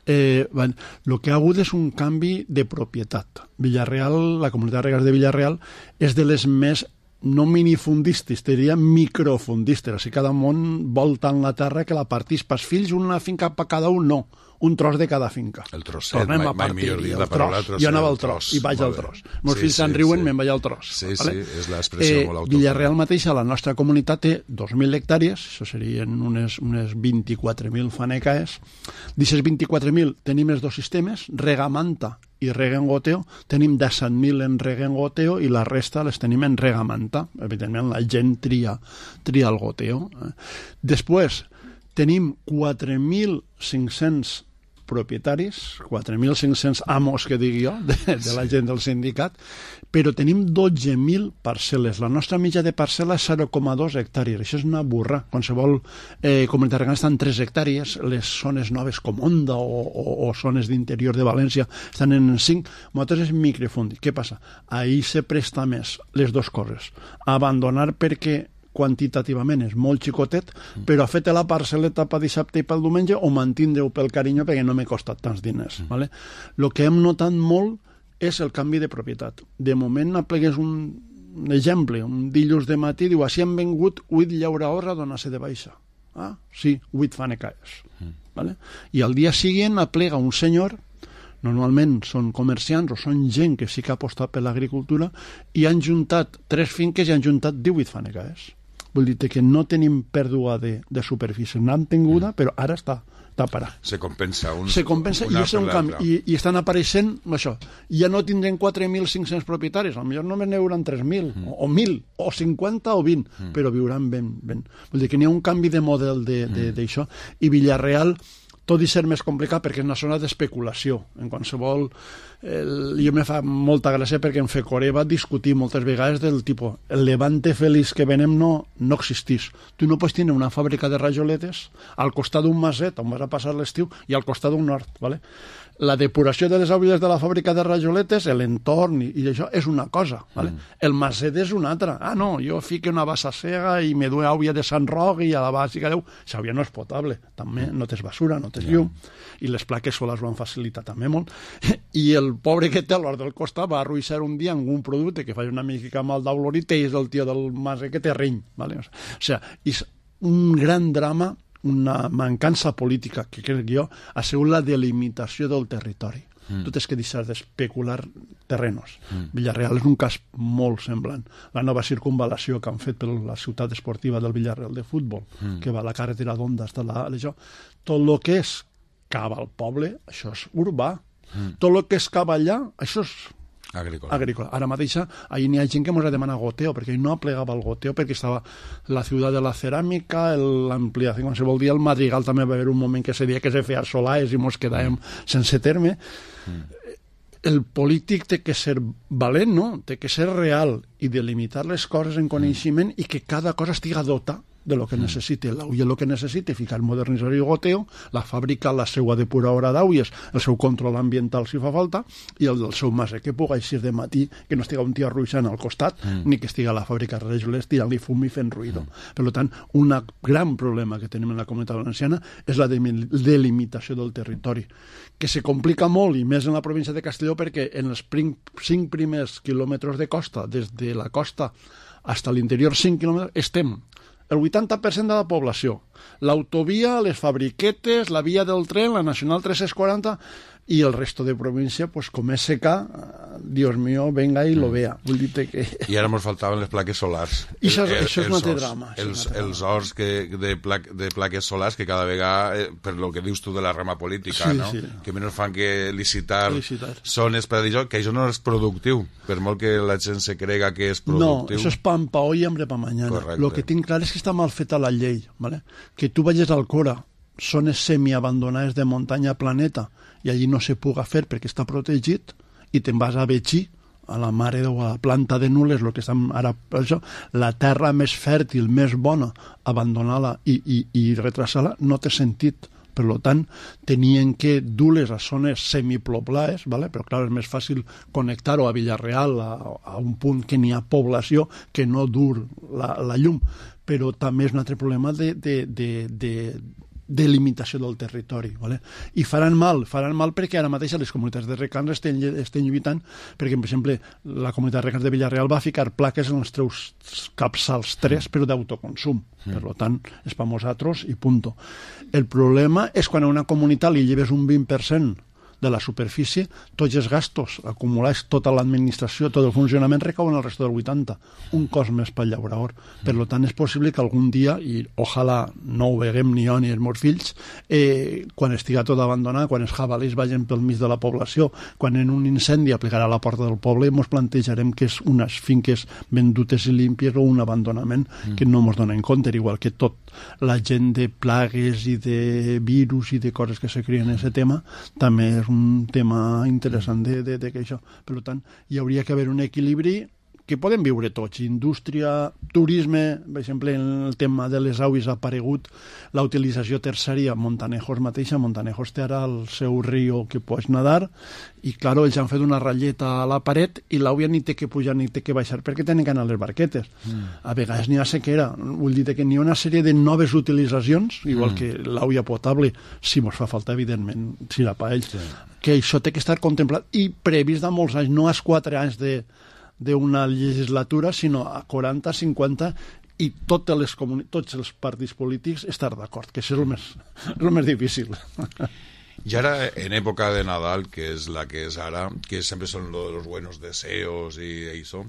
Eh, bueno, el que ha hagut és un canvi de propietat. Villarreal, la comunitat de regants de Villarreal, és de les més, no minifundistes, diria microfundistes. Així cada món vol tant la terra que la partís pels fills, una finca per cada un, no. Un tros de cada finca. El trosset, mai, mai millor dit la paraula tros. Jo anava al tros, i vaig al tros. Meus sí, fills se'n sí, riuen, sí. Me'n vaig al tros. Sí, vale? Sí, és l'expressió eh, molt autònoma. Villarreal mateix, a la nostra comunitat, té dos mil hectàrees, això serien unes, unes vint-i-quatre mil fanecaes. D'aquestes vint-i-quatre mil tenim els dos sistemes, regamanta i rega en goteo. Tenim disset mil en rega en goteo i la resta les tenim en regamanta. Evidentment, la gent tria, tria el goteo. Després, tenim quatre mil cinc-cents propietaris, quatre mil cinc-cents amos, que digui jo, de, de la gent del sindicat, però tenim dotze mil parcel·les. La nostra mitja de parcel·la és zero coma dos hectàrees. Això és una burra. Qualsevol eh, comunitat regant estan tres hectàrees, les zones noves com Onda o, o, o zones d'interior de València estan en cinc. Nosaltres és microfundi. Què passa? Ahir se presta més les dues coses. Abandonar perquè quantitativament és molt xicotet, mm. però ha fet la parcel·leta per dissabte i pel diumenge o mantindre-ho pel carinyo perquè no m'he costat tants diners. Mm. Vale? El que hem notat molt és el canvi de propietat. De moment aplegués un, un exemple, un dilluns de matí, diu, així han vengut vuit llauradors a donar-se de baixa. Ah, sí, vuit fanecaes. Mm. Vale? I al dia següent aplega un senyor, normalment són comerciants o són gent que sí que ha apostat per l'agricultura, i han juntat tres finques i han juntat divuit fanecaes. Vull dir que no tenim pèrdua de, de superfície, n'han tinguda, però ara està, està parat. Se compensa. Un, Se compensa i és un canvi. I, I estan apareixent, això, ja no tindrem quatre mil cinc-cents propietaris, potser només n'hi hauran tres mil, mm. o mil, o cinquanta o vint, mm. però viuran ben, ben. Vull dir que n'hi ha un canvi de model d'això, mm. i Villarreal, tot i ser més complicat perquè és una zona d'especulació. En qualsevol... El, jo me fa molta gràcia perquè en Fecoré va discutir moltes vegades del tipus el Levante feliç que venem no, no existís. Tu no pots tenir una fàbrica de rajoletes al costat d'un maset on vas a passar l'estiu i al costat d'un hort, ¿vale? La depuració de les aigües de la fàbrica de rajoletes, l'entorn i, i això és una cosa, ¿vale? Mm. El maset és una altra. Ah, no, jo fique una bassa cega i me dué aigua de Sant Roc i a la bàsica deu... Això ja no és potable. També no tens basura, no tens llum. I les plaques solars ho han facilitat també molt. I el pobre que té a l'hort del costat va arruïssar un dia amb un producte que fa una mica mal d'olorit i és el tio del maset que té reny, ¿vale? O sigui, és un gran drama, una mancança política que crec jo ha sigut la delimitació del territori. Mm. Tu tens que deixar d'especular terrenos. Mm. Villarreal és un cas molt semblant. La nova circunvalació que han fet per la ciutat esportiva del Villarreal de futbol, mm. que va a la carretera d'Onda hasta la... Això, tot el que és cap al poble, això és urbà. Mm. Tot el que és cap allà, això és agrícola. agrícola. Ara mateix ahir n'hi ha gent que ens ha demanat goteo, perquè ell no plegava el goteo, perquè estava la ciutat de la ceràmica, l'ampliació, com se vol dir, el Madrigal també va haver un moment que se dia que se feia solars i mos quedàvem mm. sense terme. Mm. El polític té que ser valent, no? Té que ser real i delimitar les coses en coneixement mm. i que cada cosa estiga dota de lo que mm. necessite l'auia, el que necessite, ficar modernitzar i goteo, la fàbrica, la seva depuradora d'auies, el seu control ambiental si fa falta, i el del seu maset, que pugui eixir de matí, que no estiga un tio arruixant al costat, mm. ni que estiga a la fàbrica de rajoles tirant-li fum i fent ruïdo. Mm. Per tant, un gran problema que tenim en la comunitat valenciana és la delimitació del territori, que se complica molt, i més en la província de Castelló, perquè en els cinc primers quilòmetres de costa, des de la costa fins a l'interior cinc quilòmetres, estem el vuitanta per cent de la població. L'autovia, les fabriquetes, la via del tren, la Nacional tres cents quaranta i el resto de província, pues com és seca, Dios mío, venga i lo vea. Vull dir que... I ara ens faltaven les plaques solars. I això, el, això és un altre drama. Els, els horts que, de, pla, de plaques solars que cada vegada, eh, per lo que dius tu de la rama política, sí, no? Sí. Que menys fan que licitar, licitar. zones per dir que això no és productiu, per molt que la gent se crega que és productiu. No, això és pan pa hoy, hambre pa mañana. Lo que tinc clar és que està mal feta la llei, ¿vale? Que tu vagis al Cora, zones semiabandonades de muntanya planeta, i allí no se puga fer perquè està protegit, i te'n vas a Betxí, a la mare o a la planta de Nules, lo que estan ara, això, la terra més fèrtil, més bona, abandonar-la i, i, i retrasar-la, no té sentit. Per tant, tenien que dur-les a zones semiploplaes, ¿vale? Però clar, és més fàcil connectar-ho a Villarreal, a, a un punt que n'hi ha població, que no dur la, la llum. Però també és un altre problema de, de, de, de de limitació del territori, ¿vale? I faran mal, faran mal perquè ara mateix les comunitats de regants estan, estan lluitant, perquè, per exemple, la comunitat de regants de Villarreal va ficar plaques en els teus capçals tres, però d'autoconsum. Mm. Per tant, és per nosaltres i punto. El problema és quan a una comunitat li lleves un vint per cent de la superfície, tots els gastos acumulats, tota l'administració, tot el funcionament recauen al resto del vuitanta. Un cost més pel llaurador. Per tant, és possible que algun dia, i ojalà no ho veguem ni jo ni els meus fills, eh, quan estiga tot abandonat, quan els jabalís vagin pel mig de la població, quan en un incendi aplicarà a la porta del poble, ens plantejarem que és unes finques vendutes i límpies o un abandonament mm. que no ens donen compte, igual que tot la gent de plagues i de virus i de coses que se creen en aquest tema, també és un tema interessant de, de, de que això. Per tant, hi hauria que haver un equilibri que podem viure tots. Indústria, turisme, per exemple, en el tema de les aules ha aparegut la utilització terciària. Montanejos mateixa, Montanejos té ara el seu riu que pots nadar i, clar, ells han fet una ratlleta a la paret i l'auia ni té que pujar ni té que baixar perquè tenen que anar a les barquetes. Mm. A vegades n'hi ha sequera. Vull dir que n'hi ha una sèrie de noves utilitzacions, igual mm. que l'auia potable, si mos fa falta, evidentment, si la pa ells, sí. que això té que estar contemplat i previst de molts anys, no als quatre anys de d'una legislatura, sinó a quaranta, cinquanta, i totes les comuni- tots els partits polítics estar d'acord, que això és el més, el més difícil. Y ahora, en época de Nadal, que es la que es ahora, que siempre son lo de los buenos deseos y eso,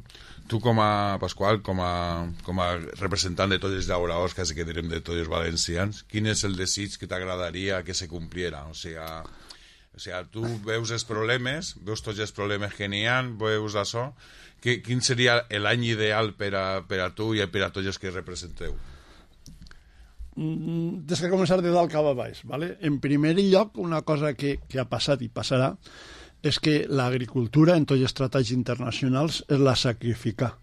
tu com a Pasqual, com a, com a representant de tots els llauradors, quasi que direm de tots els valencians, quin és el desig que t'agradaria que se cumpliera? O sea, o sea, tu veus els problemes, veus tots els problemes que n'hi ha, veus això, que, quin seria l'any ideal per a, per a tu i per a tots els que representeu? tens que començar de dalt cap a baix. ¿Vale? En primer lloc, una cosa que, que ha passat i passarà és que l'agricultura en tots els tractats internacionals és la sacrificar.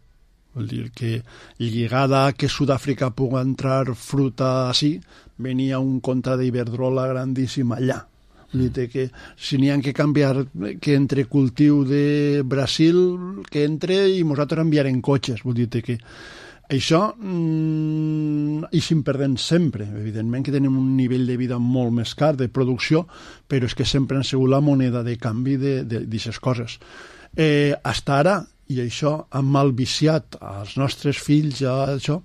Vol dir que lligada a que Sud-àfrica pugui entrar fruta així, venia un contra d'Iberdrola grandíssim allà. Vull dir que si n'hi ha que canviar, que entre cultiu de Brasil, que entre i nosaltres enviarem cotxes. Vull dir que això mmm, i se'n perdem sempre. Evidentment que tenim un nivell de vida molt més car de producció, però és que sempre han sigut la moneda de canvi d'aquestes coses. Eh, hasta ara, i això ha malviciat als nostres fills, ja, això,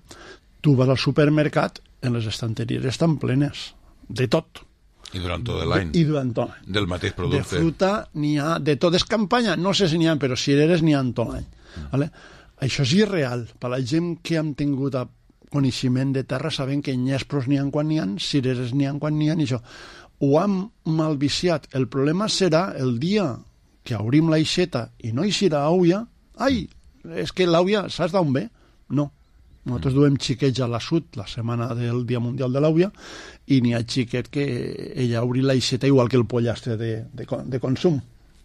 tu vas al supermercat, en les estanteries estan plenes de tot. I durant tot l'any. I durant tot l'any. Del mateix producte. De fruta n'hi ha, de tot és campanya, no sé si n'hi ha, però cireres n'hi ha tot l'any. Mm. Vale? Això és irreal. Per la gent que hem tingut coneixement de terra sabem que nyespros n'hi ha quan n'hi ha, cireres n'hi ha quan n'hi ha, i això. Ho hem malviciat. El problema serà el dia que obrim l'aixeta i no hi serà auia. Ai, és que l'auia, saps d'on ve? No. Nosaltres duem xiquets a la Sud la setmana del Dia Mundial de l'Àvia i n'hi ha xiquet que ella obri l'aixeta igual que el pollastre de, de, de consum,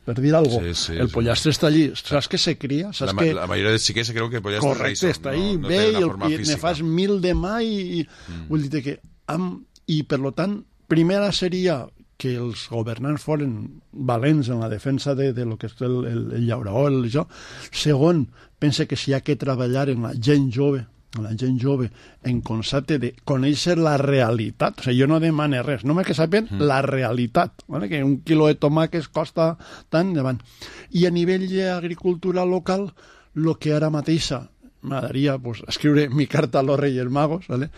per dir alguna cosa. Sí, sí, el pollastre sí. Està allí. Saps que se cria? Saps la, que... la majoria de xiquets creu que el pollastre correcte, és està ahí, no, no ve i, el, i ne fas mil de mà i, i mm. vull dir que amb, i per lo tant, primera seria que els governants foren valents en la defensa de, de lo que és el, el, el llauraol, el això. Segon, pense que si hi ha que treballar en la gent jove, la gent jove en concepte de conèixer la realitat. O sigui, jo no demane res, només que sàpien mm. la realitat, ¿vale? Que un quilo de tomàquets costa tant davant. I a nivell d'agricultura local, el que ara mateixa m'agradaria pues, escriure mi carta a los Reyes Magos, ¿vale?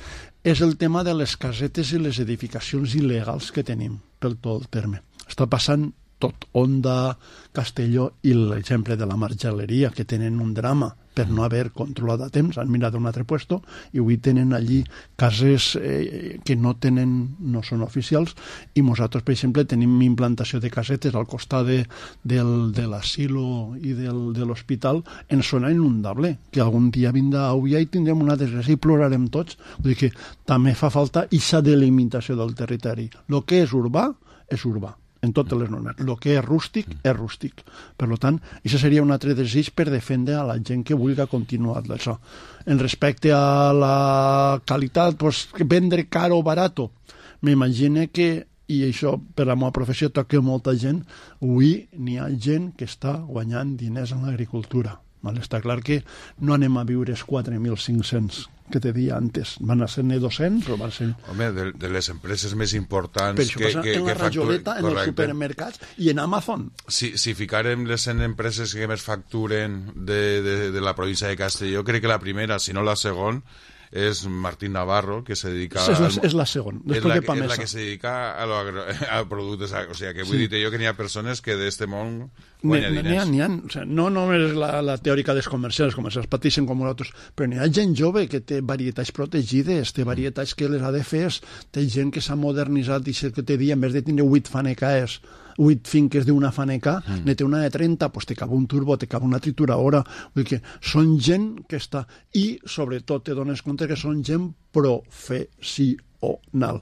És el tema de les casetes i les edificacions il·legals que tenim pel tot el terme. Està passant tot, Onda, Castelló i l'exemple de la Margeleria, que tenen un drama per no haver controlat a temps, han mirat un altre puesto i avui tenen allí cases eh, que no tenen, no són oficials, i nosaltres, per exemple, tenim implantació de casetes al costat de, del, de l'asilo i del, de l'hospital en zona inundable, que algun dia vindrà avui i tindrem una desgràcia i plorarem tots. Vull dir que també fa falta aquesta delimitació del territori. El que és urbà, és urbà en totes les normes. El que és rústic, és rústic. Per tant, això seria un altre desig per defendre a la gent que vulgui continuar això. En respecte a la qualitat, pues, vendre car o barato, m'imagino que, i això per la meva professió toca molta gent, avui n'hi ha gent que està guanyant diners en l'agricultura. Vale? Està clar que no anem a viure els quatre mil cinc-cents que te dia antes. Van a ser-ne dos-cents o van ser... Home, de, de les empreses més importants... Per això que, passa que, en la que rajoleta, facturen, en els supermercats i en Amazon. Si, si ficarem les en empreses que més facturen de, de, de la província de Castelló, crec que la primera, si no la segona, és Martín Navarro, que se dedica... És la, és la segona, després de Pamesa. És la que se dedica a, lo agro, a productes... O sigui, que vull sí. dir jo que n'hi ha persones que d'este món guanya diners. N'hi ha, n'hi ha. O sigui, no només la, la teòrica dels comercials, els comercials pateixen com nosaltres, però n'hi ha gent jove que té varietats protegides, té varietats que les ha de fer, té gent que s'ha modernitzat i que te dia, en vez de tindre vuit fanecaes, vuit finques d'una faneca, mm. ne té una de trenta, pues te cabe un turbo, te cabe una trituradora. Vull dir que són gent que està... I, sobretot, te dones compte que són gent professional.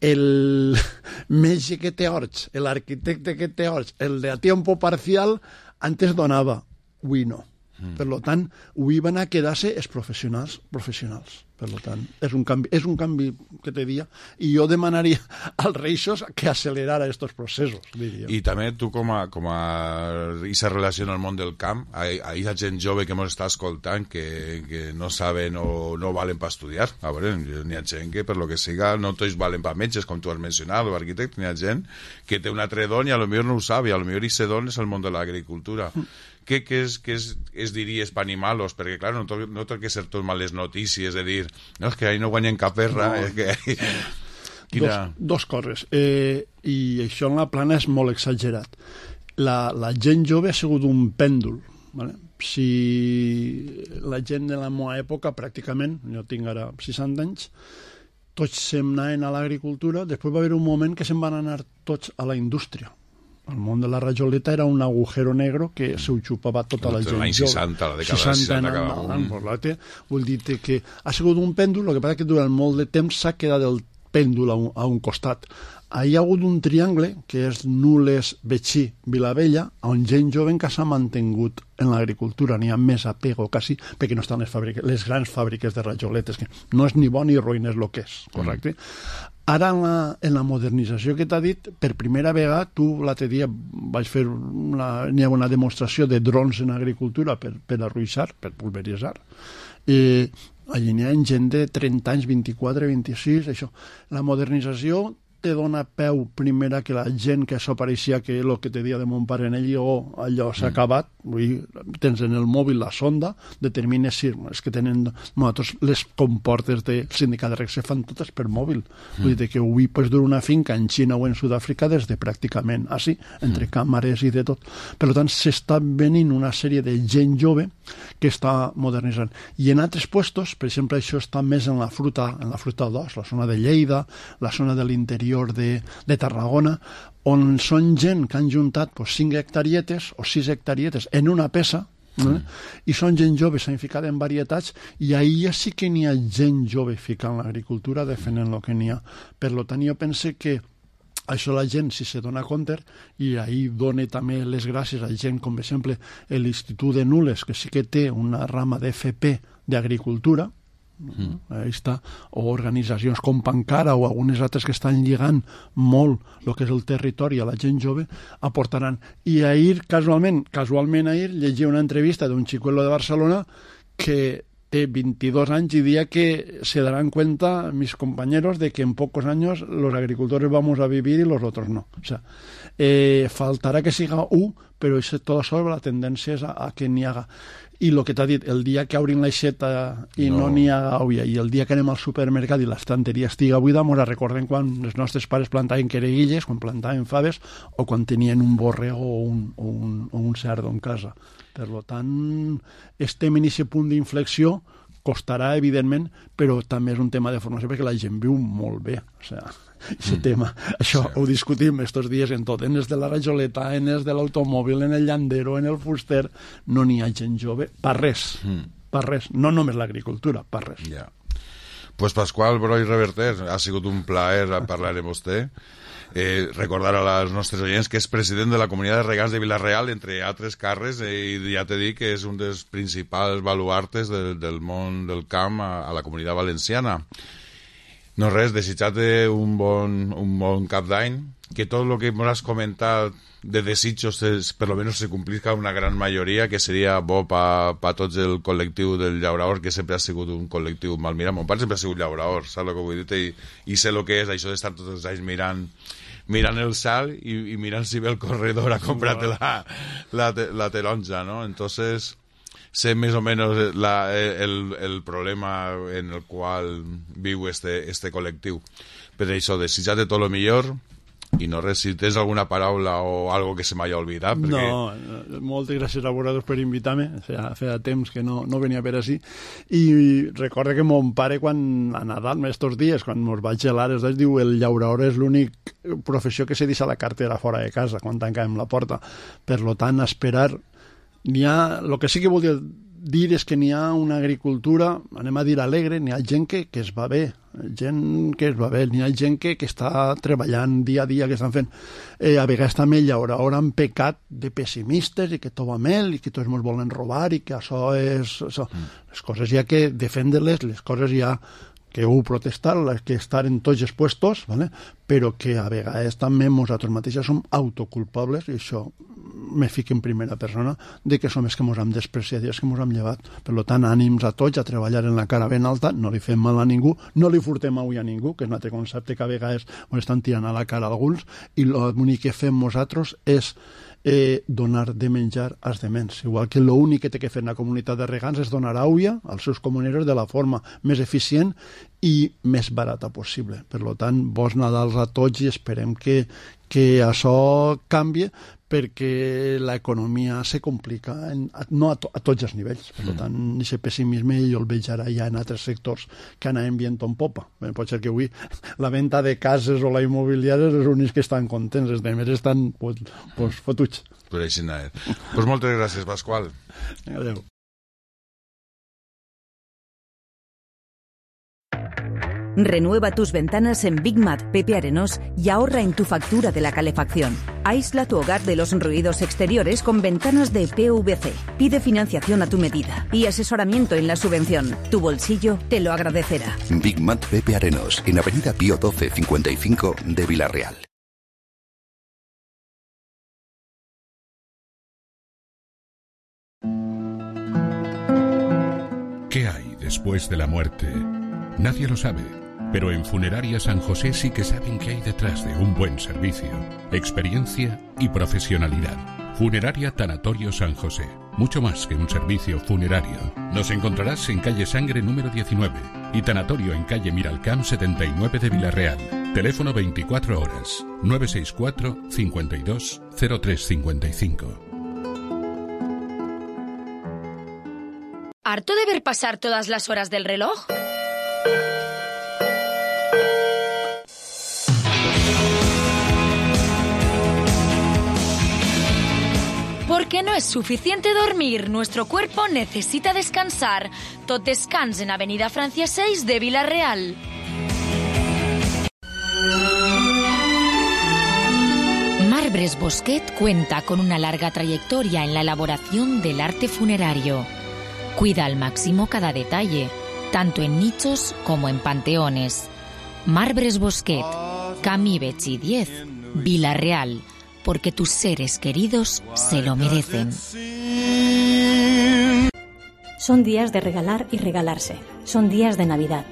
El metge que té horts, l'arquitecte que té horts, el de a tiempo parcial, antes donava, avui no. Mm. Per tant, avui van a quedar-se els professionals professionals. Per tant, és un canvi, és un canvi que te dia, i jo demanaria als reixos que accelerara aquests processos, diria. I també tu com a, com a i se relaciona al món del camp, a aquesta gent jove que ens està escoltant que, que no saben o no valen per estudiar. A veure, n'hi ha gent que per lo que siga no tots valen per metges, com tu has mencionat, o arquitecte, n'hi ha gent que té un altre don i a lo millor no ho sap, i a lo millor aquest don és el món de l'agricultura. Què, què, és, què és, es diries per animar-los? Perquè, clar, no, to, no té que ser tot males notícies de dir, no, és que ahí no guanyen cap perra. No. És que... Quina... dos, dos coses. Eh, I això en la plana és molt exagerat. La, la gent jove ha sigut un pèndol. Vale? Si la gent de la meva època, pràcticament, jo tinc ara seixanta anys, tots se'n anaven a l'agricultura, després va haver un moment que se'n van anar tots a la indústria. El món de la rajoleta era un agujero negro que se ho xupava tota la gent. L'any seixanta, la dècada dels seixanta, acaba. Vull dir que ha sigut un pèndol, el que passa que durant molt de temps s'ha quedat el pèndol a un, a un costat. Hi ha hagut un triangle, que és Nules, Betxí, Vilavella, on gent jove que s'ha mantingut en l'agricultura. N'hi ha més apego, quasi, perquè no estan les, fàbriques, les grans fàbriques de rajoletes, que no és ni bon ni ruïn, és el que és, correcte? Mm. Ara, en la, en la modernització que t'ha dit, per primera vegada, tu l'altre dia vaig fer una, n'hi ha una demostració de drons en agricultura per, per arruixar, per pulveritzar. I allí n'hi ha gent de trenta anys, vint-i-quatre, vint-i-sis, això. La modernització te dona peu primera que la gent que s'apareixia que el que te dia de mon pare en ell o allò s'ha mm. acabat, vull dir, tens en el mòbil la sonda, determines si és que tenen nosaltres les comportes del sindicat de reg se fan totes per mòbil, mm. vull dir que avui pues, dur una finca en Xina o en Sud-àfrica des de pràcticament així, entre mm. càmeres i de tot. Per tant, s'està venint una sèrie de gent jove que està modernitzant. I en altres puestos, per exemple, això està més en la fruta, en la fruta d'os, la zona de Lleida, la zona de l'interior De, de Tarragona, on són gent que han juntat pues, cinc hectarietes o sis hectarietes en una peça, mm. eh? I són gent jove, s'han ficat en varietats, i ahir ja sí que n'hi ha gent jove ficant l'agricultura, defendent el que n'hi ha. Per tant, jo pense que això la gent, si se dona compte, i ahir dona també les gràcies a gent com, per exemple, l'Institut de Nules, que sí que té una rama d'F P d'agricultura, Mm. Ahí està, o organitzacions com Pancara o algunes altres que estan lligant molt el que és el territori a la gent jove, aportaran. I ahir, casualment, casualment ahir, llegia una entrevista d'un xicuelo de Barcelona que té veintidós anys i dia que se darán cuenta mis compañeros de que en pocos años los agricultores vamos a vivir y los otros no. O sea, eh, faltarà que siga u, però això tot sobre la tendència és a, a que n'hi haga. I el que t'ha dit, el dia que obrin l'aixeta i no n'hi no ha olla, i el dia que anem al supermercat i l'estanteria estiga buida, ens recordem quan els nostres pares plantaven quereguilles, quan plantaven faves, o quan tenien un borrego o un, o un, o un cerdo en casa. Per tant, estem en aquest punt d'inflexió, costarà, evidentment, però també és un tema de formació perquè la gent viu molt bé. O sigui, aquest mm. tema, això sí. Ho discutim estos dies en tot, en els de la rajoleta, en els de l'automòbil, en el llandero, en el fuster, no n'hi ha gent jove, per res, mm. per res, no només l'agricultura, per res. Ja. Pues Pasqual Broi Reverter, ha sigut un plaer parlar amb vostè. Eh, recordar a les nostres oients que és president de la Comunitat de Regants de Vila-real, entre altres càrrecs, eh, i ja t'he dit que és un dels principals baluartes del, del món del camp a, a la Comunitat Valenciana. No res, desitjar-te un bon, un bon cap d'any, que tot el que m'has comentat de desitjos es, per lo menos se complisca una gran majoria, que seria bo per pa tots el col·lectiu del llaurador, que sempre ha sigut un col·lectiu mal mirat. Mon pare sempre ha sigut llaurador, saps el que vull dir? I, i sé el que és això d'estar tots els anys mirant mirant el sal i, i mirant si ve el corredor a comprar-te la, la, la taronja, ¿no? Entonces sé més o menys la, el, el problema en el qual viu este, este col·lectiu. Per això, desitjar-te tot el millor i no res, si tens alguna paraula o algo que se m'hagi oblidat. Perquè... No, moltes gràcies a vosaltres per invitar-me, feia, feia temps que no, no venia a veure així, i recorda que mon pare quan a Nadal, estos dies, quan mos vaig gelar, es diu el llaurador és l'únic professió que se deixa la cartera fora de casa quan tancàvem la porta. Per lo tant, esperar n'hi ha, el que sí que volia dir és que n'hi ha una agricultura, anem a dir alegre, n'hi ha gent que, que es va bé, gent que es va bé, n'hi ha gent que, que està treballant dia a dia, que estan fent. Eh, a vegades també llaura, ara han pecat de pessimistes i que tot va mal i que tots ens volen robar i que això és... Això. Mm. Les coses hi ha que defendre-les, les coses hi ha que heu protestar, que estar en tots els puestos, ¿vale? Però que a vegades també nosaltres mateixos som autoculpables, i això me fic en primera persona, de que som els que ens hem despreciat i els que ens hem llevat. Per tant, ànims a tots a treballar en la cara ben alta, no li fem mal a ningú, no li furtem avui a ningú, que és un altre concepte que a vegades ens estan tirant a la cara alguns, i l'únic que fem nosaltres és eh, donar de menjar als dements. Igual que l'únic que té que fer la comunitat de regants és donar aigua als seus comuneros de la forma més eficient i més barata possible. Per tant, bons Nadals a tots i esperem que, que això canvie, perquè l'economia se complica, en, no a, to, a tots els nivells. Per mm. tant, aquest pessimisme jo el veig ara ja en altres sectors que anaven viento en popa. Bé, pot ser que avui la venda de cases o la immobiliària és els únics que estan contents, els demés estan pues, pues, fotuts. Per així anar. Pues moltes gràcies, Pasqual. Adéu. Renueva tus ventanas en Big Mat Pepe Arenós y ahorra en tu factura de la calefacción. Aísla tu hogar de los ruidos exteriores con ventanas de P V C. Pide financiación a tu medida y asesoramiento en la subvención. Tu bolsillo te lo agradecerá. Big Mat Pepe Arenós, en Avenida Pío doce cincuenta y cinco de Villarreal. ¿Qué hay después de la muerte? Nadie lo sabe, pero en Funeraria San José sí que saben qué hay detrás de un buen servicio, experiencia y profesionalidad. Funeraria Tanatorio San José, mucho más que un servicio funerario. Nos encontrarás en calle Sangre número diecinueve y Tanatorio en calle Miralcamp setenta y nueve de Villarreal. Teléfono veinticuatro horas, nueve seis cuatro, cincuenta y dos, cero tres cincuenta y cinco. ¿Harto de ver pasar todas las horas del reloj? Porque no es suficiente dormir, nuestro cuerpo necesita descansar. Tot descans en Avenida Francia seis de Villarreal. Marbres Bosquet cuenta con una larga trayectoria en la elaboración del arte funerario. Cuida al máximo cada detalle, tanto en nichos como en panteones. Marbres Bosquet, Camí Betxí diez, Villarreal, porque tus seres queridos se lo merecen. Son días de regalar y regalarse. Son días de Navidad.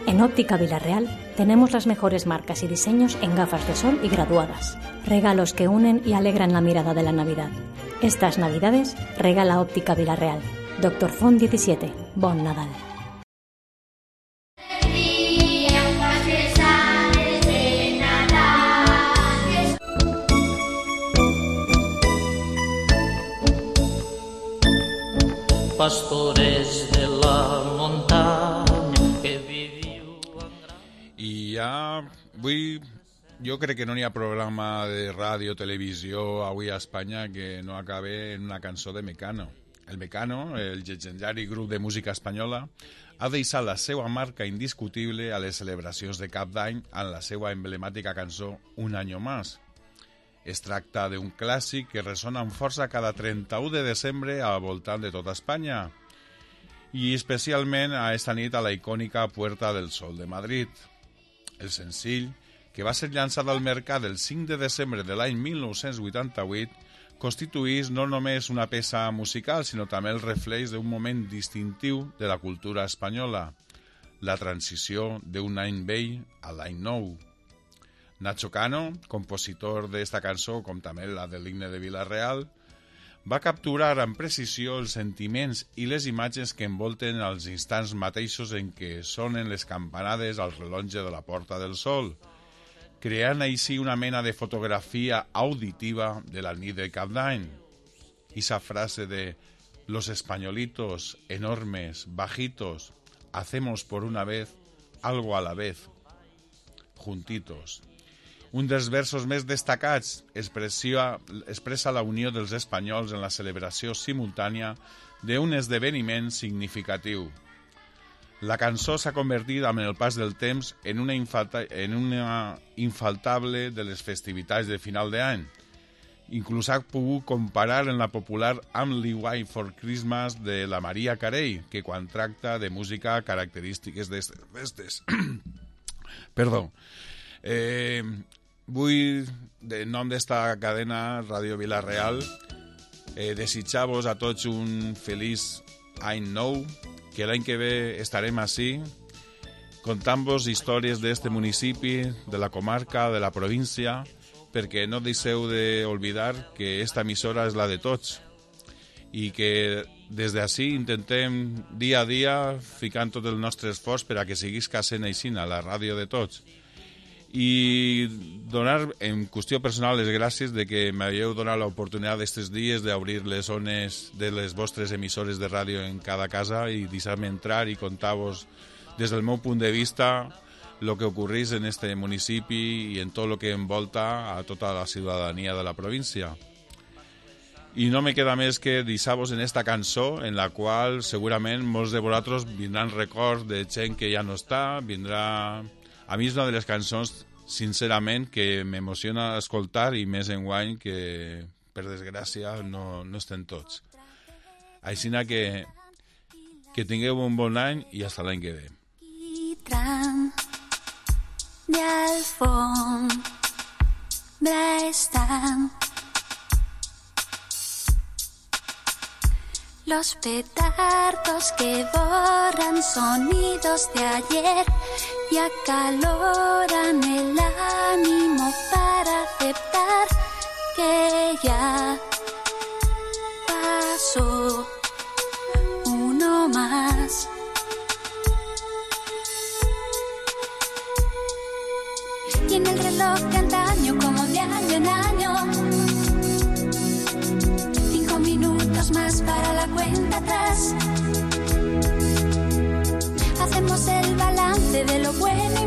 En Óptica Villarreal tenemos las mejores marcas y diseños en gafas de sol y graduadas. Regalos que unen y alegran la mirada de la Navidad. Estas Navidades regala Óptica Villarreal. Doctor Font diecisiete. Bon Nadal. Pastores de la muntanya que viviu... I ja vull... Jo crec que no n'hi ha programa de ràdio o televisió avui a Espanya que no acabe en una cançó de Mecano. El Mecano, el llegendari grup de música espanyola, ha deixat la seva marca indiscutible a les celebracions de Cap d'Any amb la seva emblemàtica cançó Un año más. Es tracta d'un clàssic que ressona amb força cada trenta-u de desembre al voltant de tota Espanya i especialment a esta nit a la icònica Puerta del Sol de Madrid. El senzill, que va ser llançat al mercat el cinc de desembre de l'any mil nou-cents vuitanta-vuit, constituïx no només una peça musical, sinó també el reflex d'un moment distintiu de la cultura espanyola, la transició d'un any vell a l'any nou. Nacho Cano, compositor d'esta cançó, com també la de l'himne de Villarreal, va capturar amb precisió els sentiments i les imatges que envolten els instants mateixos en què sonen les campanades al rellotge de la Porta del Sol, creant així una mena de fotografia auditiva de la nit de Cap d'Any. Esa frase de «Los españolitos, enormes, bajitos, hacemos por una vez algo a la vez, juntitos». Un dels versos més destacats expressa, expressa la unió dels espanyols en la celebració simultània d'un esdeveniment significatiu. La cançó s'ha convertit amb el pas del temps en una, infalta, en una infaltable de les festivitats de final d'any. Inclús ha pogut comparar en la popular I'm Lee White for Christmas de la Maria Carey, que quan tracta de música característiques d'aquestes festes. Perdó. Eh, vull, de nom d'esta cadena Ràdio Villarreal, eh, desitjar-vos a tots un feliç any nou, que l'any que ve estarem ací contant-vos històries d'este municipi, de la comarca, de la província, perquè no deixeu d'oblidar que esta emissora és la de tots i que des d'ací intentem dia a dia ficant tot el nostre esforç per a que siguis casent aixina, la ràdio de tots. i donar en qüestió personal les gràcies de que m'havíeu donat l'oportunitat d'aquests dies d'obrir les zones de les vostres emissores de ràdio en cada casa i deixar-me entrar i contar-vos des del meu punt de vista el que ocorrís en este municipi i en tot el que envolta a tota la ciutadania de la província. I no me queda més que deixar-vos en esta cançó en la qual segurament molts de vosaltres vindran records de gent que ja no està, vindrà... A mi és una de les cançons, sincerament, que m'emociona escoltar i més enguany que, per desgràcia, no, no estem tots. Així que, que tingueu un bon any i fins l'any que ve. De alfombra están los petardos que borran sonidos de ayer y acaloran el ánimo para aceptar que ya pasó uno más. Y en el reloj de antaño, como de año en año, cinco minutos más para la cuenta atrás. Hacemos el balance de lo bueno y